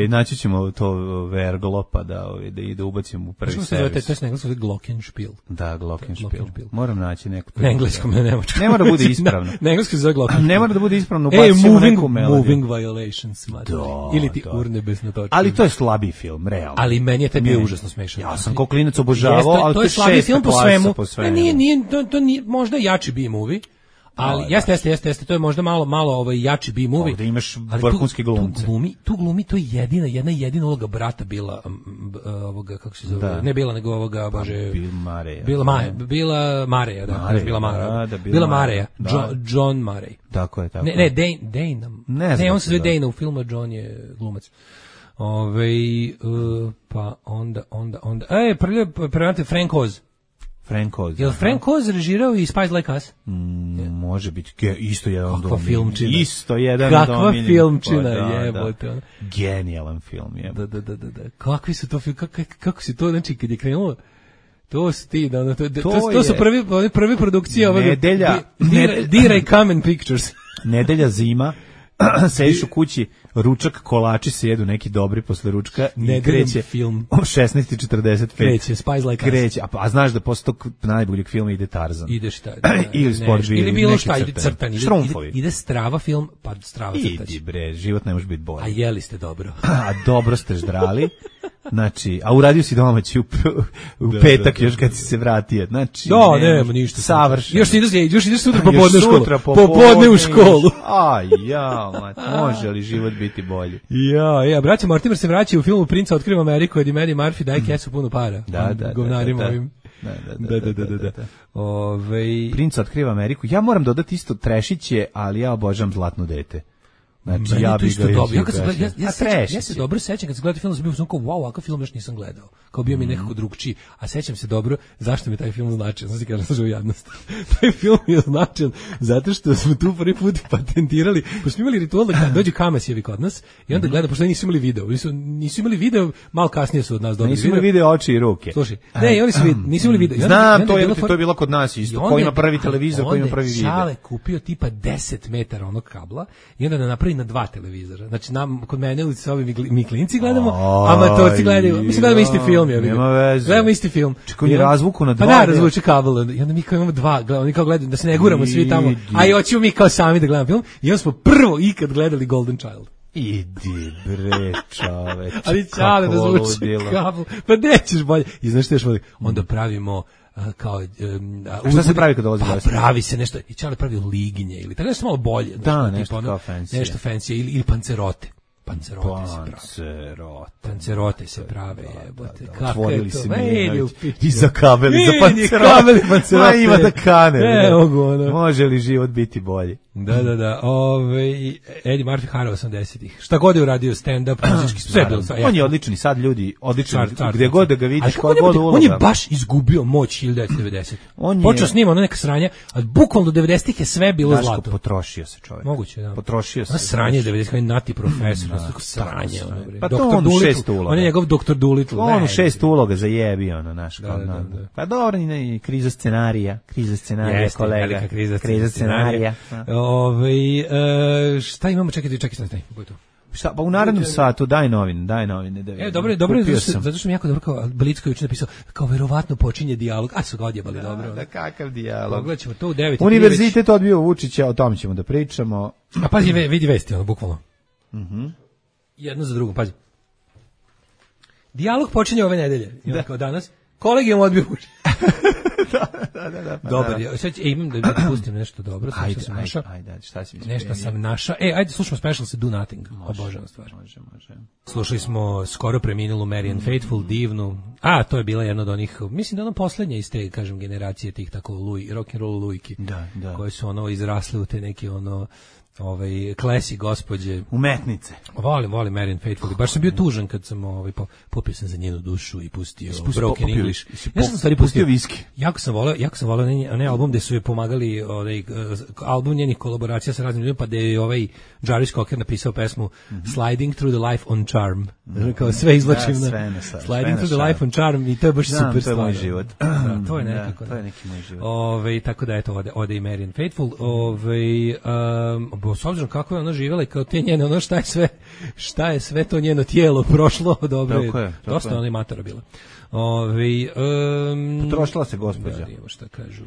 naći ćemo to verglopa da ubacim u prvi servis. To je na engleskom Glockenspiel. Da, Glockenspiel. Moram naći neku. Na engleskom, ne nemačkom. Ne mora da bude ispravno. Na engleskom se zove Glockenspiel. Ne mora da bude ispravno, ubacimo neku melodiju. Moving Violations, ili ti urnebesna točka. Ali to je slabiji film, realno. Ali meni je taj bio užasno smešan. Ja sam kao klinac obožavao, ali to je slabiji film po svemu. To nije možda jači B-movie, ali jeste, to je možda malo jači B-movie. Ovdje imaš vrhunski glumce. Tu glumi, to je jedina uloga brata bila, ovoga, kako se zove, ne bila, nego ovoga, bože... Bila Mareja, Bila Mareja, John Murray. Tako je. Ne, Dane. Ne, on se zove Dane, u filmu John je glumac. Pa onda... Prevate Frank Oz. Je li Frank Oz režirao i Spies Like Us? Može biti, isto jedan od Kakva filmčina. Kakva filmčina, jebote. Genijalan film, jebote. Da. Kakvi su to film, kako si to, znači, kad je krenulo, to su ti, to su prve produkcije ovoga. Dira i Kamen Pictures. Nedelja zima. Sediš u kući, ručak, kolači se jedu neki dobri posle ručka i kreće film. 16:45. Kreće, Spies Like Us. Kreće, a znaš da posle tog najboljeg filma ide Tarzan. Ide šta? Ili Sport ili bilo šta, ide crtan. Ide Strava film, pa Strava crtač. Idi bre, život ne može biti bolji. A jeli ste dobro. A dobro ste ždrali. Znači, a uradio si domaći u petak još kad si se vratio. Znači, nema ništa. Savršeno. Još ideš sutra popodne u školu. Popodne u školu. Može li život biti bolji? Braća Mortimer se vraćaju u filmu Princa otkriva Ameriku, Eddie Murphy Murphy daje kesu puno para. Da. Govnarima ovim. Da. Princa otkriva Ameriku. Ja moram dodati isto trešiće, ali ja obožavam Zlatno dete. Znači, ja bih ga ja se dobro sećam kad sam gledao film, sam bio kao wow, ovakav film još nisam gledao. Kao bio mi nekako drugčiji, a sećam se dobro zašto mi taj film značio. Znači kažem sa jadnost. Taj film je značajan zato što smo tu prvi put patentirali, pa smo imali ritual da kad dođe Kamasijevi kod nas i onda gleda, pošto nisu imali video, malo kasnije su od nas dobili video. Nisu imali video oči i ruke. Slušaj, oni su nisu imali video. Znam, to je bilo kod nas isto. Ko ima prvi televizor, ko ima prvi video. Čale kupio tipa 10 metara onog kabla i onda napravi na 2 televizora. Znači kod mene u ovi mi klinci gledamo, amatorci gledaju. Mislim gledamo isti film, ja vidim. Nema veze. Gledamo isti film. Čekaj, je razvuku na 2. Pa da, razvuče kabel. I onda mi kao imamo 2, oni kao gledaju da se ne guramo svi tamo. A i hoćemo mi kao sami da gledamo film. I onda smo prvo ikad gledali Golden Child. Idi bre, čoveče. Ali čale da zvuči kabel. Pa nećeš bolje. I znaš što još voli? Onda pravimo kao šta se pravi kad dolazi gost? Pravi se nešto i Čale pravi liginje ili tako nešto malo bolje, nešto kao fancy. Nešto fancy ili pancerote. Pancerote se prave, jebote. Kako je to? I za kabeli, za pancerote. Ma ima da kane. Može li život biti bolji? Da. Eddie Murphy Hara 80-ih. Šta god je uradio, stand-up, muzički, sve je bilo. On je odlični, sad ljudi, odličan, gdje god da ga vidiš, koja god uloga. On je baš izgubio moć 1990. Počeo snima ono neka sranja, a bukvalno do 90-ih je sve bilo zlato. Daško, potrošio se čovjek. Moguće, da. Potrošio se. A sranje 90-ih, nati profesor, sranje. Pa to on u 6 uloga. On je njegov doktor Doolittle. On u 6 uloga zajebi, ono, naš. Pa dobro, kriza scenarija, kolega. Kriza scenarija. Šta imamo, čekaj, Šta, pa u narednom satu daj novine da vidim. Dobro, zato što mi jako dobro kao Blitzko juče napisao, kao verovatno počinje dijalog, a su ga odjebali dobro. Da, kakav dijalog. Pogledat ćemo to u 9. Univerzitet odbio Vučića, o tom ćemo da pričamo. A pazi, vidi vesti, ono, bukvalno. Jedno za drugo, pazi. Dijalog počinje ove nedelje, kao danas. Kolegijum odbio Vučića. Da. Dobar, imam da pustim nešto dobro. Ajde, šta si mi nešto sam našao. Ajde, slušamo Special se Do Nothing. Obožavam stvar. Može. Slušali smo skoro preminulu Marianne Faithfull, divnu. To je bila jedna od onih, mislim da ona poslednja iz te, kažem, generacije tih tako rock'n'roll lujki. Da. Koje su ono izrasle u te neke klasi gospođe. Umetnice. Volim Marianne Faithfull. Baš sam bio tužan kad sam popio sam za njenu dušu i pustio Broken English. Ja sam stvari pustio viski. Jako sam voleo onaj album gde su je pomagali, album njenih kolaboracija sa raznim ljudima, pa da je Jarvis Cocker napisao pesmu Sliding Through the Life on Charm. Kao sve izvlačim na Sliding Through the Life on Charm i to je baš super stvar. To je moj život. To je nekako. To je neki moj život. Tako da eto, ode i Marianne Faithfull. S obzirom kako je ona živjela i kao te njene, ono šta je sve to njeno tijelo prošlo, dobro je, dosta ona i matora bila. Potrošila se gospođa. Da, evo šta kažu.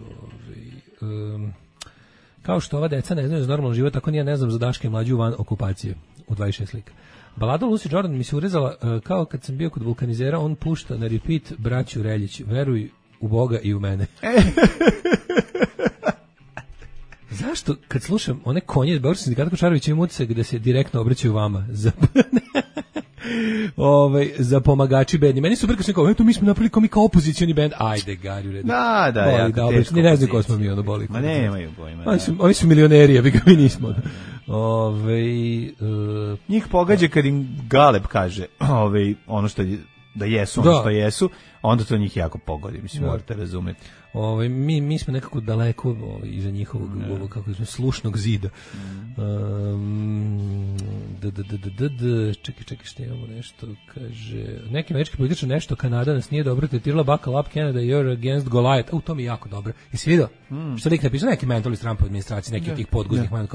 Kao što ova deca ne znaju za normalan život, tako ni ja ne znam za Daška i mlađu van okupacije u 26 slika. Balada Lucy Jordan mi se urezala kao kad sam bio kod vulkanizera, on pušta na repeat braću Reljić, veruj u Boga i u mene. Zašto, kad slušam one konje iz Beogradskog sindikata Kočarovića i Muce gde se direktno obraćaju vama za pomagači bedni. Meni su super kad sam kao, eto mi smo napravili kao opozicioni bend. Ajde, Gari, u redu. Da, jako teško. Ni ne znam ko smo mi ono boli. Ma nemaju pojma. Oni su milioneri, ja bi ga mi nismo. Njih pogađa kad im Galeb kaže ono što da jesu, ono što jesu, onda to njih jako pogodi, mislim, morate razumeti. Mi smo nekako daleko iza njihovog kako smo slušnog zida. Čekaj, što imamo nešto, kaže, neki američki političar nešto, Kanada nas nije dobro tretirala, buckle up Canada, you're against Goliath. To mi je jako dobro. Jesi vidio? Što lik napisao, neki mentalist Trumpove administracije, neki od tih podguznih man,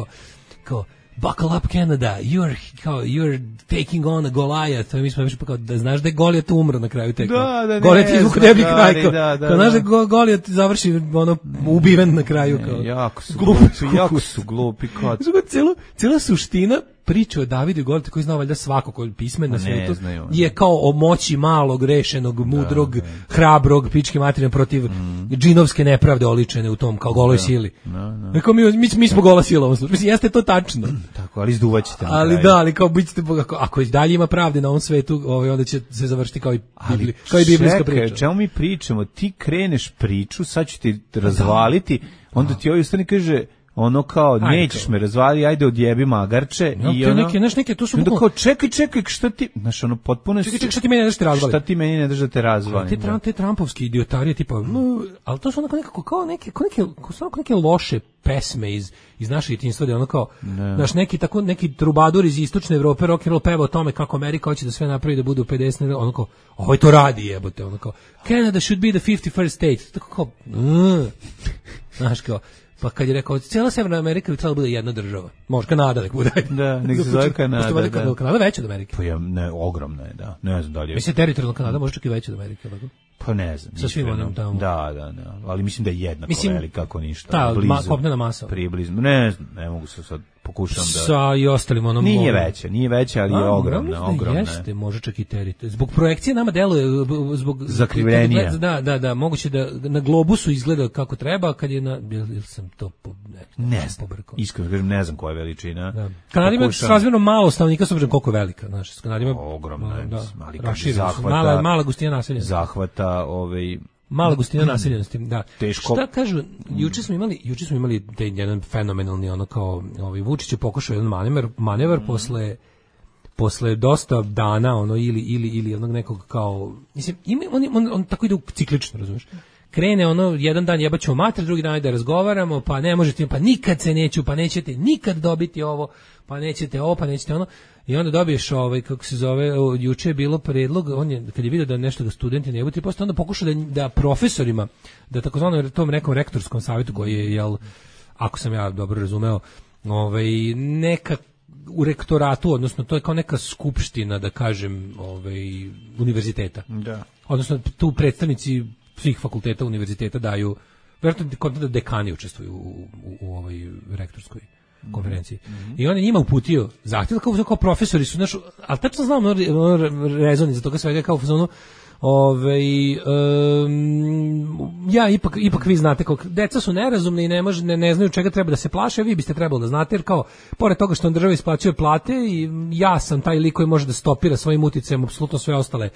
kao buckle up Canada, you're taking on a Goliath. Mi smo već kao da znaš da je Goliat umro na kraju tekme. Goliat je izvuk deblji kraj. Kao znaš da Goliat završi ubiven na kraju. Jako su glupi. Cijela suština priča o Davidu i Goliatu koji zna valjda svako koji je pismen na svetu je kao o moći malog, rešenog, mudrog, hrabrog, pičke materine protiv džinovske nepravde oličene u tom kao goloj sili. Rekao mi smo gola sila u ovom slučaju. Mislim, jeste to tačno. Tako, ali izduvaćete. Ali kao bićete, ako i dalje ima pravde na ovom svetu, onda će se završiti kao i biblijska priča. Čekaj, čemu mi pričamo? Ti kreneš priču, sad ću ti razvaliti, onda ti ostane kaže ono kao, nećeš me razvali, ajde odjebi magarče. I ono, neke, to su onda kao, čekaj, šta ti, znaš, ono, potpuno čekaj, šta ti meni ne daš te razvali? Šta ti meni ne daš da te razvali? Te Trumpovski idiotarije, tipa, ali to su onako nekako, kao neke loše pesme iz naše djetinjstva, da ono kao, znaš, neki trubadur iz istočne Evrope, rock and roll peva o tome kako Amerika hoće da sve napravi da budu 50, ono kao, ovo to radi, jebote, ono kao, Canada should be the 51st state, tako kao, znaš, kao, pa kad je rekao, cijela Severna Amerika bi trebala bude jedna država. Može Kanada nek bude. Da, nek se zove Kanada. Kanada veća od Amerike. Pa ogromna je, da. Ne znam da li je. Mislim, teritorijalna Kanada može čak i veća od Amerike. Pa ne znam. Sa svim onim tamo. Da. Ali mislim da je jednako velika, kako ništa. Ta, kopnena masa. Približno. Ne znam, ne mogu se sad pokušam da... Sa i ostalim onom... Nije veća, ali je ogromna. Jeste, može čak i teritorijalna. Zbog projekcije nama deluje, zbog... Zakrivljenija. Da, moguće da na globusu izgleda kako treba, kad je na... Ili sam to... Ne znam, iskreno kažem, ne znam koja je veličina. Kanada ima razmjerno malo stanovnika, s obzirom koliko je velika. Kanada ima... Ogromna je, ali mala gustina naselja. Zahvata Mala gustina naseljenosti, da. Teško. Šta kažu, juče smo imali taj jedan fenomenalni ono kao Vučić je pokušao jedan manevar posle dosta dana ono ili onog nekog kao mislim on tako ide ciklično, razumiješ? Krene ono jedan dan jebaćemo mater, drugi dan da razgovaramo, pa ne možete, pa nikad se neću, pa nećete nikad dobiti ovo, pa nećete ovo, pa nećete ono. I onda dobiješ kako se zove, juče je bilo predlog, on je kad je video da nešto ga studenti ne budu, posle onda pokušao da profesorima, da takozvanom tom nekom rektorskom savjetu koji je ako sam ja dobro razumeo, neka u rektoratu, odnosno to je kao neka skupština, da kažem, univerziteta. Da. Odnosno tu predstavnici svih fakulteta univerziteta daju, vjerojatno da dekani učestvuju u ovoj rektorskoj konferenciji. I on je njima uputio zahtjev, kao profesori su, ali tačno znam rezon za toga svega, kao ono, ja ipak vi znate kako deca su nerazumne i ne znaju čega treba da se plaše, vi biste trebali da znate, jer kao pored toga što on država isplaćuje plate i ja sam taj lik koji može da stopira svojim uticajem apsolutno sve ostale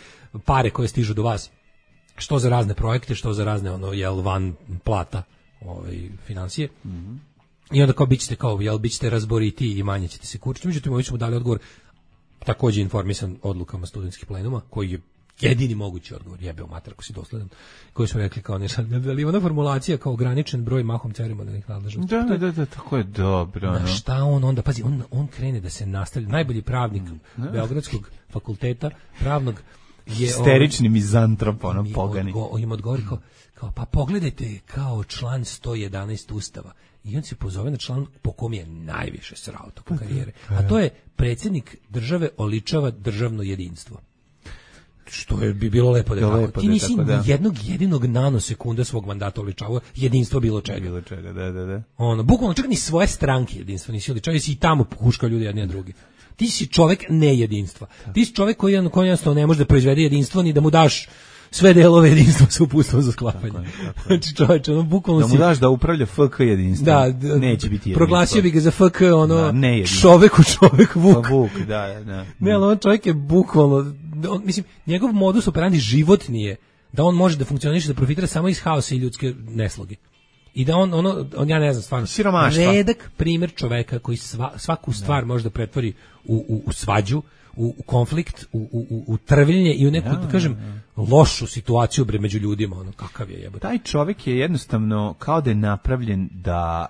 pare koje stižu do vas, što za razne projekte, što za razne van plata financije. I onda kao bićete razboriti i manje ćete se kurčiti. Međutim, ovi su mu dali odgovor, takođe informisan odlukama studentskih plenuma, koji je jedini mogući odgovor, jebeo mater ako si dosledan, koji su rekli kao nešto, ali ona formulacija kao ograničen broj mahom ceremonijalnih nadležnosti. Da, tako je dobro. Na šta on onda, pazi, on krene da se nastavlja, najbolji pravnik Beogradskog fakulteta, pravnog, je isterični mizantrop, pogani. Im odgovori kao, pa pogledajte kao član 111 Ustava. I on se pozove na član po kom je najviše srao tokom karijere. A to je predsjednik države oličava državno jedinstvo. Što bi bilo lepo da je tako. Ti nisi jednog jedinog nanosekunda svog mandata oličavao jedinstvo bilo čega. Da. Bukvalno čak ni svoje stranke jedinstvo nisi oličavao, si i tamo puškao ljudi jedni na drugi. Ti si čovek nejedinstva. Ti si čovek koji jednostavno ne može da proizvede jedinstvo ni da mu daš sve delove jedinstva sa uputstvom za sklapanje. Znači čoveče, bukvalno da mu daš da upravlja FK jedinstvo. Neće biti jedinstvo. Proglasio bi ga za FK, čoveku Vuk. Pa Vuk, da. Ne, ali on čovjek je bukvalno, mislim, njegov modus operandi život nije da on može da funkcioniše, da profitira samo iz haosa i ljudske nesloge. I da on ja ne znam, stvarno, siromaštva. Redak primjer čoveka koji svaku stvar može da pretvori u svađu, u konflikt, u trvljenje i u neku, da kažem, lošu situaciju među ljudima, kakav je jebote. Taj čovjek je jednostavno kao da je napravljen da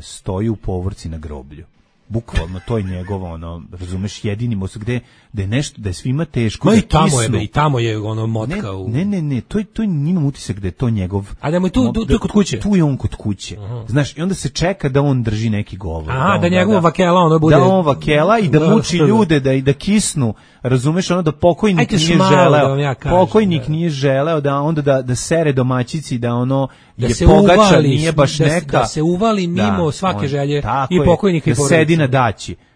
stoji u povorci na groblju. Bukvalno, to je njegovo, razumeš, jedini most gde je nešto, da je svima teško, da kisnu. I tamo je motka Ne, to je njima utisak da je to njegov. A da mu je tu kod kuće? Tu je on kod kuće. Znaš, i onda se čeka da on drži neki govor. Da njegov vakela bude. Da on vakela i da muči ljude, da kisnu, razumeš, da pokojnik nije želeo. Pokojnik nije želeo da onda da sere domaćici, da je pogača, nije baš neka. Da se uvali mimo svake želje i pokojnika i porodice.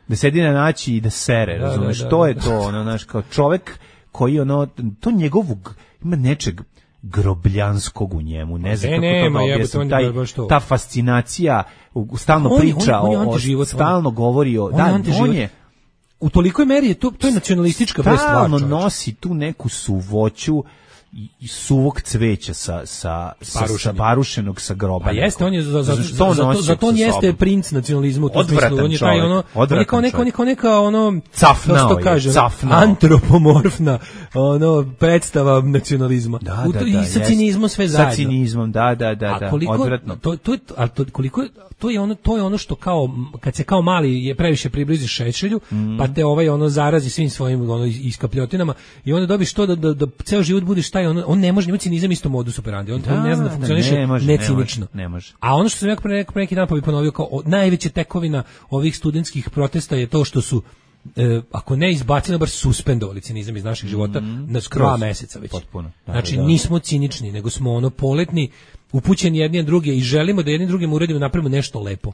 Da sedi na naći i da sere, razumeš, to je to, znaš, kao čovek koji, to njegovog, ima nečeg grobljanskog u njemu, ne znam kako to da objasnim, ta fascinacija, stalno priča, stalno govori o, on je, u tolikoj meri je to je nacionalistička stvar, stalno nosi tu neku suvoću i suvog cveća sa barušenog sa groba. Pa jeste, on je zato on jeste princ nacionalizma u tom smislu. On je taj on je kao neka cafnao, antropomorfna predstava nacionalizma. I sa cinizmom sve zajedno. Sa cinizmom, da, odvratno. To je ono što kao kad se kao mali je previše približi Šešelju, pa te zarazi svim svojim iskapljotinama i onda dobiš to da ceo život budeš taj, on ne može imati cinizam isto modus operandi, on ne zna da funkcioniše necinično. A ono što sam ja pre neki dan ponovio kao najveća tekovina ovih studentskih protesta je to što su ako ne izbacili, bar suspendovali cinizam iz naših života na skoro 2 meseca već. Potpuno. Znači nismo cinični, nego smo poletni, upućeni jedni na druge i želimo da jedni drugim uradimo, napravimo nešto lepo.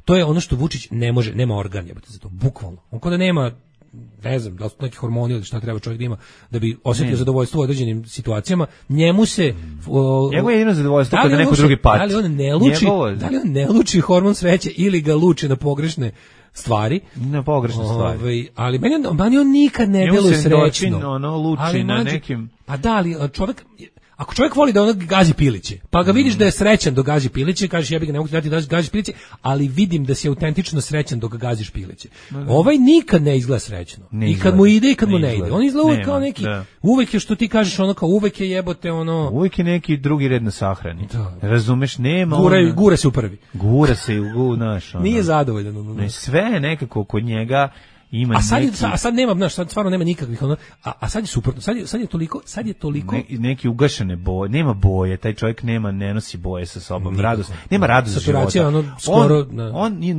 To je ono što Vučić ne može, nema organ jebote za to, bukvalno. On kao da nema, ne znam, da li su neki hormoni ili šta treba čovjek da ima da bi osjetio zadovoljstvo u određenim situacijama. Njemu se njegovo je jedino zadovoljstvo kada neko drugi pati. Da li on ne luči hormon sreće ili ga luči na pogrešne stvari. Na pogrešne stvari. Ali meni on nikad ne deluje srećno. Luči na nekim. Pa da, ali čovjek, ako čovjek voli da ono gazi piliće, pa ga vidiš da je srećan dok gazi piliće, kažeš jebi ga, ne mogu ti dati da gaziš piliće, ali vidim da si autentično srećan dok gaziš piliće. Ovaj nikad ne izgleda srećno. I kad mu ide i kad mu ne ide. On izgleda uvek kao neki, uvek je što ti kažeš ono kao uvek je jebote ono. Uvek je neki drugi red na sahrani. Razumeš, nema gura se u prvi. Gura se u naš. Nije zadovoljan. Ne, sve nekako kod njega ima a sad nema, znaš, sad stvarno nema nikakvih ono, a sad je suprotno, sad je toliko neki ugašene boje, nema boje, taj čovjek ne nosi boje sa sobom, radost, nema radost života. Ono, skoro,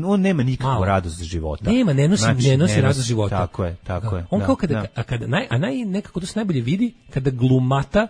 on nema nikakvu radost života. Nema, ne nosi radost života. Tako je. On kao kada nekako to se najbolje vidi kada glumata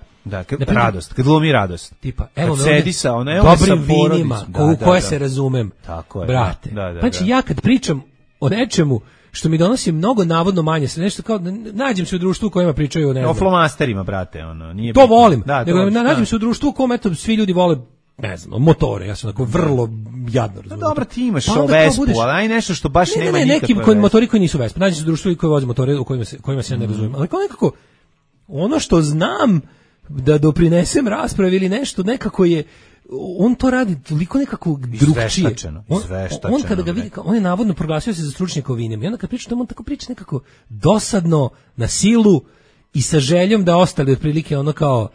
radost, kad glumi radost. Tipa, evo kad sedi sa dobrim vinima, u koje se razumem. Tako je. Brate. Znači ja kad pričam o nečemu što mi donosi mnogo navodno manje, se nešto kao nađem se u društvu u kojima pričaju o flomasterima, brate, ono, nije. To volim. Nađem se u društvu u kojem eto svi ljudi vole, ne znam, motore, ja sam tako vrlo jadno razumem. Dobro, ti imaš Vespu, ali aj nešto što baš nema nikakve. Neki motori koji nisu Vespa, nađem se u društvu koji voze motore u kojima se ja ne razumem. Ali kao nekako ono što znam da doprinesem raspravi ili nešto, nekako je on to radi toliko nekako drugčije. On kada ga vidi, on je navodno proglasio se za stručnjaka o vinima. I onda kad priča, on tako priča nekako dosadno, na silu i sa željom da ostali otprilike ono kao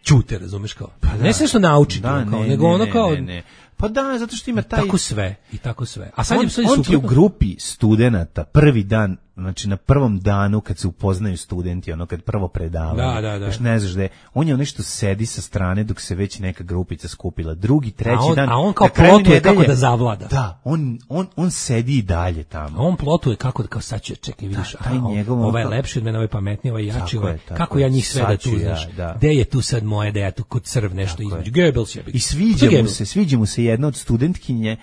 ćute, razumeš kao. Ne sve što nauči, nego ono kao. Pa da, zato što ima taj tako sve. A sad on je u grupi studenata prvi dan, znači na prvom danu kad se upoznaju studenti, ono kad prvo predavaju. Još ne znaš da je, on je nešto sedi sa strane dok se već neka grupica skupila. Drugi, treći dan. A on kao plotuje kako da zavlada. Da, on sedi i dalje tamo. A on plotuje kako da, kao sad će, čekaj, vidiš, ovaj je lepši od mene, ovaj pametniji, ovaj jači, kako ja njih sve da tu, znaš. Gde je tu sad moje, da ja tu kod crv nešto između. Goebbels je. I sviđa mu se jedna od studentkinje,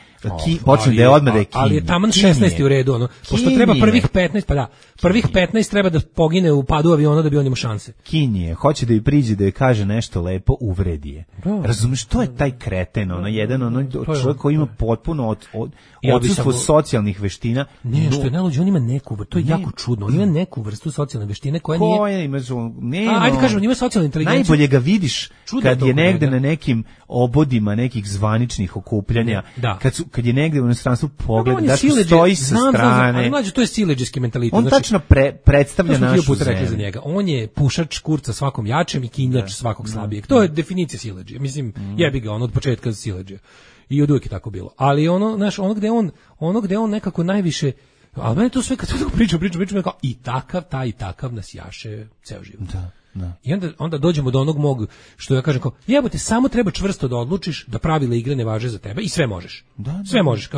počne da je odmah da je Kinje. Ali je taman 16. u redu, ono, pošto treba prvih 15, pa da, prvih 15 treba da pogine u padu aviona da bi on imao šanse. Kinje, hoće da joj priđe, da joj kaže nešto lepo, uvredi je. Razumeš, to je taj kreten, ono, jedan čovjek koji ima potpuno odsustvo socijalnih veština. Ne, što je najluđe, on ima neku vrstu, to je jako čudno, on ima neku vrstu socijalne veštine koja nije. Koja ima, ajde kažemo, on ima socijalnu inteligenciju. Najbolje ga vidiš kad je negde na nekim obodima nekih zvaničnih okupljanja, kad je negde u inostranstvu pogled, da stoji sa strane. Ali mlađe, to je siledžijski mentalitet. On tačno predstavlja našu zemlju. Za njega. On je pušač kurca svakom jačem i kinjač svakog slabijeg. To je definicija siledžije. Mislim, jebi ga, on od početka siledžije. I od uvijek je tako bilo. Ali ono gde on nekako najviše, ali meni to sve kad tako pričam, kao i takav nas jaše ceo život. Da. I onda dođemo do onog mog, što ja kažem kao, jebote, samo treba čvrsto da odlučiš da pravila igre ne važe za tebe i sve možeš. Sve možeš.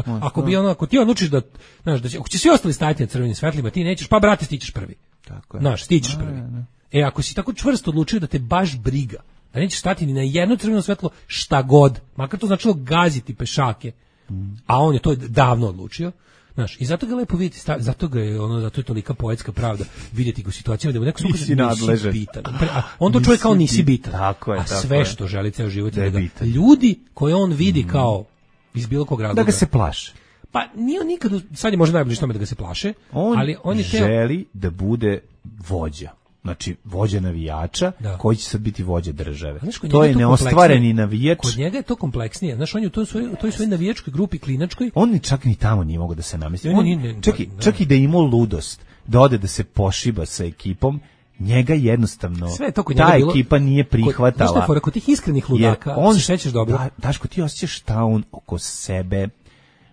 Ako ti odlučiš da, znaš, ako će svi ostali stajati na crvenim svetlima, ti nećeš, pa brate, stićeš prvi. Tako je. Znaš, stićeš prvi. Ako si tako čvrsto odlučio da te baš briga, da nećeš stati ni na jedno crveno svetlo, šta god, makar to značilo gaziti pešake, a on je to davno odlučio. Znaš, i zato ga lepo vidjeti, zato je tolika poetska pravda vidjeti ga u situacijama da mu neko nisi bitan. On to čuje kao nisi bitan. A sve što želi ceo život je da ljudi koje on vidi kao iz bilo kog razloga. Da ga se plaše. Pa nije on nikad, sad je možda najbliže tome da ga se plaše, ali on je želi da bude vođa. Znači, vođa navijača, koji će sad biti vođa države. To je neostvareni navijač. Kod njega je to kompleksnije. Znaš, on je u toj svojoj navijačkoj grupi klinačkoj. On čak ni tamo nije mogao da se namesti. Čak i da je imao ludost, da ode da se pošiba sa ekipom, njega jednostavno ta ekipa nije prihvatala. Znaš što je kod tih iskrenih ludaka, se šećeš dobro. Daško, ti osjećaš šta on oko sebe.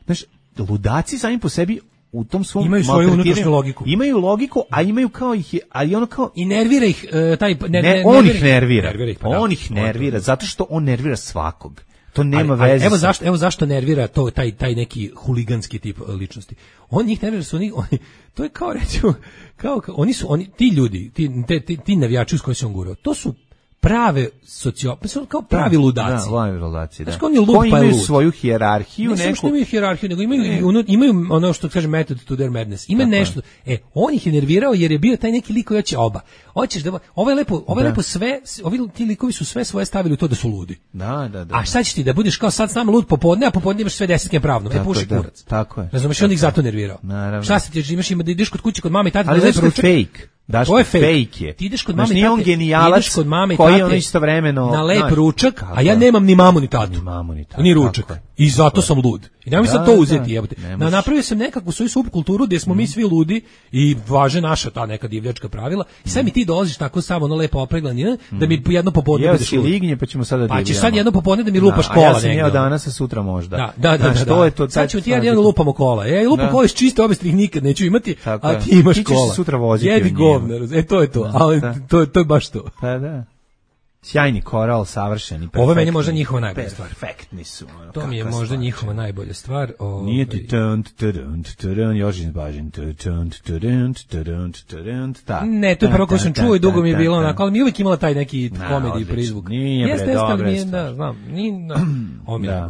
Znaš, ludaci sami po sebi u tom svom imaju svoju unutrašnju logiku. Imaju logiku, a imaju kao ih, ali ono kao i nervira ih taj on ih nervira. On ih nervira zato što on nervira svakog. To nema veze. Evo zašto nervira to taj neki huliganski tip ličnosti. On njih nervira, to je kao recimo ti ljudi, ti navijači s kojima se on gurao. To su prave kao pravi ludaci. Da. Koji imaju svoju hijerarhiju. Ne što imaju hijerarhiju, nego imaju ono što kaže method to their madness. Ima nešto. On ih je nervirao jer je bio taj neki lik koji hoće oba. Hoćeš da ovaj lepo sve, ti likovi su sve svoje stavili u to da su ludi. Da. A šta ćeš ti da budeš kao sad s nama lud popodne, a popodne imaš sve desetke pravno. Puši kurac. Tako je. Razumeš, on ih zato nervirao. Naravno. Šta se ti imaš da ideš kod kuće kod mame i tate da ne poručuje. Daško, To je fake. fake je. Ti ideš kod Znaš, mame i nije on tate, genijalac ideš kod mame i koji tate ono istovremeno... na lep znaš, ručak, kako a ja je? nemam ni mamu ni tatu. Ni mamu ni tatu, Ni tako ručak. je. I zato sam lud. I nemoj sad Da, to da, uzeti, jebote. ne možeš. Napravio sam nekakvu svoju subkulturu gdje smo mi svi ludi i važe naša ta neka divljačka pravila. I sad mi ti dolaziš tako samo ono lepo opreglan, da mi jedno popodne Jeo budeš si lud. lignje, pa ćemo sada Pa ćeš sad jedno popodne da mi lupaš A kola ja sam negdje, jeo ono. danas, a sutra možda. Da. Znaš, to je to. Sad ćemo ti jedan lupamo kola. Ja lupam Da. kola iz čiste obesti, ih nikad neću imati, Tako a je. ti imaš Ti ćeš kola. se sutra voziti Jedi u njima. govna, to je to. Da, Ali da. to je baš to. Pa da. Sjajni koral, savršeni, perfektni. Ovo je meni možda njihova najbolja stvar. Perfektni su. ono, To mi je kakva možda stvar. njihova najbolja stvar. Nije ti tunt, Jožin Bažin, ta. Ne, to je prvo koju sam čuo i dugo mi je bilo onako, ali mi je uvijek imala taj neki komediji odlično. prizvuk. Nije, bre, Jeste, dobra ali mi je je, stvar. da, znam,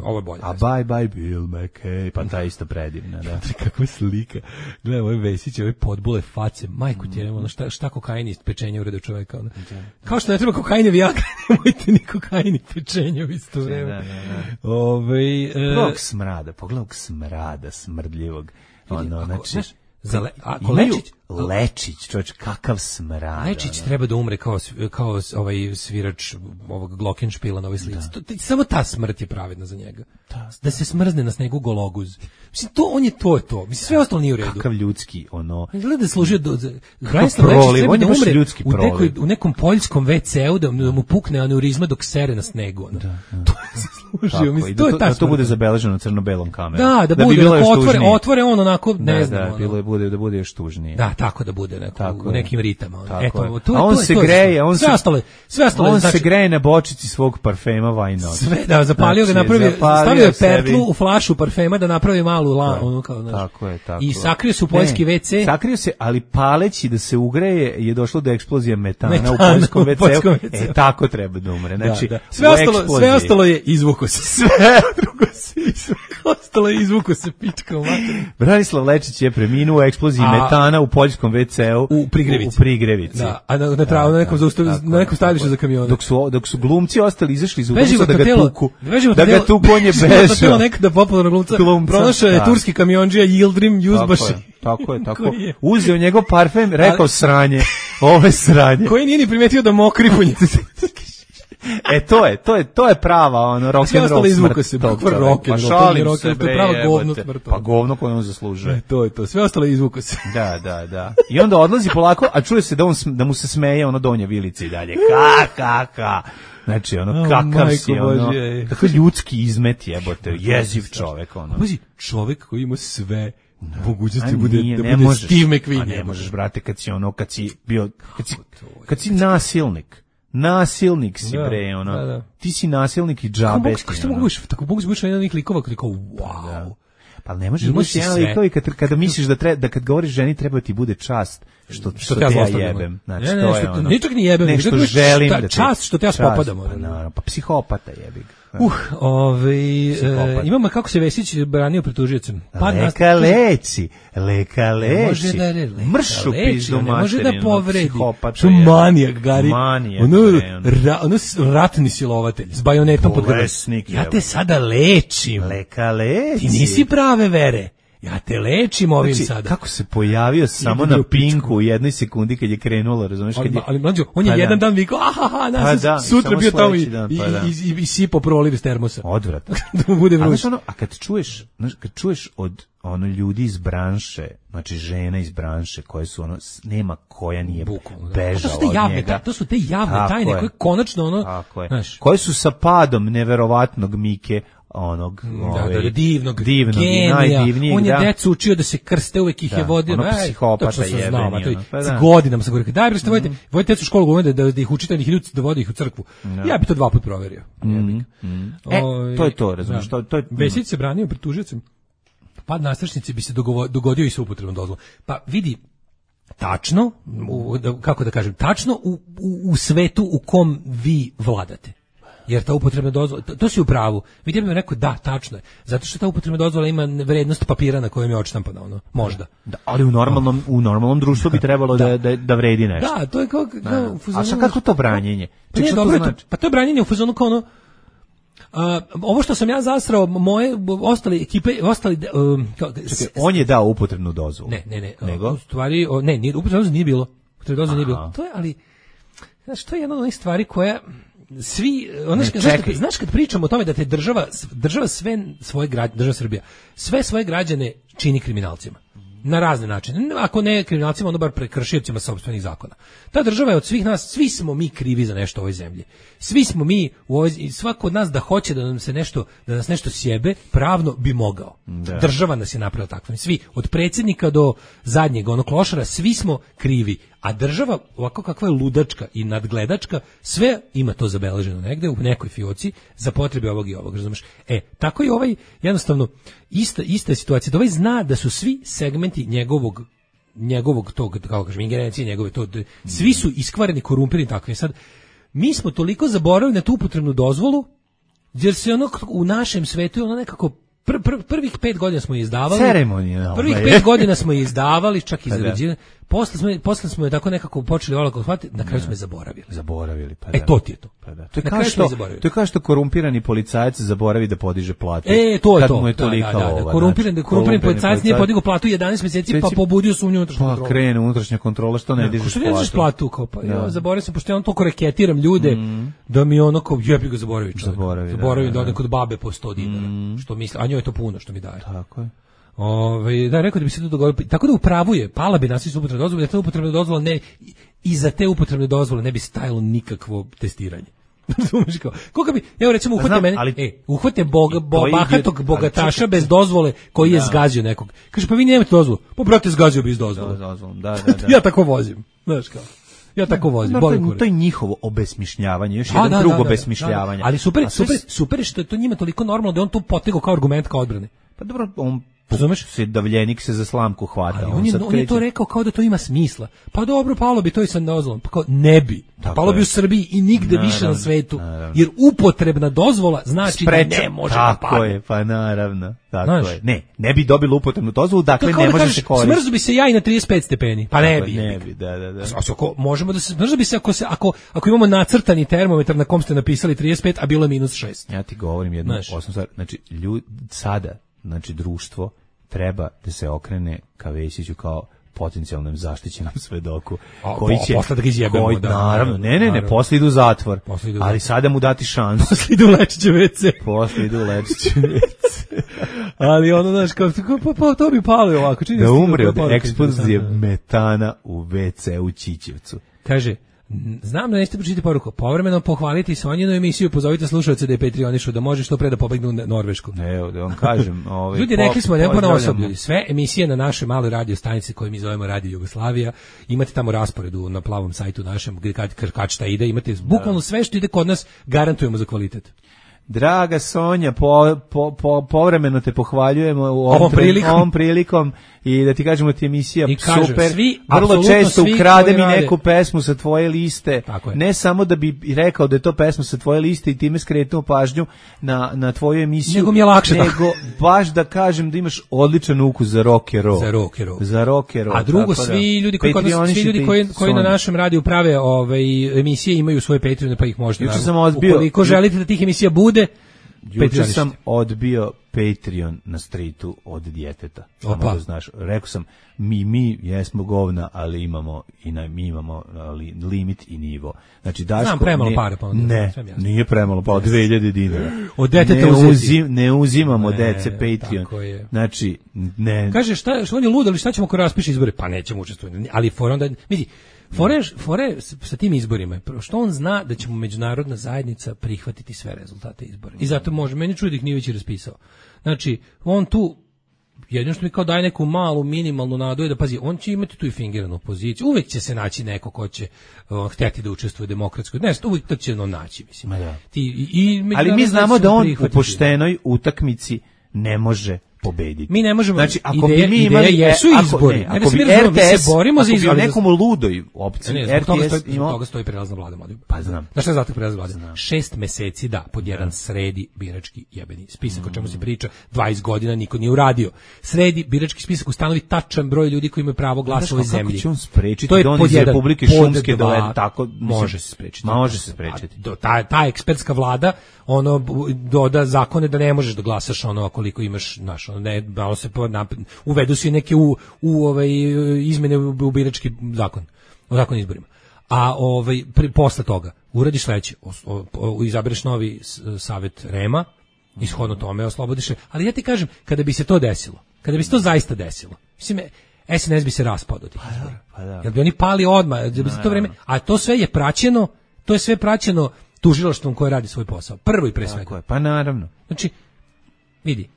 ovo je bolje. A bye Bill McKay, pa ta isto predivna, da. Kakva slika. Gledaj, ove Vesić, ove podbule face, majku ti je, ono, šta kokain iz pečenja urede čoveka. Ono. Kao što ne treba kokain i vijagra, nemojte ni kokain i pečenja u isto vreme. Pogledaj smrada smrdljivog. Ono, znači, Ako imaju Lečić, Lečić, čovječ, kakav smrad. Lečić ono. treba da umre kao ovaj svirač ovog Glockenspiela na ovoj slici. Samo ta smrt je pravedna za njega. Da se smrzne na snegu gologuz. Mislim, on je to. Mislim, sve ostalo nije u redu. Kakav ljudski, ono... Gleda da je služio Branislav Lečić proliv, treba on da je baš umre ljudski proliv. u nekom poljskom WC-u da mu pukne aneurizma dok sere na snegu. Ono. To je zaslužio. Mislim, to je ta da to smrt. bude zabeleženo crno-belom kamerom. Da bi bude, bilo još otvore on onako, ne znam. Da bude još tužnije. Da, tako da bude u nekim ritama. Tako je. To A on se greje, sve ostalo. On znači, se greje na bočici svog parfema Why Not. sve, da, zapalio ga, napravio, stavio je pertlu u flašu parfema da napravi malu ono kao, znaš. Tako je. I sakrio se u poljski WC. Sakrio se, ali paleći da se ugreje je došlo do eksplozije metana u poljskom WC-u. Tako treba da umre. Znači, da. Sve ostalo je izvuko se. Sve ostalo je izvuko se pička u materiju. Branislav Lečić je preminuo u eksploziji metana u poljskom WC-u u Prigrevici. Da, a na nekom stajalištu za kamione. Dok su glumci ostali izašli iz ulica da ga tuku. Da ga tuku, on je bežao. bežao. Nekada popularna glumca. Pronašao je turski kamiondžija Yildirim Yuzbashi. Tako je. Uzeo njegov parfem, rekao sranje. Ovo je sranje. Koji nije ni primetio da mokri po njih. To je prava ono rock and roll smrt. Pa šalim se, bre, prava govno smrt. Pa govno koje on zaslužuje. To je to, sve ostalo je izvuko se. Da. I onda odlazi polako, a čuje se da mu se smeje ono donje vilice i dalje. Ka. Znači, ono, kakav si, ono, tako ljudski izmet jebote, jeziv čovek, ono. Pazi, čovek koji ima sve mogućnosti da bude Steve McQueen. A ne možeš, brate, kad si nasilnik si, bre, ono. Da. Ti si nasilnik i džabe. Tako mogu biti jedan od njih likova koji kao, wow. Pa ne možeš biti jedan likova i kada misliš da kad govoriš ženi treba ti bude čast što te ja jebem. Znači, to je ono. Ničak ni jebem. Nešto želim da te... Čast što te ja spopadam. Pa psihopata jebik. Imamo kako se Vesić branio pred tužiocem. Leka leči. Mršu pizdu materinu. Može da povredi. Što manijak, Gari. Ono ratni silovatelj s bajonetom pod grlom. Ja te sada lečim. Leka leči. Ti nisi prave vere. Ja te lečim ovim sada. Kako se pojavio samo na Pinku u jednoj sekundi kad je krenulo, razumiješ? Ali mlađo, on je jedan dan vikao, sutra bio tamo i sipo proliv iz termosa. Odvratno. Da mu bude vruć. A kad čuješ od ljudi iz branše, znači žena iz branše koje su ono, nema koja nije bežala od njega. To su te javne tajne koje konačno ono, koje su sa padom neverovatnog Mike, onog divnog genija, najdivnijeg, on je decu učio da se krste, uvek ih je vodio, psihopata jebeni, godinama sam govorio, daj bre što vodite decu u školu, da ih učite, da vodi ih u crkvu. Ja bi to 2 puta proverio. To je to, razumiješ, Vesić se branio pred tužiocem. Pad nastrešnice bi se dogodio i sa upotrebnom dozvolom. Pa vidi, tačno, kako da kažem, tačno u svetu u kom vi vladate. Jer ta upotrebna dozvola, to si u pravu. Vidim mi rekao, da, tačno je. Zato što ta upotrebna dozvola ima vrednost papira na kojem je odštampana, ono, možda. Da, ali u normalnom društvu bi trebalo da vredi nešto. Da, to je kao a šta kako to branjenje? Pa to je branjenje u fazonu kao ono, ovo što sam ja zasrao, moje ostale ekipe, on je dao upotrebnu dozvolu. Ne. U stvari, upotrebnu dozvolu nije bilo. upotrebne dozvole nije bilo. To je, ali, znaš, to je jedna od onih stvari koja svi, znaš kad pričamo o tome da te država sve svoje građane, država Srbija, sve svoje građane čini kriminalcima. Na razne načine. Ako ne kriminalcima, onda bar prekršiocima sopstvenih zakona. Ta država je od svih nas, svi smo mi krivi za nešto u ovoj zemlji. Svi smo mi, svako od nas da hoće da nas nešto sjebe, pravno bi mogao. Da. Država nas je napravila takvim. Svi, od predsjednika do zadnjeg onog klošara, svi smo krivi. A država, ovako kakva je ludačka i nadgledačka, sve ima to zabeleženo negde u nekoj fioci za potrebe ovog i ovog, razumeš? Tako je ovaj, jednostavno, ista situacija, da ovaj zna da su svi segmenti njegovog tog, kako kažem, ingerencije njegove, svi su iskvareni, korumpirani, takvi. Sad, mi smo toliko zaboravili na tu upotrebnu dozvolu, jer se ono u našem svetu je ono nekako prvih 5 godina smo je izdavali. Ceremonija. Prvih 5 godina smo je izdavali, čak i zarađivali. Posle smo je tako nekako počeli olako shvatiti, na kraju smo je zaboravili. Pa da. To ti je to. Pa da. To je kao što korumpirani policajac zaboravi da podiže platu. To je kad to. Mu je tolika ova. Korumpirani policajac nije podigao platu 11 mjeseci, pa pobudio sumnju unutrašnju kontrolu. Pa krene unutrašnja kontrola, što ne dižeš platu. Što ne dižeš platu? Kao, pa ja zaboravio sam, pošto ja on toliko reketiram ljude, da mi ono kao, jebi ga zaboravio čovjek. Zaboravim da odem kod babe po 100 dinara. Što misli, a njoj je to puno što mi daje. Tako je. Da, rekao da bi se to dogodilo. Tako da upravuje, pala bi nas upotrebne dozvole, da te upotrebne dozvole ne, i za te upotrebne dozvole ne bi stajalo nikakvo testiranje. Razumeš kao? Koga bi, evo recimo uhvate mene, uhvate bahatog bogataša bez dozvole koji je zgazio nekog. Kaže, pa vi nemate dozvolu. Pa brate, zgazio bi iz dozvole. Da. Ja tako vozim, znaš kao. Ja tako vozim. To je njihovo obesmišljavanje, još jedan drug obesmišljavanja. Ali super što je to njima toliko normalno da on to potegao kao argument kao odbrane. Pa dobro, on davljenik se za slamku hvata. On je to rekao kao da to ima smisla. Pa dobro, palo bi to i sa dozvolom. Pa kao, ne bi. Palo bi u Srbiji i nigde više na svetu. Jer upotrebna dozvola znači da ne može da padne. Tako je, pa naravno. Tako je. Ne bi dobilo upotrebnu dozvolu, dakle ne može se koristiti. Smrzu bi se ja i na 35 stepeni. Pa ne bi. Ne bi, da. Možemo da se smrzu bi se ako imamo nacrtani termometar na kom ste napisali 35, a bilo je -6. Ja ti govorim jednu osnovnu stvar. Znači, sada, društvo treba da se okrene ka Vesiću kao potencijalnom zaštićenom svedoku koji će posle da ga izjebemo, naravno, ne, posle idu u zatvor, ali sada mu dati šansu. Posle idu u Lečićev WC. Ali ono, znaš, kao, pa to bi palo ovako. Da umre od eksplozije metana u WC u Ćićevcu. Kaže, znam da nećete pročitati poruku. Povremeno pohvaliti Sonjinu emisiju, pozovite slušalce da je Patreonišu, da može što pre da pobegnu u Norvešku. Evo, da vam kažem. Ljudi, rekli smo, ne ponaosob, ljudi. Sve emisije na našoj maloj radio stanici koju mi zovemo Radio Jugoslavija, imate tamo rasporedu na plavom sajtu našem, gdje kad šta ide, imate bukvalno sve što ide kod nas, garantujemo za kvalitet. Draga Sonja, povremeno te pohvaljujemo ovom prilikom i da ti kažemo ti emisija super. Vrlo često ukrade mi neku pesmu sa tvoje liste. Ne samo da bi rekao da je to pesma sa tvoje liste i time skretnuo pažnju na tvoju emisiju. Nego mi je lakše. Nego baš da kažem da imaš odličan ukus za rock and roll. Za rock and roll. A drugo, svi ljudi koji na našem radiju prave emisije imaju svoje Patreone, pa ih možete. Ukoliko želite da tih emisija bude, juče sam odbio Patreon na streetu od djeteta. Samo da znaš, rekao sam, mi jesmo govna, ali imamo limit i nivo. Znači, Daško, znam premalo pare, pa ne, nije premalo, pa 2000 dinara. Od deteta ne uzimamo dece Patreon. Znači, ne. Kaže, što on je lud, ali šta ćemo ako raspiše izbore? Pa nećemo učestvovati. Ali for onda, vidi, Fore sa tim izborima, što on zna da će mu međunarodna zajednica prihvatiti sve rezultate izbora. I zato može, meni čudi da ih nije već raspisao. Znači, on tu, jedino što mi kao daje neku malu, minimalnu nadu, da pazi, on će imati tu i fingiranu poziciju, uvek će se naći neko ko će htjeti da učestvuje demokratskoj, uvek to će naći, mislim. Ali mi znamo da on u poštenoj utakmici ne može pobediti. Mi ne možemo. Znači, ako bi mi imali jesu izbori, ako bi RTS, ako bi nekom ludoj opciji RTS imao, toga stoji prelazna vlada. Pa znam. Znaš šta je zato prelazna vlada? 6 meseci da pod jedan sredi birački jebeni spisak, o čemu se priča 20 godina niko nije uradio. Sredi birački spisak, ustanovi tačan broj ljudi koji imaju pravo glasa u ovoj zemlji. Kako će on sprečiti da on iz Republike Šumske dovede tako? Može se sprečiti. Može se sprečiti. Ta ekspertska vlada doda zakone da ne možeš da glasaš koliko imaš, ne, malo se uvedu se neke u izmene u birački zakon. o zakonu o izborima. A posle toga uradiš sledeće, izabereš novi savet REM-a, ishodno tome oslobodiš, ali ja ti kažem, kada bi se to desilo, kada bi se to zaista desilo, mislim, SNS bi se raspao do tih izbora. Jer bi oni pali odmah, da bi se to vreme, a to sve je praćeno, tužilaštvom koje radi svoj posao. Prvo i pre svega. Pa naravno. Znači, vidi,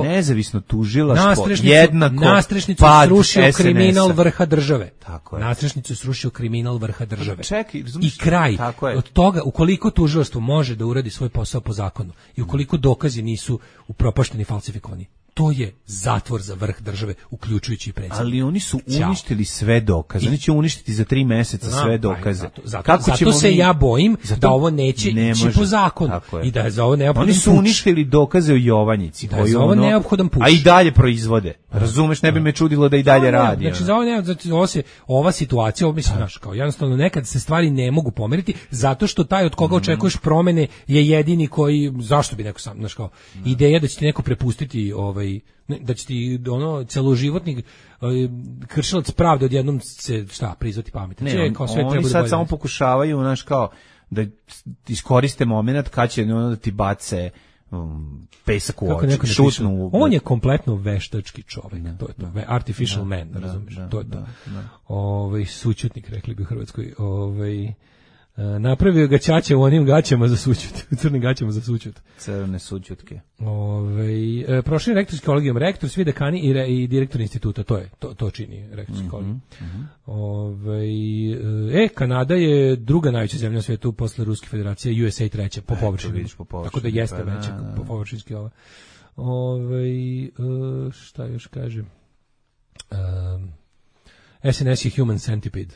nezavisno tužilaštvo jednako nastrešnicu srušio kriminal vrha države. Tako je. Nastrešnicu srušio kriminal vrha države. Čekaj, i kraj od toga, ukoliko tužilaštvo može da uradi svoj posao po zakonu i ukoliko dokazi nisu upropašteni i falsifikovani, to je zatvor za vrh države, uključujući i predsjednika. Ali oni su uništili sve dokaze. Oni će uništiti za 3 meseca sve dokaze. Zato se ja bojim da ovo neće ići po zakonu. I da je za ovo neophodan puč. Oni su uništili dokaze o Jovanjici. Da je za ovo neophodan puč. A i dalje proizvode. Razumeš, ne bi me čudilo da i dalje radi. Znači, za ovo ova situacija, mislim, znaš, kao jednostavno nekad se stvari ne mogu pomeriti, zato što taj od koga očekuješ promene je jedini koji, zašto bi neko sam, znaš, kao, ideja da će ti neko prepustiti da će ti celoživotni kršilac pravde odjednom se prizvati pametno. Oni sad samo pokušavaju, znaš, kao da iskoriste moment kad će da ti bace pesak u oči, šutnu. On je kompletno veštački čovjek, to je to, artificial man, razumiješ, to je to. Sućutnik, rekli bi u Hrvatskoj, napravio ga ćaća u onim gaćama za sućut, u crnim gaćama za sućut. Crne sućutke. Prošli rektorski kolegijum, rektor, svi dekani i direktor instituta, to čini rektorski kolegijum. Kanada je druga najveća zemlja na svijetu posle Ruske federacije, USA treća po površini. Tako da jeste veća po površinski ova. Šta još kažem? SNS je human centipede,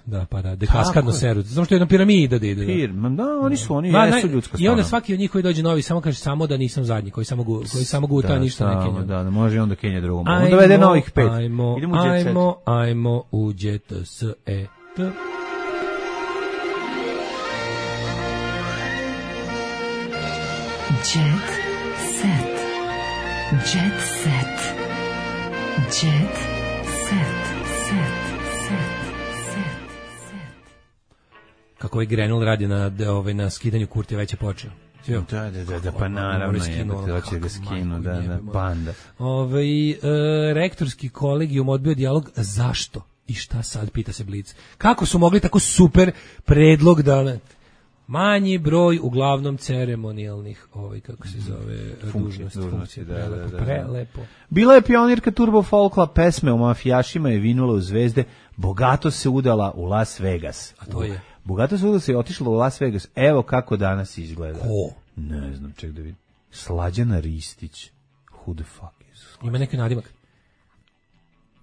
kaskadno seru. Zato što je jedna piramida da ide. Da, oni jesu ljudska strana. I onda svaki od njih koji dođe novi samo kaže samo da nisam zadnji, koji samo guta ništa ne kenja. Da, može onda kenja drugom. Onda vede novih 5. Ajmo u Jet Set. Jet Set. Jet Set. Jet Set. Kako Grenell radi na skidanju Kurtija već je počeo. Da, pa naravno je, da će ga skinu, da, banda. Rektorski kolegijum odbio dijalog, zašto? I šta sad, pita se Blic. Kako su mogli tako super predlog da... Manji broj uglavnom ceremonijalnih, kako se zove, dužnosti. Prelepo. Bila je pionirka Turbo Folkla, pesme o mafijašima je vinula u zvezde, bogato se udala u Las Vegas. A to je? Bogato se udala se otišla u Las Vegas, evo kako danas izgleda. Ko? Ne znam, ček da vidim. Slađana Ristić. Who the fuck is? Ima neki nadimak.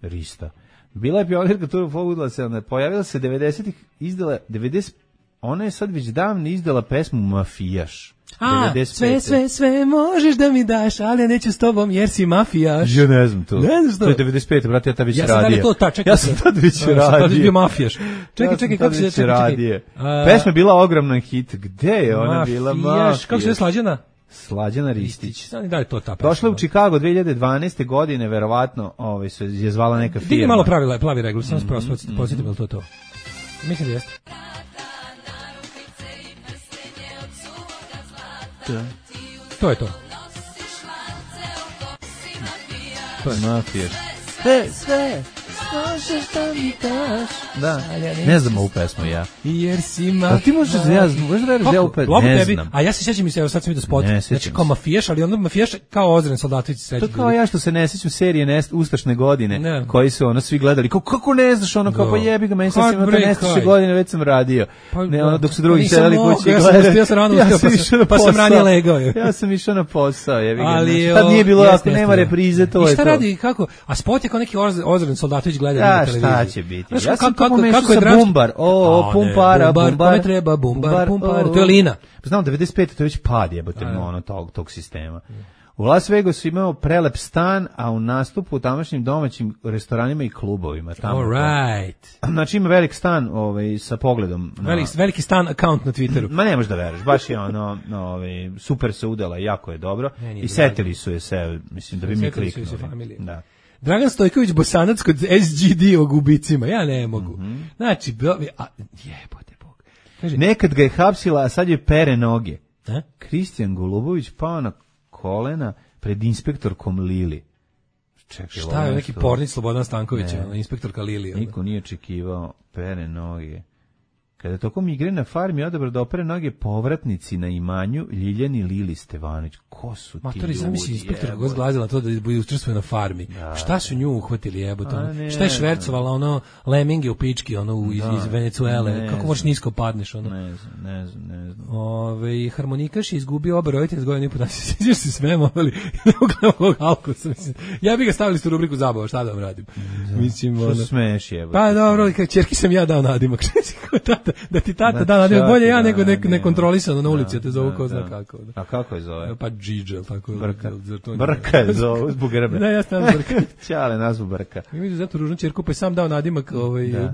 Rista. Bila je pionirka Turbo Folkla, pojavila se 90-ih, izdala 90. Ona je sad već davno izdala pesmu Mafijaš. Sve možeš da mi daš, ali ja neću s tobom jer si mafijaš. Ja ne znam to. Ne znam što. To je 95, brate, ja tad već radio. Ja sam tad već radio. Ja sam tad bio mafijaš. Čekaj, kako se radio. Pesma je bila ogroman hit. Gde je ona bila mafijaš? Kako se je Slađana? Slađana Ristić. Da li to ta pesma? Došla u Chicago 2012. godine, verovatno, se je zvala neka firma. Digni malo plavi regl, samo posjetim li to. Mislim da jeste. To je to. To je mafijaš. Sve. Možeš da mi daš. Da, ne znam ovu pesmu ja. Jer si mafijaš. Ti možeš da ja ovu pesmu, ne znam. A ja se sjećam sad sam vidio spot. Znači kao mafijaš, ali onda mafijaš kao Ozren Soldatović sreći. To kao ja što se ne sjećam serije Ustašne godine, koji su svi gledali. Kako ne znaš ono, kao pa jebi ga, meni sad sam imao nestaše godine, već sam radio. Dok su drugi sedeli kući i gledali. Ja sam rano ustao, pa sam ranije legao. Ja sam išao na posao, jebi ga. Tad nije bilo, ako nema reprize, to je to. I šta radi, kako? A spot je kao neki Ozren Soldatović gleda na televiziji. Šta će biti? Ja sam kako mešao sa Bumbar. Pumpara. Kome treba Bumbar. To je Lina. Znam, 95. to je već pad jebote tog sistema. U Las Vegasu imao prelep stan, a u nastupu u tamošnjim domaćim restoranima i klubovima. All right. Znači ima velik stan sa pogledom. Veliki stan account na Twitteru. Ma ne možeš da veruješ, baš je super se udala, jako je dobro. I setili su je se, mislim da bi mi kliknuli. Da. Dragan Stojković Bosanac kod SGD o gubicima. Ja ne mogu. Znači, jebote Bog. Kaže, nekad ga je hapsila, a sad je pere noge. A? Kristijan Golubović pao na kolena pred inspektorkom Lili. Čekaj, šta je neki pornić Slobodan Stanković, inspektorka Lili. Niko nije očekivao pere noge. Kada tokom igre na farmi odabrao da opere noge povratnici na imanju Ljiljani Lili Stevanović. Ko su ti ljudi? Zamisli inspektor ga zglazila to da učestvuje na farmi. Da, šta su nju uhvatili, jebote? Šta je švercovala ono leminge u pički ono iz Venecuele? Kako možeš nisko padneš ono? Ne znam. Harmonikaš je izgubio oba roditelja s godinu i po dana. Sjećaš se svema, ali ne mogu ovog Alkosa. Ja bih ga stavili u rubriku zabava, šta da vam radim? Mislim, što smeš, jebote? Pa dobro, kao ćerki sam ja dao nadimak. Da ti tata da nadimak, bolje ja nego nekontrolisano na ulici, a te zovu ko zna kako. A kako je zove? Pa Džidžel, tako je. Brka je zove, zbog grbe. Da, ja sam Brka. Ćale nazvu Brka. I vidio zato ružnu ćerku, pa je sam dao nadimak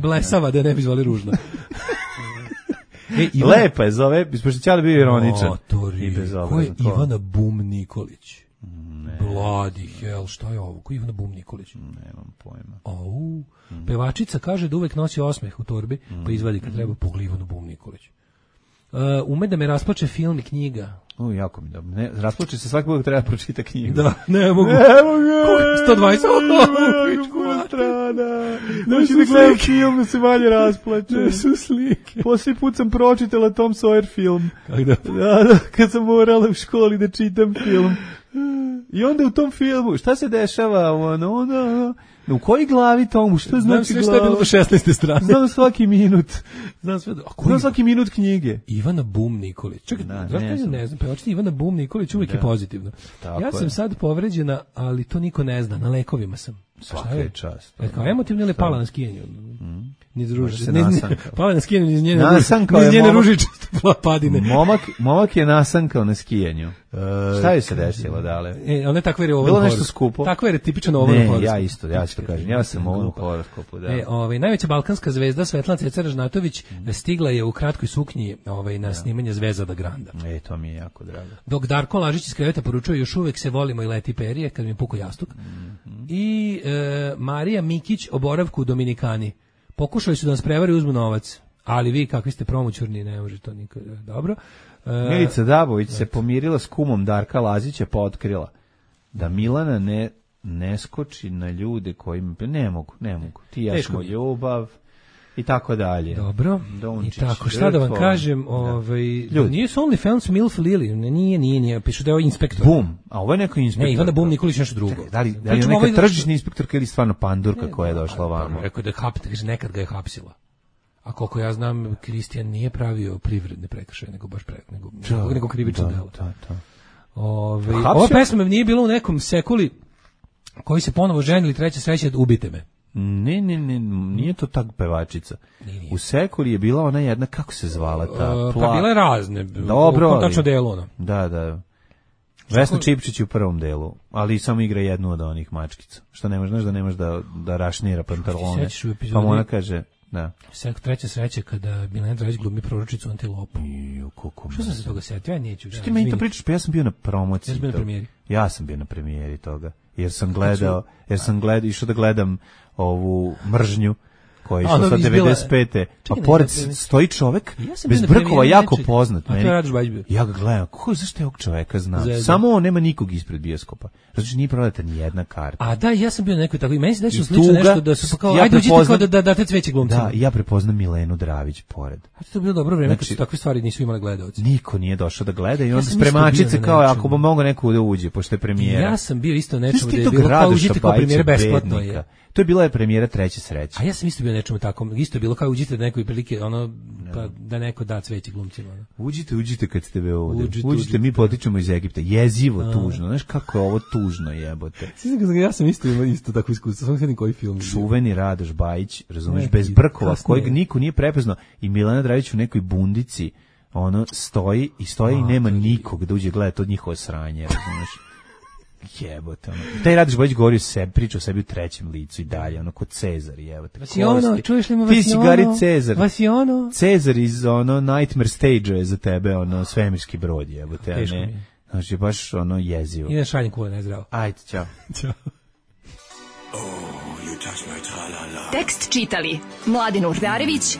blesava, da ne bi zvali ružno. Lepa je zove, ispošto Ćale bio ironičan. Ko je Ivana Bum Nikolić? Bloody hell, šta je ovo? Ko je Ivana Bum Nikolić? Nemam pojma. Pevačica kaže da uvek nosi osmeh u torbi, pa izvadi kad treba pogli Ivanu Bum Nikolić. Ume da me rasplače film i knjiga. Jako mi dobro. Rasplače se svaki put treba pročita knjigu. Da, ne mogu. 120. 120 strana. Znači da gledam film da se manje rasplače. Ne su slike. Posljednji put sam pročitala Tom Sawyer film. Kako da? Da, kad sam morala u školi da čitam film. I onda u tom filmu, šta se dešava? U kojoj glavi tomu? Šta znači glava? Znam sve što je bilo do 16. strane. Znam svaki minut. Znam svaki minut knjige. Ivana Bum Nikolić. Čekaj, ne znam. Pevačica Ivana Bum Nikolić uvijek je pozitivno. Ja sam sad povređena, ali to niko ne zna. Na lekovima sam. Svaka je čast. Kao emotivno ili pala na skijenju? Pala na skijenju iz njene ružičaste padine. Momak je nasankao na skijenju. Šta je se desilo, dale? Ona je takva je ovo. Bilo nešto skupo. Takva je tipično ovo na horoskopu. Ja ću to kažem. Ja sam ovo na horoskopu, da. Najveća balkanska zvezda Svetlana Ceca Ražnatović stigla je u kratkoj suknji na snimanje Zvezda Granda. To mi je jako drago. Dok Darko Lažić iz kreveta poručuje još uvek se volimo i leti perije kad mi puku jastuk. I Marija Mikić o boravku u Dominikani. Pokušali su da nas prevari, uzmu novac. Ali vi kakvi ste promoćurni, ne može to nikad. Dobro. Milica Dabović se pomirila s kumom Darka Lazića, pa otkrila da Milana ne skoči na ljude kojima ne mogu. Ti ja smo ljubav i tako dalje. Dobro. I tako, šta da vam kažem, nije su OnlyFans Milf Lili, nije, pišu da je ovo inspektor. Bum, a ovo je neko inspektor. Ne, Ivana Bum Nikolić nešto drugo. Da li je neka tržišna inspektorka ili stvarno pandurka koja je došla ovamo? Rekao da je nekad ga je hapsila. A koliko ja znam, Kristijan nije pravio privredne prekršaje, nego krivično delo. Ova pesma nije bila u nekom sekuli koji se ponovo ženili, treća sreća, ubite me. Ne, nije to tak pevačica. U sekuli je bila ona jedna, kako se zvala ta? Pa bile razne. Dobro. Tačno delo ono. Da. Vesna Čipčić u prvom delu, ali samo igra jednu od onih mačkica. Što ne možeš da rašnira pantalone. Pa ona kaže, da. Treća sreća kada Milena Dragić glumi proročicu Antilopu. Što sam se toga setio? Ja neću. Što ti meni to pričaš? Pa ja sam bio na promociji. Ja sam bio na premijeri toga. Jer sam gledao, išao da gledam ovu mržnju koja je išla sa 95. A pored stoji čovek bez brkova, jako poznat meni. Ja ga gledam, zašto je ovog čoveka znam? Samo on, nema nikog ispred bioskopa. Znači nije prodata ni jedna karta. A da, ja sam bio na nekoj tako i meni se desilo slično nešto da su kao, ajde uđite kao da date cveće glumcima. Da, ja prepoznam Milenu Dravić pored. A to je bilo dobro vreme kad su takve stvari nisu imali gledaoci. Niko nije došao da gleda i onda spremačice kao ako bi mogao neko da uđe, pošto je premijera. Ja sam bio isto nečemu da je bilo kao uđite kao premijera besplatno je. To je bila premijera treće sreće. A ja sam isto bio nečemu takom, isto je bilo kao uđite da nekoj prilike, pa da neko da cveće glumcima. Uđite kad ste be ovde. Uđite, mi potičemo iz Egipta. Jezivo, tužno. Znaš kako je ovo tužno, jebote. Ja sam isto tako iskustvo, samo vidim koji film. Čuveni Radoš Bajić, razumeš, bez brkova, kojeg niko nije prepoznao, i Milena Dragić u nekoj bundici, stoji i nema nikog da uđe gledati od njihovo sranje, razumeš. Jebote, taj Radoš Bajić govori o sebi, priča o sebi u trećem licu i dalje, kod Cezar, jebote. Vasiono, čuješ li mu Vasiono? Ti si Gari Cezar. Vasiono? Cezar iz Nightmare Stage je za tebe, svemirski brod, jebote, a ne. Znači, baš jezivo. Ide šaljem kule, nezdravo. Ajde, čao. Ćao. Tekst čitali Mladin Urdarević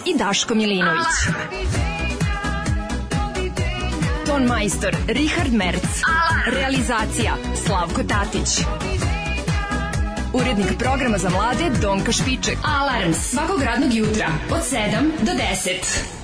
i Daško Milinović. Ton majstor Richard Merc. Realizacija Slavko Tatić. Urednik programa za mlade Donka Špiček. Alarms svakog radnog jutra od 7 do 10.